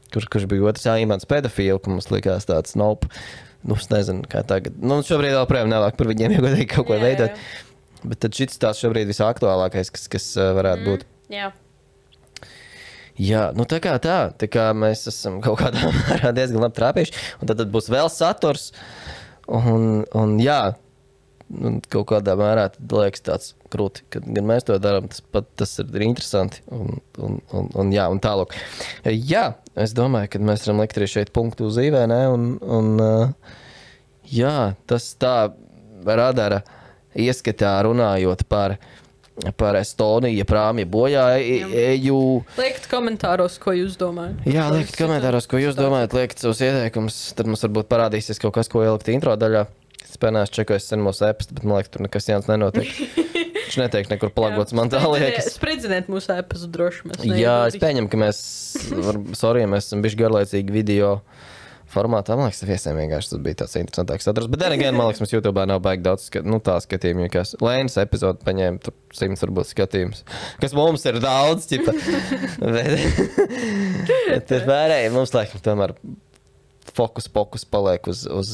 kurš, kurš bija otrs Imants pedofīlu, ka mums likās tāds, nope, nu, es nezinu, kā tagad. Nu, šobrīd vēl projām nevāk par viņiem, ja godīgi kaut ko Jā, veidot. Jā. Bet tad šits tās šobrīd visaktuālākais, kas, kas varētu mm, būt. Jā. Jā, nu tā kā tā, tā kā mēs esam kaut kādā mērā diezgan labi trāpījuši, un tad, tad būs vēl saturs, un, un jā, un kaut kādā mērā tad liekas tāds krūti, kad gan mēs to darām, tas pat tas ir interesanti, un, un, un, un jā, un tālāk. Jā, es domāju, ka mēs varam likt arī šeit punktu uz īvē, ne, un, un jā, tas tā radara ieskatā runājot par par Estoniju, prāmja bojā eju. Liekt komentāros, ko jūs domājat. Jā, liekt komentāros, ko jūs domājat, liekt savus ieteikumus, tad mums varbūt parādīsies kaut kas, ko ielikt intro daļā. Es pēnās čekoju sen mūsu e-pasta, bet man liekas, tur nekas jauns nenotiek. Viņš netiek nekur palagots, man tā liekas. Spridziniet mūsu e-pastu droši. Jā, es pieņemu, ka mēs, var, sorry, mēs esam bišķi garlaicīgi video formātā. Man liekas, viesiem vienkārši tas bija tāds interesantāks saturs. Bet then again, man liekas, mums YouTubā nav baigi daudz skat, nu, tā skatījumu, jo kas Lēnas epizodu paņēma, tur simts varbūt skatījums. Kas mums ir daudz, ķipa. bet, bet ir vērēji, mums laikam tomēr fokus, fokus paliek uz, uz,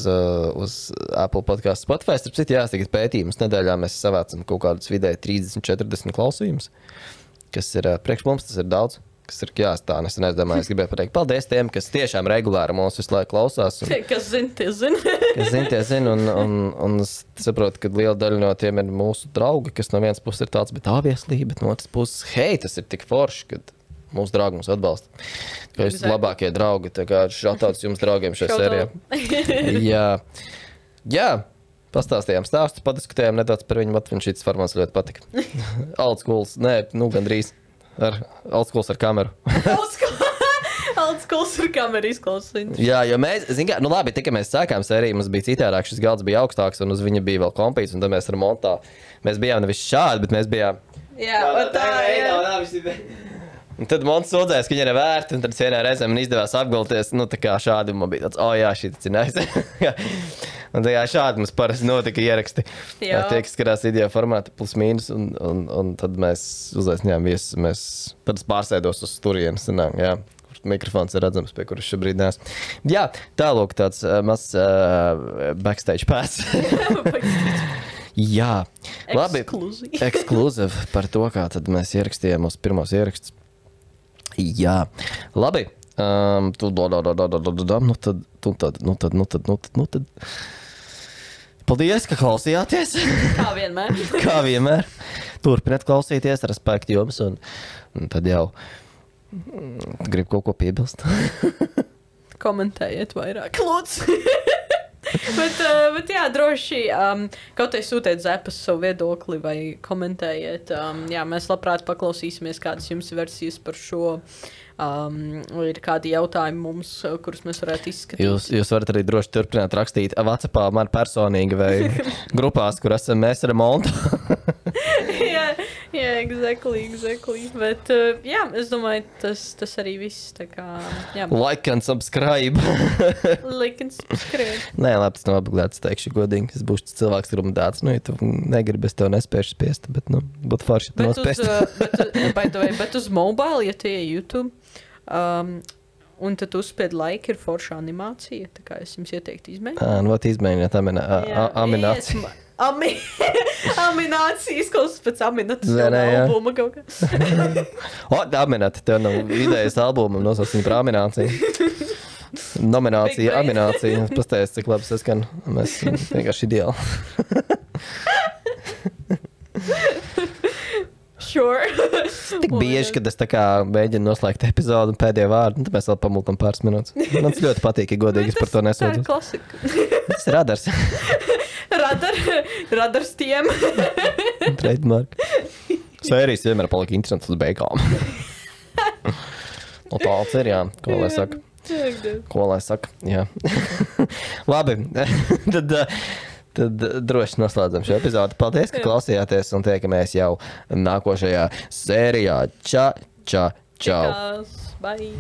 uz Apple podcastu Spotify. Starp citu, jā, tagad pētījumus nedēļā mēs savācam kaut kādus vidēji trīsdesmit četrdesmit klausījumus, kas ir priekš mums, tas ir daudz. Kas ir jāstā, es nedomāju, es gribēju pateikt paldies tiem, kas tiešām regulāri mūs visu laiku klausās. Un, kas zin, tie zin. kas zin, tie zin, un, un, un es saprotu, ka liela daļa no tiem ir mūsu draugi, kas no vienas puses ir tāds, bet obviously, bet no otras puses, hei, tas ir tik forši, kad mūsu draugi mums atbalsta. Ka jūs esat labākie draugi, tā kā šautauts jums draugiem šajā sērijā. Jā, jā. Pastāstījām stāstu, padiskutējām nedaudz par viņu, man šīs formāts ļoti patika. Old schools, nē, nu gandrīz. Ar old schools ar kameru. Old schools ar kameru izklausīt. Jā, jo mēs, zin kā, nu labi, tikai mēs sākām sēriju, mums bija citādāk, šis galds bija augstāks, un uz viņa bija vēl kompīts, un tad mēs ar montā, mēs bijām nevis šādi, bet mēs bijām... Jā, tā, tā, jā. jā. Un tad Monts sūdzēs, ka viņa ir vērta, un tad vienā reizē man izdevās apgalties, nu tā kā šādi, un man bija tāds, o oh, jā, šī tas ir nice. Un tā kā šādi mums parasti notika ieraksti. Jā. Tie, kas skatās video formātu plus mīnus, un, un, un tad mēs uzaicinājām viesus, mēs tad pārsēdos uz turienes, sanāk, jā. Mikrofons ir redzams, pie kuras šobrīd nēs. Jā, tālūk tāds uh, mazs uh, backstage pass. Jā, labi. Ekskluzīvi. Ekskluzīvi par to, kā tad mēs ierakstījām mūsu pirmos ierakstus. Jā, labi. Um, tu, do, do, do, do, do, do, do, nu tad, nu tad, nu tad, nu tad, nu tad, nu tad. Paldies, ka klausījāties. Kā vienmēr. Kā vienmēr. Turpiniet klausīties, respekti jums, un, un tad jau mm, grib kaut ko piebilst. Komentējiet vairāk, lūdzu. bet, uh, bet jā, droši um, kaut arī sūtiet zepas savu viedokli vai komentējiet. Um, jā, mēs labprāt paklausīsimies, kādas jums ir versijas par šo. Um, ir kādi jautājumi mums, kurus mēs varētu izskatīt. Jūs, jūs varat arī droši turpināt rakstīt WhatsAppā man personīgi vai grupās, kur esam mēs remontu. jā, jā, exactly, exactly. Bet uh, jā, es domāju, tas, tas arī viss. Tā kā, jā. Like and subscribe. Like and subscribe. Nē, labi, tas nav obligāti, es teikšu godīgi. Es būšu tas cilvēks, kuram tāds, nu, ja tu negribi, es tev nespēšu spiest, bet, nu, būtu forši, ja tu nospiest. Bet, uz, bet, uh, bet uz mobile, ja tie ir YouTube, um, un tad uzspied like, ir forša animācija, tā kā es jums ieteiktu izmēģināt. Ā, nu, vat izmēģināt amina, a, amināciju. Yes, Ami Aminācijas, kaut kas pēc Aminatas Zene, jā. albuma kaut kā. O, Aminata, tev nav idejas albumam, nosaucam par amināciju. Nominācija, Big aminācija. Pastājies, cik labi saskan. Mēs vienkārši ideāli. Sure. Tik bieži, kad es tā kā mēģinu noslēgt epizodu un pēdējo vārdu, un tad mēs vēl pamultam pāris minūtes. Man tas ļoti patīk, ja godīgi es par to Tā ir nesūdzu. klasika. Tas ir radars. Radar, radars tiem. Trademark. Sērijas vienmēr palika interesantas uz beigām. Nu, tāds ir, jā. Ko lai saka? Ko lai saka? Jā. Labi. Tad, tad droši noslēdzam šo epizodu. Paldies, ka klausījāties un tiekamies jau nākošajā sērijā. Ča, ča, čau. Bye.